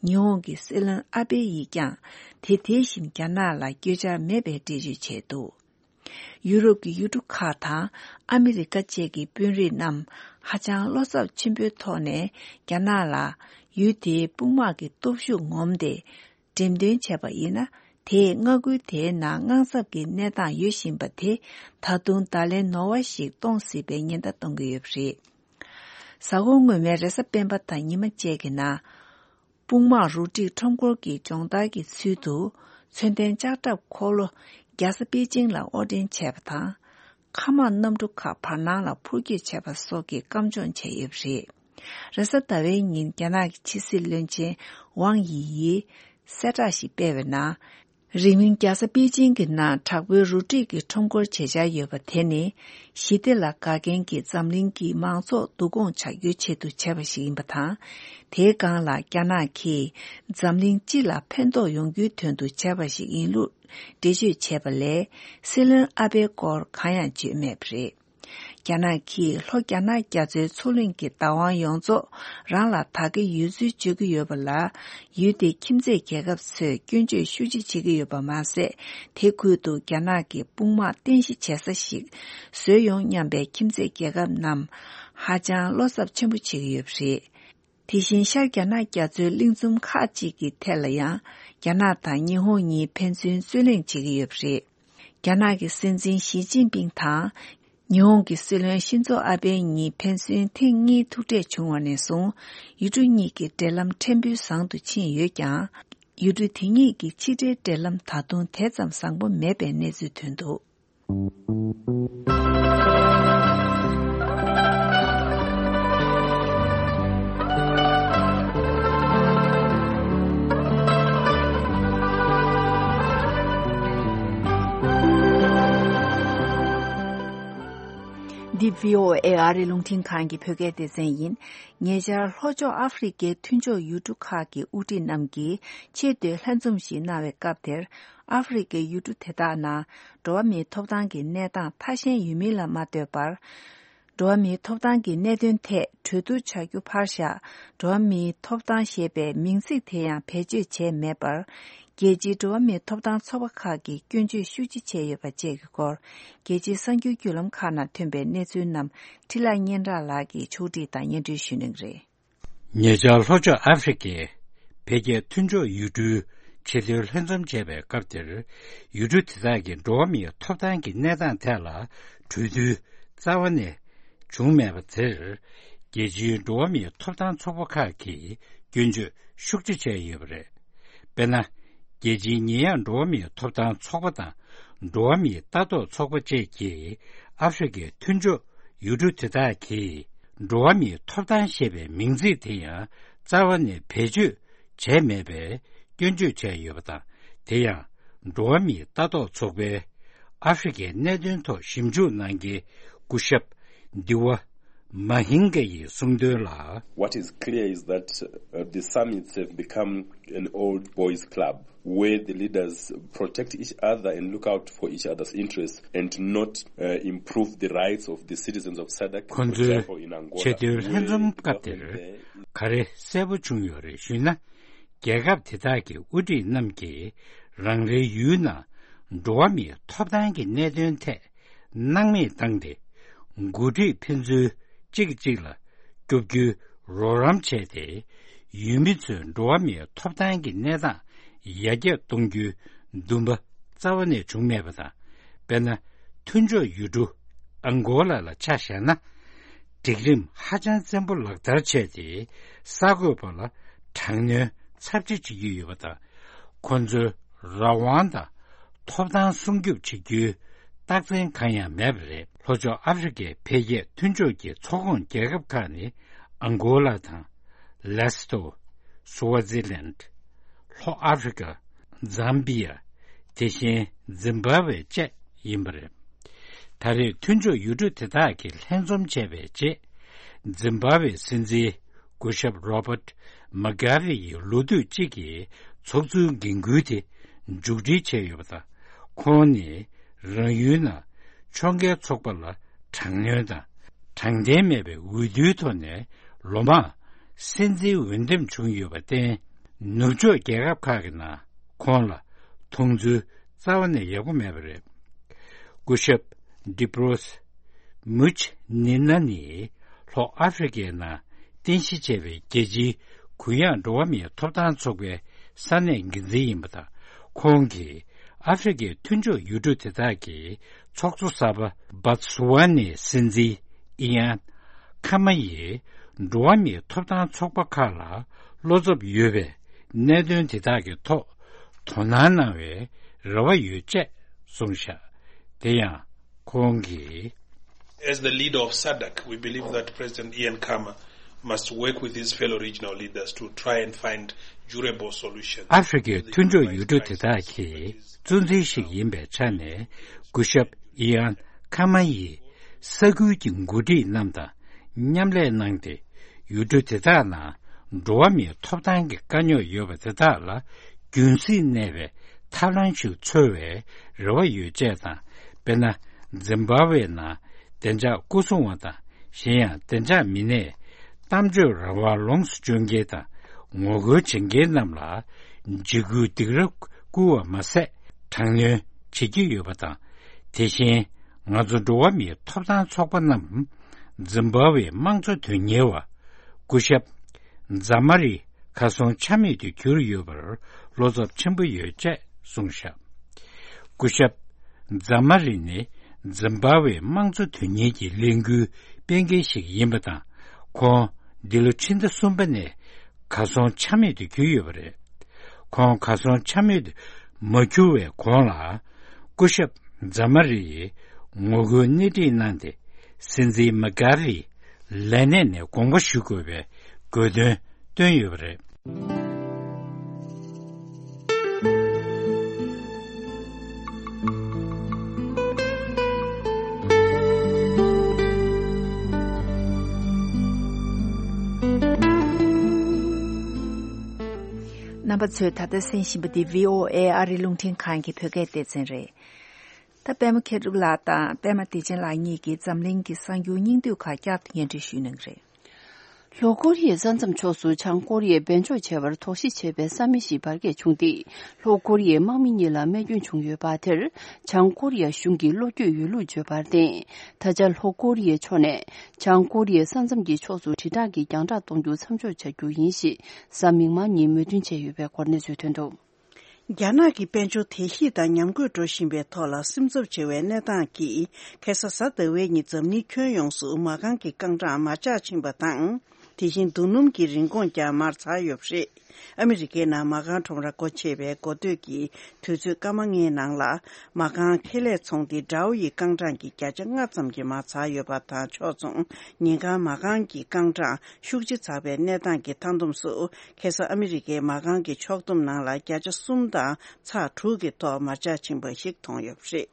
ཉི་ཧོང་གི་སྲིད་བློན་ཨ་བྷེ་ཡིས་ཀྱང་དེ་དེ་བཞིན་རྒྱ་ནག་ལ་བསྐྱོད་འཆར་མེད་པའི་འགྲེལ་བརྗོད་བྱས་འདུག་ཡུ་རོབ་ཀྱི་ཡུལ་གྲུ་ཁག་དང་ཨ་མི་རི་ཀ་བཅས་ཀྱི་དཔོན་རིགས་རྣམས་ཧ་ཅང་བློ་འཚབ་ཆེན་པོའི་ཐོག་ནས་རྒྱ་ནག་ལ་ཡུལ་དེའི་དཔུང་དམག་གི་སྟོབས་ཤུགས་ངོམ་སྟེ། འགྲེམས་སྟོན་བྱས་པ་ཡིན་ན། དེས་མངའ་ཁུལ་དེའི་ནང་དངངས་འཚབ་ཀྱི་གནས་སྟངས་ཡོད་བཞིན་པ་དེ་ད་དུང་བརྡ་ལན་ནོར་བ་ཞིག་གཏོང་སྲིད་པའི་ཉེན་བརྡ་གཏོང་གི་ཡོད་པ་རེད། གཟའ་འཁོར་སྔོན་མའི་རེས་གཟའ་སྤེན་པ་དང་ཉི་མ་བཅས་ཀྱི་ནང་། དཔུང་དམག་རུ་སྒྲིག་ཁྲོམ་སྐོར་གྱི་སྦྱོང་བརྡར་གྱི་ཚུལ་དུ། མཚོན་ལྡན་ལྕགས་ཁྲབ་འཁོར་ལོ་རྒྱལ་ས་པེ་ཅིང་ལ་དབོར་འདྲེན་བྱས་པ་དང་། མཁའ་དམག་གནམ་གྲུ་ཁག་བར་སྣང་ལ་འཕུར་སྐྱོད་བྱས་པ་སོགས་ཀྱི་བཀའ་འབྱོར་བྱས་ཡོད་པ་རེད། རེས་གཟའ་ཟླ་བའི་ཉིན་རྒྱ་ནག་གི་ཕྱི་སྲིད་བློན་ཆེན་ཝང་ཡི་ཡིས་གསལ་བསྒྲགས་ཤིག་སྤེལ་བའི་ནང་། རིང་མིན་རྒྱལ་ས་པེ་ཅིང་གི་ནང་དྲག་པོའི་རུ་སྒྲིག་གི་ཁྲོམ་སྐོར་བྱེད་འཆར་ཡོད་པ་དེ་ནི། ཞི་བདེ་ལ་དགའ་མཁན་གྱི་འཛམ་གླིང་གི་མང་ཚོགས་བསྡུ་སྐོང་བྱ་རྒྱུའི་ཆེད་དུ་བྱས་པ་ཞིག་ཡིན་པ་དང་། དེའི་སྒང་ལ་རྒྱ་ནག་གིས་འཛམ་གླིང་སྤྱི་ལ་ཕན་ཐོགས་ཡོང་རྒྱུའི་དོན་དུ་བྱས་པ་ཞིག་ཡིན་ལུགས་འགྲེལ་བརྗོད་བྱས་པ་ལས། སྲིད་བློན་ཨ་བྷེའི་སྐོར་གང་ཡང་བརྗོད་མེད་པ་རེད། རྒྱ་ནག་གིས་ལྷོ་རྒྱ་ནག་རྒྱ་མཚོའི་མཚོ་གླིང་གི་བདག་དབང་ཡོངས་རྫོགས་རང་ལ་དག་གི་ཡོད་ཚུལ་བརྗོད་ཀྱི་ཡོད་པ་ལ། ཡུལ་དེའི་ཁྱིམ་མཚེས་རྒྱལ་ཁབ་ཚོས་སྐྱོན་བརྗོད་ཤུགས་ཆེ་བྱེད་ཀྱི་ཡོད་པ་མ་ཟད། དེ་ཁུལ་དུ་རྒྱ་ནག་གི་དཔུང་དམག་རྟེན་གཞི་བྱེད་ས་ཞིག་བཟོས་ཡོང་སྙམ་པའི་ཁྱིམ་མཚེས་རྒྱལ་ཁབ་རྣམས་ཧ་ཅང་བློ་འཚབ་ཆེན་པོ་བྱེད་ཀྱི་ཡོད་པ་རེད། དེ་བཞིན་ཤར་རྒྱ་ནག་རྒྱ་མཚོའི་གླིང་ཚོམ་ཁག་ཅིག་གི་ཐད་ལ་ཡང་། རྒྱ་ནག་དང་ཉི་ཧོང་གཉིས་ཕན་ཚུན་རྩོད་གླེང་བྱེད་ཀྱི་ཡོད་པ་རེད། རྒྱ་ནག་གི་སྲིད་འཛིན་ཞི་ཅིན་ཕིང་དང་། ཉི་ཧོང་གི་སྲིད་བློན་ཤིན་ཛོ་ཨ་བྷེ་གཉིས་ཕན་ཚུན་ཐེངས་གཉིས་ཐུག་འཕྲད་བྱུང་བ་ནས་བཟུང་། ཡུལ་གྲུ་གཉིས་ཀྱི་འབྲེལ་ལམ་ཕྲན་བུ་བཟང་དུ་ཕྱིན་ཡོད་ཀྱང་། ཡུལ་གྲུ་དེ་གཉིས་ཀྱི་ཕྱི་འབྲེལ་འབྲེལ་ལམ་ད་དུང་དེ་ཙམ་བཟང་པོ་མེད་པའི་གནས་ཚུལ་ཐོན་འདུག་འདི་བྷི་ཨོ་ཨེ་ཨ་རིའི་རླུང་འཕྲིན་ཁང་གི་བོད་སྐད་སྡེ་ཚན་ཡིན། ཉེ་ཆར་ལྷོ་ཕྱོགས་ཨ་ཧྥེ་རི་ཁའི་མཐུན་ཕྱོགས་ཡུལ་གྲུ་ཁག་གི་དབུ་ཁྲིད་རྣམས་ཀྱིས་ཆེས་མཐོའི་ལྷན་འཛོམས་ཤིག་གནང་བའི་སྐབས་དེར། ཨ་ཧྥེ་རི་ཁའི་ཡུལ་གྲུ་དེ་དག་ནང་འགྲོ་བ་མིའི་ཐོབ་ཐང་གི་གནས་སྟངས་ཐ་ཞན་ཡོད་མིན་ལ་མ་ལྟོས་པར། འགྲོ་བ་མིའི་ཐོབ་ཐང་གི་གནད་དོན་ཐད་གྲོས་བསྡུར་བྱ་རྒྱུ་ཕར་བཞག་འགྲོ་བ་མིའི་ཐོབ་ཐང་ཞེས་པའི་མིང་ཚིག་དེ་ཡང་བེད་སྤྱོད་བྱས་མེད་པར། རྒྱལ་སྤྱིའི་འགྲོ་བ་མིའི་ཐོབ་ཐང་ཚོགས་པ་ཁག་གིས་སྐྱོན་བརྗོད་ཤུགས་ཆེ་བྱས་ཡོད་པ་བཅས་ཀྱི་སྐོར། རྒྱལ་སྤྱིའི་གསར་འགྱུར་བརྒྱུད་ལམ་ཁག་ནང་ཐོན་པའི་གནས་ཚུལ་རྣམས་འཕྲིན་ལས་སྙན་གྲགས་ལགས་ཀྱིས་ཕྱོགས་སྒྲིག་དང་སྙན་སྒྲོན་ཞུ་གནང་གི་རེད། ཉེ་ཆར་ལྷོ་ཕྱོགས་ཨ་ཧྥེ་རི་ཁའི་འཕེལ་རྒྱས་མཐུན་ཕྱོགས་ཡུལ་གྲུའི་ཆེས་མཐོའི་ལྷན་འཛོམས་བྱས་པའི་སྐབས་དེར། ཡུལ་གྲུ་དེ་དག་གི་འགྲོ་བ་མིའི་ཐོབ་ཐང་གི་གནས་སྟངས་ཐད་ལ་གྲོས་བསྡུར་རྩ་བ་ནས་བྱུང་མེད་པ་དེར། རྒྱལ་སྤྱིའི་འགྲོ་བ་མིའི་ཐོབ་ཐང་ཚོགས་པ་ཁག་གིས་སྐྱོན་བརྗོད་ཤུགས་ཆེ་བྱས་ཡོད་པ་རེད། དཔེར་ན། རྒྱལ་སྤྱིའི་ཉེས་ཡངས་འགྲོ་བ་མིའི་ཐོབ་ཐང་ཚོགས་པ་དང་། འགྲོ་བ་མིའི་ལྟ་རྟོག་ཚོགས་པ་བཅས་ཀྱིས་ཨ་ཧྥེ་རི་ཁའི་མཐུན་ཕྱོགས་ཡུལ་གྲུ་དེ་དག་གིས་འགྲོ་བ་མིའི་ཐོབ་ཐང་ཞེས་པའི་མིང་ཚིག་དེ་ཡང་རྩ་བ་ནས་བེད་སྤྱོད་བྱས་མེད་པའི་སྐྱོན་བརྗོད་བྱས་ཡོད་པ་དང་། དེ་ཡང་འགྲོ་བ་མིའི་ལྟ་རྟོག་ཚོགས་པའི་ཨ་ཧྥེ་རི་ཁའི་གནད་དོན་ཐོག་ཞིབ་འཇུག་གནང་མཁན་སྐུ་ཞབས་Diwa Mahinga ཡིས་གསུངས་དོན་ལ། What is clear is that, uh, the summits have become an old boys club where the leaders protect each other and look out for each other's interests and not, uh, improve the rights of the citizens of SADC, ཁོ་for ཚོའི་example, in Angola, ཆེས་མཐོའི་ལྷན་འཛོམས་སྐབས་དེར་ག་རེ་གསལ་པོ་བྱུང་ཡོད་རེད་ཞུས་ན། རྒྱལ་ཁབ་དེ་དག་གི་དབུ་ཁྲིད་རྣམས་ཀྱིས་རང་རེའི་ཡུལ་ནང་འགྲོ་བ་མིའི་ཐོབ་ཐང་གི་གནད་དོན་ཐད་སྣང་མེད་བཏང་སྟེ། འགོ་ཁྲིད་ཕན་ཚུན་གཅིག་གིས་གཅིག་ལ་སྐྱོབ་རྒྱུའི་རོགས་རམ་བྱས་ཏེ། ཡུལ་མི་ཚོའི་འགྲོ་བ་མིའི་ཐོབ་ཐང་གི་གནས་སྟངས་ཡར་རྒྱས་གཏོང་རྒྱུའི་འདུན་པ་ རྩ་བ་ནས་བྱུང་མེད་པ་དང་། དཔེར་ན། མཐུན་ཕྱོགས་ཡུལ་གྲུ་ཨང་གོ་ལ་ལ་ཆ་བཞག་ན། སྒྲིག་རིམ་ཧ་ཅང་བཙན་པོ་ལག་བསྟར་བྱས་ཏེ། གསར་འགོད་པ་ལ་དྲག་གནོན་ཚབས་ཆེ་བྱེད་ཀྱི་ཡོད་པ་དང་། ཁོ་ཚོའི་རང་དབང་དང་ཐོབ་ཐང་སྲུང་སྐྱོབ་བྱེད་རྒྱུའི་རྟགས་མཚན་གང་ཡང་མེད་པ་རེད། ལྷོ་ཕྱོགས་ཨ་ཧྥེ་རི་ཀའི་འཕེལ་རྒྱས་མཐུན་ཕྱོགས་ཀྱི་ཚོགས་ཁོངས་རྒྱལ་ཁབ་ཁག་ནི། ཨང་གོ་ལ་དང་། ལེ་སི་ཐོ། སུ་ཝ་ཛི་ལན། ལྷོ་ཨ་ཧྥེ་རི་ཀ། ཛམ་བི་ཡ། དེ་བཞིན་ཛིམ་བྷ་ཝེ་བཅས་ཡིན་པ་རེད། ད་རེས་མཐུན་ཕྱོགས་ཡུལ་གྲུ་དེ་དག་གིས་ལྷན་འཛོམས་བྱས་པའི་རྗེས། ཛིམ་བྷ་ཝེ་སྲིད་འཛིན་སྐུ་ཞབས་རོ་བརྟ་མུ་གྷ་བེ་ཡི་ལོ་དུས་གཅིག་གི་ཚོགས་འཛུལ་འགན་ཁུར་དེ་མཇུག་སྒྲིལ་བྱས་ཡོད་པ་དང་། ཁོང་ནི་རང་ཡུལ་ནང་ཕྱོགས་འགལ་ཚོགས་པ་ལ་དྲག་གནོན་དང་། དྲང་བདེན་མེད་པའི་འོས་བསྡུའི་ཐོག་ནས་ལོ་མང་སྲིད་འཛིན་འོས་འདེམས་བྱུང་ཡོད་པར་བརྟེན། ནུབ་ཕྱོགས་རྒྱལ་ཁབ་ཁག་གི་ནང་ཁོང་ལ་མཐོང་ཚུལ་རྩ་བ་ནས་ཡག་པོ་མེད་པ་རེད། སྐུ་ཞབས་ཌི་པྲོས་མུཆ་ནི་ན་ནི་ལྷོ་ཨ་ཧྥེ་རི་ཀའི་ནང་རྟེན་གཞི་བྱས་པའི་རྒྱལ་སྤྱིའི་གུ་ཡངས་འགྲོ་བ་མིའི་ཐོབ་ཐང་ཚོགས་པའི་ས་གནས་འགན་འཛིན་ཡིན་པ་དང་། ཁོང་གིས་ཨ་ཧྥེ་རི་ཀའི་མཐུན་ཕྱོགས་ཡུལ་གྲུ་དེ་དག་གི་ཚོགས་གཙོ་གསར་པ་སྦ་སུ་ཝ་ནའི་སྲིད་འཛིན་ཨི་ཡན་ཁ་མ་ཡིས་འགྲོ་བ་མིའི་ཐོབ་ཐང་ཚོགས་པ་ཁག་ལ་བློ་འཚབ་ཡོད་པའི་གནད་དོན་དེ་དག་གི་ཐོག་དོ་སྣང་གནང་བའི་རེ་བ་ཡོད་ཅེས་གསུངས་བཞག་དེ་ཡང་ཁོང་གིས། As the leader of SADC, we believe that President Ian Khama must work with his fellow regional leaders to try and find durable solutions. ཨ་ཧྥེ་རི་ཀའི་མཐུན་ཕྱོགས་ཡུལ་གྲུ་དེ་དག་གི་གཙོ་འཛིན་ཞིག་ཡིན་པའི་ཆ་ནས། སྐུ་ཞབས་ཨི་ཡན་ཁ་མ་ཡིས་ས་ཁུལ་གྱི་འགོ་ཁྲིད་རྣམས་དང་མཉམ་ལས་གནང་སྟེ། ཡུལ་གྲུ་དེ་དག་ནང་འགྲོ་བ་མིའི་ཐོབ་ཐང་གི་དཀའ་རྙོག་ཡོད་པ་དེ་དག་ལ་རྒྱུན་སྲིང་གནས་པའི་ཐབས་ལམ་ཞིག་འཚོལ་བའི་རེ་བ་ཡོད་ཅེས་དང་། དཔེར་ན། ཛིམ་བྷ་ཝེ་ནང་བདེ་འཇགས་སྐོར་སྲུང་བ་དང་། གཞན་ཡང་བདེ་འཇགས་མི་སྣས་གཏམ་བརྗོད་རང་དབང་ལོངས་སུ་སྤྱོད་མཁན་དང་ངོ་རྒོལ་བྱེད་མཁན་རྣམས་ལ་འཇིགས་སྐུལ་སྡིགས་ར་བསྐུལ་བ་མ་ཟད། དྲག་གནོན་བྱེད་ཀྱི་ཡོད་པ་དང་། དེ་བཞིན་ང་ཚོ་འགྲོ་བ་མིའི་ཐོབ་ཐང་ཚོགས་པ་རྣམས་ཛིམ་བྷ་ཝེའི་དམངས་གཙོ་དོན་གཉེར་བ་སྐུ་ཞབས་ཛ་མ་རི་གར་སོང་ཆ་མེད་དུ་གྱུར་ཡོད་པར་བློ་འཚབ་ཆེན་པོ་ཡོད་ཅེས་གསུངས་བཞག་སྐུ་ཞབས་ཛ་མ་རི་ནི་ཛིམ་བྷ་ཝེའི་དམངས་གཙོ་དོན་གཉེར་གྱི་ལས་འགུལ་སྤེལ་མཁན་ཞིག་ཡིན་པ་དང་། ཁོང་འདི་ལོ་ཕྱི་ཟླ་གསུམ་པ་ནས་གར་སོང་ཆ་མེད་དུ་གྱུར་ཡོད་པ་རེད། ཁོང་གར་སོང་ཆ་མེད་དུ་མ་གྱུར་བའི་གོང་ལ། སྐུ་ཞབས་ཛ་མ་རི་ཡིས་ངོ་རྒོལ་སྣེ་ཁྲིད་གནང་སྟེ། སྲིད་འཛིན་མུ་གྷ་བེ་ལས་གནས་ནས་དགོངས་པ་ཞུ་དགོས་པའི་དགོས་འདུན་བཏོན་ཡོད་པ་རེད། རྣམ་པ་ཚོས་ད་ལྟ་གསན་བཞིན་པ་འདི་བྷི་ཨོ་ཨེ་ཨ་རིའི་རླུང་འཕྲིན་ཁང་གི་བོད་སྐད་སྡེ་ཚན་རེད། ད་པད་མ་མཁས་གྲུབ་ལགས་དང་པད་མ་བདེ་ཆེན་ལགས་གཉིས་ཀྱིས་འཛམ་གླིང་གི་གསར་འགྱུར་སྙིང་བསྡུས་ཁག་བསྐྱར་དུ་སྙན་སྒྲོན་ཞུ་གནང་གི་རེད། ལྷོ་ཀོ་རི་ཡའི་ས་མཚམས་ཕྱོགས་སུ་བྱང་ཀོ་རི་ཡས་འབེན་འཇོག་བྱས་པར་དོགས་གཞི་བྱེད་པའི་ས་མིག་ཞིག་འབར་གས་བྱུང་སྟེ། ལྷོ་ཀོ་རི་ཡའི་དམག་མི་གཉིས་ལ་རྨས་སྐྱོན་བྱུང་ཡོད་པ་དེར། བྱང་ཀོ་རི་ཡ་གཞུང་གིས་བློ་འགྱོད་ཡོད་ལུགས་བརྗོད་པར་བརྟེན། ད་ཆ་ལྷོ་ཀོ་རི་ཡའི་ཕྱོགས་ནས་བྱང་ཀོ་རི་ཡའི་ས་མཚམས་ཀྱི་ཕྱོགས་སུ་དྲིལ་བསྒྲགས་ཀྱི་རྒྱང་བསྒྲགས་གཏོང་རྒྱུ་མཚམས་འཇོག་བྱ་རྒྱུ་ཡིན་ཞེས་གཟའ་མིག་དམར་ཉིན་མོས་མཐུན་བྱས་ཡོད་པའི་སྐོར་གནས་ཚུལ་ཐོན་འདུག་རྒྱ་ནག་གི་དཔལ་འབྱོར་དལ་གཤིས་དང་ཉམས་རྒུད་འགྲོ་བཞིན་པའི་ཐོག་ལ་སེམས་འཚབ་ཆེ་བའི་གནས་སྟངས་ཀྱིས། ཁ་སང་གཟའ་ཟླ་བའི་ཉིན་འཛམ་གླིང་ཁྱོན་ཡོངས་སུ་མ་རྐང་གི་རྐང་གྲངས་མར་ཆག་ཕྱིན་པ་དང་། དེ་བཞིན་རྡོ་སྣུམ་གྱི་རིན་གོང་ཀྱང་མར་འཛེགས་ཡོད་པ་རེད། ཨ་མི་རི་ཀའི་ནང་མ་རྐང་ཁྲོམ་ར་སྒོ་ཕྱེ་བའི་འགོ་སྟོད་ཀྱི་དུས་ཚོད་སྐར་མ་ལྔའི་ནང་ལ། མ་རྐང་ཁེ་ལས་ཚོང་སྡེ་Dow་ཡི་རྐང་གྲངས་ཀྱི་བརྒྱ་ཆ་ལྔ་ཙམ་གྱིས་མར་འཛེགས་ཡོད་པ་དང་ཕྱོགས་མཚུངས། ཉིན་གང་མ་རྐང་གི་རྐང་གྲངས་ཤུགས་ཆེ་འཛེགས་པའི་གནས་སྟངས་ཀྱི་མཐའ་བསྡོམས་སུ། ཁ་སང་ཨ་མི་རི་ཀའི་མ་རྐང་གི་ཕྱོགས་བསྡོམས་ནང་ལ་བརྒྱ་ཆ་གསུམ་དང་ཚེག་དྲུག་གི་ཐོག་མར་ཆག་ཕྱིན་པ་ཞིག་མཐོང་ཡོད་པ་རེད།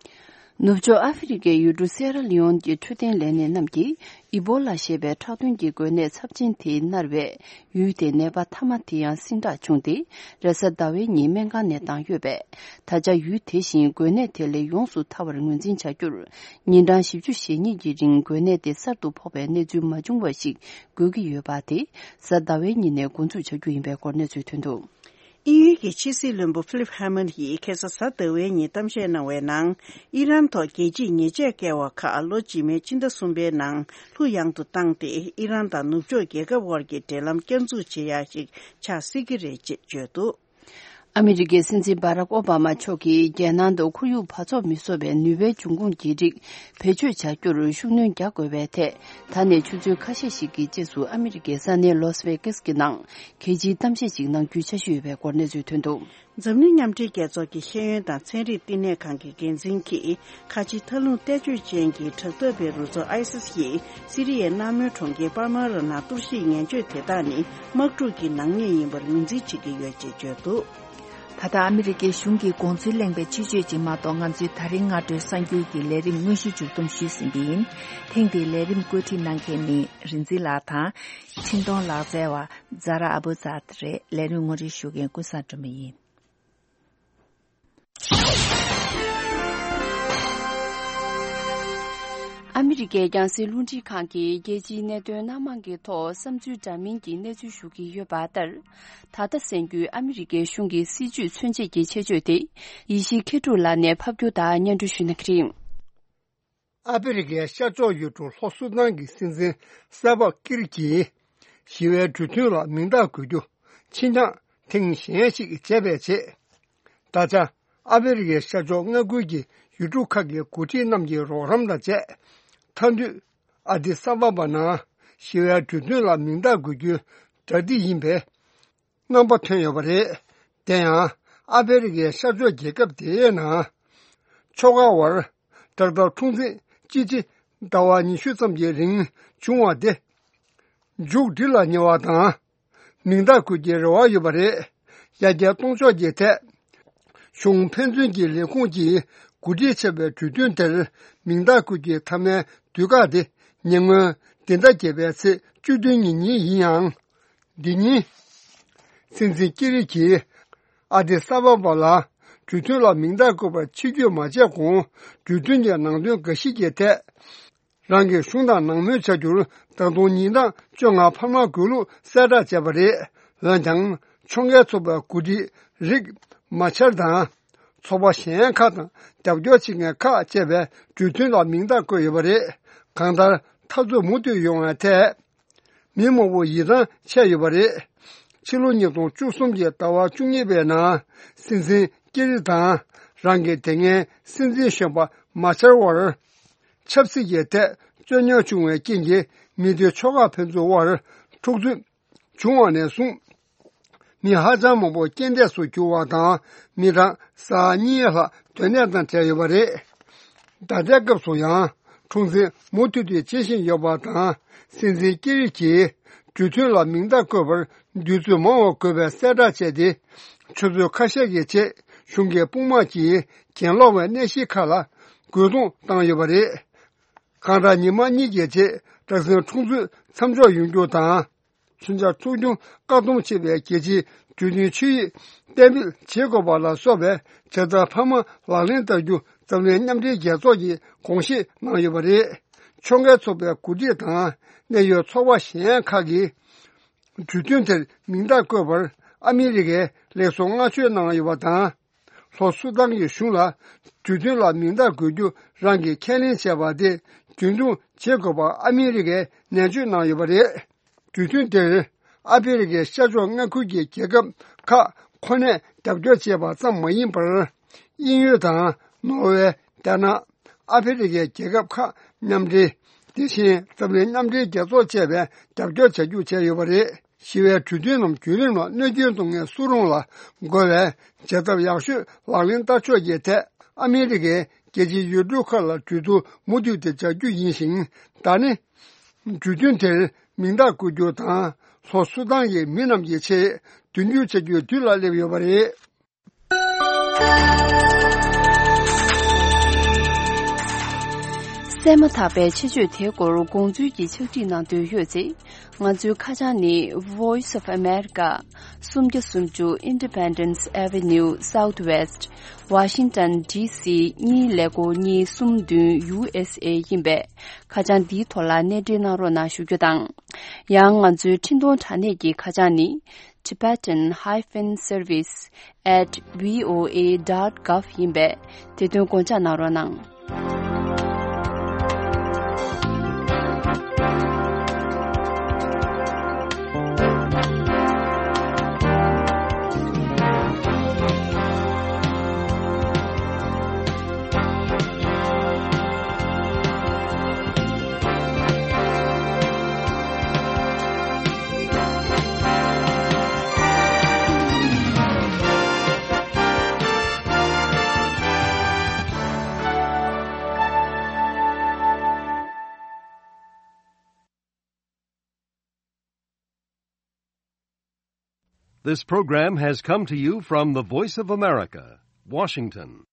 ནུབ་ཕྱོགས་ཨ་ཧྥེ་རི་ཀའི་ཡུལ་གྲུ་སེ་ར་ལི་ཡོན་གྱི་འཕྲོད་བསྟེན་ལས་སྣེ་རྣམས་ཀྱིས་ཨི་བོ་ལ་ཞེས་པའི་ཁྲག་འཐུང་གི་འགོས་ནད་ཚབས་ཆེན་དེ་མནར་བས། ཡུལ་དེའི་ནད་པ་ཐ་མ་དེ་ཡང་སིང་དྲག་བྱུང་སྟེ། རེས་གཟའ་ཟླ་བའི་ཉིན་སྨན་ཁང་ནས་བཏང་ཡོད་པས། ད་ཆ་ཡུལ་དེ་བཞིན་འགོས་ནད་དེ་ལས་ཡོངས་སུ་ཐར་བར་ངོས་འཛིན་བྱ་རྒྱུར། ཉིན་གྲངས་བཞི་བཅུ་ཞེ་གཉིས་ཀྱི་རིང་འགོས་ནད་དེ་གསར་དུ་ཕོག་པའི་གནས་ཚུལ་མ་བྱུང་བ་ཞིག་དགོས་ཀྱི་ཡོད་པ་དེ། གཟའ་ཟླ་བའི་ཉིན་ནས་འགོ་འཛུགས་བྱ་རྒྱུ་ཡིན་པའི་སྐོར་གནས་ཚུལ་ཐོན་འདུག་དབྱིན་ཡུལ་གྱི་ཕྱི་སྲིད་བློན་པོ་ཕི་ལིབ་ཧ་མན་ཡིས་ཁ་སང་གཟའ་ཟླ་བའི་ཉིན་གཏམ་བཤད་གནང་བའི་ནང་། ཨི་རན་ཐོག་རྒྱལ་སྤྱིའི་ཉེས་ཆད་བཀལ་བ་ཁག་ལོ་རྗེས་མའི་ཕྱི་ཟླ་གསུམ་པའི་ནང་ལྷུག་ཡངས་སུ་བཏང་སྟེ། ཨི་རན་དང་ནུབ་ཕྱོགས་རྒྱལ་ཁབ་དབར་གྱི་འབྲེལ་ལམ་བསྐྱར་འཛུགས་བྱེད་ཡ་ཞིག་ཆགས་སྲིད་ཀྱི་རེད་ཅེས་བརྗོད་འདུག་ཨ་མི་རི་ཀའི་སྲིད་འཛིན་བྷ་རག་ཨོ་བྷ་མ་མཆོག་གིས་རྒྱལ་ནང་དུ་ཁོར་ཡུག་བག་ཚོགས་མི་བཟོ་བའི་ནུས་པའི་འབྱུང་ཁུངས་ཀྱི་རིགས་བེད་སྤྱོད་བྱ་རྒྱུར་ཤུགས་སྣོན་རྒྱག་དགོས་པའི་ཐད། ད་ནས་ཆུ་ཚོད་ཁ་ཤས་ཤིག་གི་རྗེས་སུ་ཨ་མི་རི་ཀའི་ས་གནས་ལོས་ཝེ་ཀེས་ཀྱི་ནང་གལ་ཆེའི་གཏམ་བཤད་ཅིག་གནང་རྒྱུའི་འཆར་གཞི་ཡོད་པའི་སྐོར་གནས་ཚུལ་ཐོན་འདུག། འཛམ་གླིང་མཉམ་འབྲེལ་རྒྱལ་ཚོགས་ཀྱི་ཤེས་ཡོན་དང་ཚན་རིག་བསྟི་གནས་ཁང་གི་འགན་འཛིན་གྱིས། ཁ་ཆེ་མཐའ་ལྷུང་གཏད་གཅོད་ཅན་གྱི་དྲག་འཐབ་པའི་རུ་ཚོགས་ཨའི་སིས་ཡིས་སི་རི་ཡའི་མནའ་མོའི་གྲོང་ཁྱེར་པཱལ་མ་ར་ནང་གཏོར་བཤིག་ངན་སྤྱོད་དེ་དག་ནི་དམག་འཁྲུག་གི་ནག་ཉེས་ཡིན་པར་ངོས་འཛིན་བྱེད་ཀྱི་ཡོད་ཅེས་བརྗོད་འདུག། ད་ལྟ་ཨ་མི་རི་ཀའི་གཞུང་གིས་དགོངས་ཚུལ་གླེང་བའི་ཕྱི་བརྗོད་ཅིག་མ་གཏོགས། ང་ཚོའི་ད་རིང་སྔ་དྲོའི་གསར་འགྱུར་གྱི་ལས་རིམ་དངོས་གཞི་མཇུག་བསྡོམས་ཞུས་ཟིན་གྱི་ཡིན། ཐེངས་འདིའི་ལས་རིམ་བཀོད་སྒྲིག་གནང་མཁན་ནི་རིན་འཛིན་ལགས་དང་། འཕྲིན་གཏོང་ལག་རྩལ་བ་ཛ་ར་ཨ་བུ་ཛ་ད་རེད། ལས་རིམ་ངོ་སྤྲོད་ཞུ་མཁན་ཀུན་བཟང་སྒྲོལ་མ་ཡིན། ཨ་མི་རི་ཀའི་རྒྱང་སྲིང་རླུང་འཕྲིན་ཁང་གིས་རྒྱལ་སྤྱིའི་གནད་དོན་སྣ་མང་གི་ཐོག་བསམ་ཚུལ་འདྲ་མིན་གྱི་གནས་ཚུལ་ཞུ་གི་ཡོད་པ་ལྟར། ད་ལྟ་གསན་རྒྱུའི་ཨ་མི་རི་ཀའི་གཞུང་གི་སྲིད་བྱུས་མཚོན་བྱེད་ཀྱི་ཆེད་བརྗོད་དེ། ཡེ་ཤེས་མཁས་གྲུབ་ལགས་ནས་ཕབ་སྒྱུར་དང་སྙན་སྒྲོན་ཞུ་གནང་གི་རེད། ཨ་ཧྥེ་རི་ཁའི་ཤར་ཕྱོགས་ཡུལ་གྲུ་ལྷོ་སུ་དཱན་གྱི་སྲིད་འཛིན་སལ་ཝ་ཀིར་གྱིས་ཞི་བའི་གྲོས་མཐུན་ལ་མིང་རྟགས་འགོད་རྒྱུ་ཕྱིར་འགྱངས་ཐེངས་གཞན་ཞིག་བྱས་པའི་རྗེས། ད་ཆ་ཨ་ཧྥེ་རི་ཁའི་ཤར་ཕྱོགས་མངའ་ཁུལ་གྱི་ཡུལ་གྲུ་ཁག་གི་འགོ་ཁྲིད་རྣམས་ཀྱི་རོགས་རམ་དང་བཅས། མཐའ་མཐུན་ཨ་དི་ས་ཨ་བ་བ་ནང་ཞི་བའི་གྲོས་མཐུན་ལ་མིང་རྟགས་འགོད་རྒྱུའི་གྲ་སྒྲིག་ཡིན་པའི་རྣམ་པ་ཐོན་ཡོད་པ་རེད། དེ་ཡང་ཨ་ཧྥེ་རི་ཁའི་ཤར་ཕྱོགས་རྒྱལ་ཁབ་དེའི་ནང་ཕྱོགས་ཁག་དབར་དྲག་འཐབ་འཁྲུག་འཛིང་ཅི་ཆེ་ཟླ་བ་ཉི་ཤུ་ཙམ་གྱི་རིང་བྱུང་བ་དེ་མཇུག་སྒྲིལ་ལ་ཉེ་བ་དང་། མིང་རྟགས་འགོད་ཀྱི་རེ་བ་ཡོད་པ་རེད། ཡར་རྒྱས་གཏོང་ཕྱོགས་ཀྱི་ཐད། གཞུང་ཕན་ཚུན་གྱི་ལས་ཁུངས་ཀྱིས་གོ་སྒྲིག་བྱས་པའི་གྲོས་མཐུན་དེར་མིང་རྟགས་འགོད་ཀྱི་མཐའ་མའི་དུས་བཀག་དེ་ཉེ་སྔོན་འདི་ཟླ་བརྒྱད་པའི་ཚེས་བཅུ་བདུན་ཉིན་ཉིན་ཡིན་ཡང་། འདི་ཉིན་སྲིད་འཛིན་ཀེ་རི་གྱིས་ཨ་དི་ས་ཨ་བ་བ་ལ་གྲོས་མཐུན་ལ་མིང་རྟགས་འགོད་པར་ཕྱི་བསྐྱོད་མ་བྱས་གོང་། གྲོས་མཐུན་གྱི་ནང་དོན་འགའ་ཞིག་གི་ཐད། རང་གི་གཞུང་དང་ནང་མོལ་བྱ་རྒྱུར་ད་དུང་ཉིན་གྲངས་བཅོ་ལྔ་འཕར་མ་དགོས་ལུགས་གསལ་བསྒྲགས་བྱས་པ་རེད། འོན་ཀྱང་ཕྱོགས་འགལ་ཚོགས་པའི་འགོ་ཁྲིད་རིག་མ་ཆར་དང་། ཚོགས་པ་གཞན་ཁག་དང་རྒྱབ་སྐྱོར་བྱེད་མཁན་ཁག་བཅས་པས་གྲོས་མཐུན་ལ་མིང་རྟགས་བཀོད་ཡོད་པ་རེད། གང་ལྟར་འཐབ་རྩོད་མུ་མཐུད་ཡོང་བའི་ཐད། མི་མང་པོ་ཡིད་ཐང་ཆད་ཡོད་པ་རེད། ཕྱི་ལོ་ཉིས་སྟོང་བཅུ་གསུམ་གྱི་ཟླ་བ་བཅུ་གཉིས་པའི་ནང་སྲིད་འཛིན་ཀེ་རི་དང་རང་གི་དེ་སྔའི་སྲིད་འཛིན་གཞོན་པ་མ་ཆར་བར་ཆབ་སྲིད་ཀྱི་ཐད་རྩོད་རྙོག་བྱུང་བའི་རྐྱེན་གྱིས་མི་སྡེ་ཕྱོགས་ཁག་ཕན་ཚུན་དབར་འཁྲུག་རྩོད་བྱུང་བ་ནས་བཟུང་། མི་ཧ་ཅང་མང་པོ་རྐྱེན་འདས་སུ་གྱུར་བ་དང་མི་གྲངས་ས་ཡ་གཉིས་ལྷག་དོན་གནད་དང་བྲལ་ཡོད་པ་རེད། ད་ལྟའི་སྐབས་སུ་ཡང་འཁྲུག་འཛིང་མུ་མཐུད་དུ་བྱེད་བཞིན་ཡོད་པ་དང་། སྲིད་འཛིན་ཀེ་རི་གྱིས་གྲོས་མཐུན་ལ་མིང་རྟགས་བཀོད་པར་དུས་ཚོད་མང་བ་དགོས་པའི་གསལ་བསྒྲགས་བྱས་ཏེ། ཆུ་ཚོད་ཁ་ཤས་ཀྱི་རྗེས་གཞུང་གི་དཔུང་དམག་གིས་གྱེན་ལོག་པའི་གནས་གཞི་ཁག་ལ་རྒོལ་རྡུང་བཏང་ཡོད་པ་རེད། གང་ལྟར་ཉི་མ་གཉིས་ཀྱི་རྗེས་དྲག་ཟིང་འཁྲུག་རྩོད་མཚམས་འཇོག་ཡོང་རྒྱུ་དང་། མཚོན་ཆ་འཕྲོག་རྒྱུ་བཀག་སྡོམ་བྱེད་པའི་རྒྱལ་སྤྱིའི་གྲོས་མཐུན་ཆིངས་ཡིག་གཏན་འབེབས་བྱེད་དགོས་པ་ལ་སོགས་པའི་བྱ་ཐབས་འཕར་མ་ལག་ལེན་བསྟར་རྒྱུ་འཛམ་གླིང་མཉམ་འབྲེལ་རྒྱལ་ཚོགས་ཀྱིས་དགོངས་བཞེས་གནང་ཡོད་པ་རེད། ཕྱོགས་འགལ་ཚོགས་པའི་འགོ་ཁྲིད་དང་གནད་ཡོད་ཚོགས་པ་གཞན་ཁག་གིས་གྲོས་མཐུན་དེར་མིང་རྟགས་བཀོད་པར་ཨ་མི་རི་ཀས་ལེགས་སོ་བསྔགས་བརྗོད་གནང་ཡོད་པ་དང་། ལྷོ་སུ་དཱན་གྱི་གཞུང་ལ་གྲོས་མཐུན་ལ་མིང་རྟགས་འགོད་རྒྱུ་རང་གིས་ཁས་ལེན་བྱས་པ་དེ་རྒྱུན་འཁྱོངས་བྱེད་དགོས་པར་ཨ་མི་རི་ཀས་ནན་བརྗོད་གནང་ཡོད་པ་རེད། གྲོས་མཐུན་དེར་ཨ་ཧྥེ་རི་ཁའི་ཤར་ཕྱོགས་མངའ་ཁུལ་གྱི་རྒྱལ་ཁབ་ཁག་ཁོ་ནས་རྒྱབ་སྐྱོར་བྱས་པ་ཙམ་མ་ཡིན་པར། དབྱིན་ཡུལ་དང་ནོར་ཝེ། ཏེ་ནེ། ཨ་ཧྥེ་རི་ཁའི་རྒྱལ་ཁབ་ཁག་མཉམ་འབྲེལ། དེ་བཞིན་འཛམ་གླིང་མཉམ་འབྲེལ་རྒྱལ་ཚོགས་བཅས་པས་རྒྱབ་སྐྱོར་བྱ་རྒྱུ་བྱས་ཡོད་པ་རེད། ཞི་བའི་གྲོས་མཐུན་ནམ་བརྒྱུད་རིམ་ལ་གནོད་སྐྱོན་གཏོང་མཁན་སུ་རུང་ལ་རྒོལ་བའི་བྱ་ཐབས་ཡག་ཤོས་ལག་ལེན་བསྟར་ཕྱོགས་ཀྱི་ཐད་ཨ་མི་རི་ཀས་རྒྱལ་སྤྱིའི་ཡུལ་གྲུ་ཁག་ལ་གྲོས་བསྡུར་མུ་མཐུད་དེ་བྱ་རྒྱུ་ཡིན་ཞིང་། ད་ནི། གྲོས་མཐུན་དེར་མིང་རྟགས་བཀོད་རྒྱུ་དང་། ལྷོ་སུ་དཱན་གྱི་མི་རྣམས་ཀྱི་ཆེད་མདུན་སྐྱོད་བྱ་རྒྱུའི་དུས་ལ་སླེབས་ཡོད་པ་རེད། གསན་མ་ཐག་པའི་ཆེད་བརྗོད་དེའི་སྐོར་དགོངས་ཚུལ་གྱི་ཕྱག་བྲིས་གནང་འདོད་ཡོད་ཚེ། ང་ཚོའི་ཁ་བྱང་ནི། Voice of America། སུམ་བརྒྱ་སུམ་ཅུ་Independence Avenue Southwest། Washington D C གཉིས་ཀླད་ཀོར་གཉིས་གསུམ་བདུན་U S A ཡིན་པས། ཁ་བྱང་འདིའི་ཐོག་ལ་གནས་འབྲེལ་གནང་རོགས་གནང་ཞུ་རྒྱུ་དང་། ཡང་ང་ཚོའི་འཕྲིན་གཏོང་དྲ་གནས་ཀྱི་ཁ་བྱང་ནི། Tibetan hyphen service at V O A dot gov ཡིན་པས། དེ་དོན་དགོངས་འཇགས་གནང་རོགས་གནང་། This program has come to you from the Voice of America, Washington.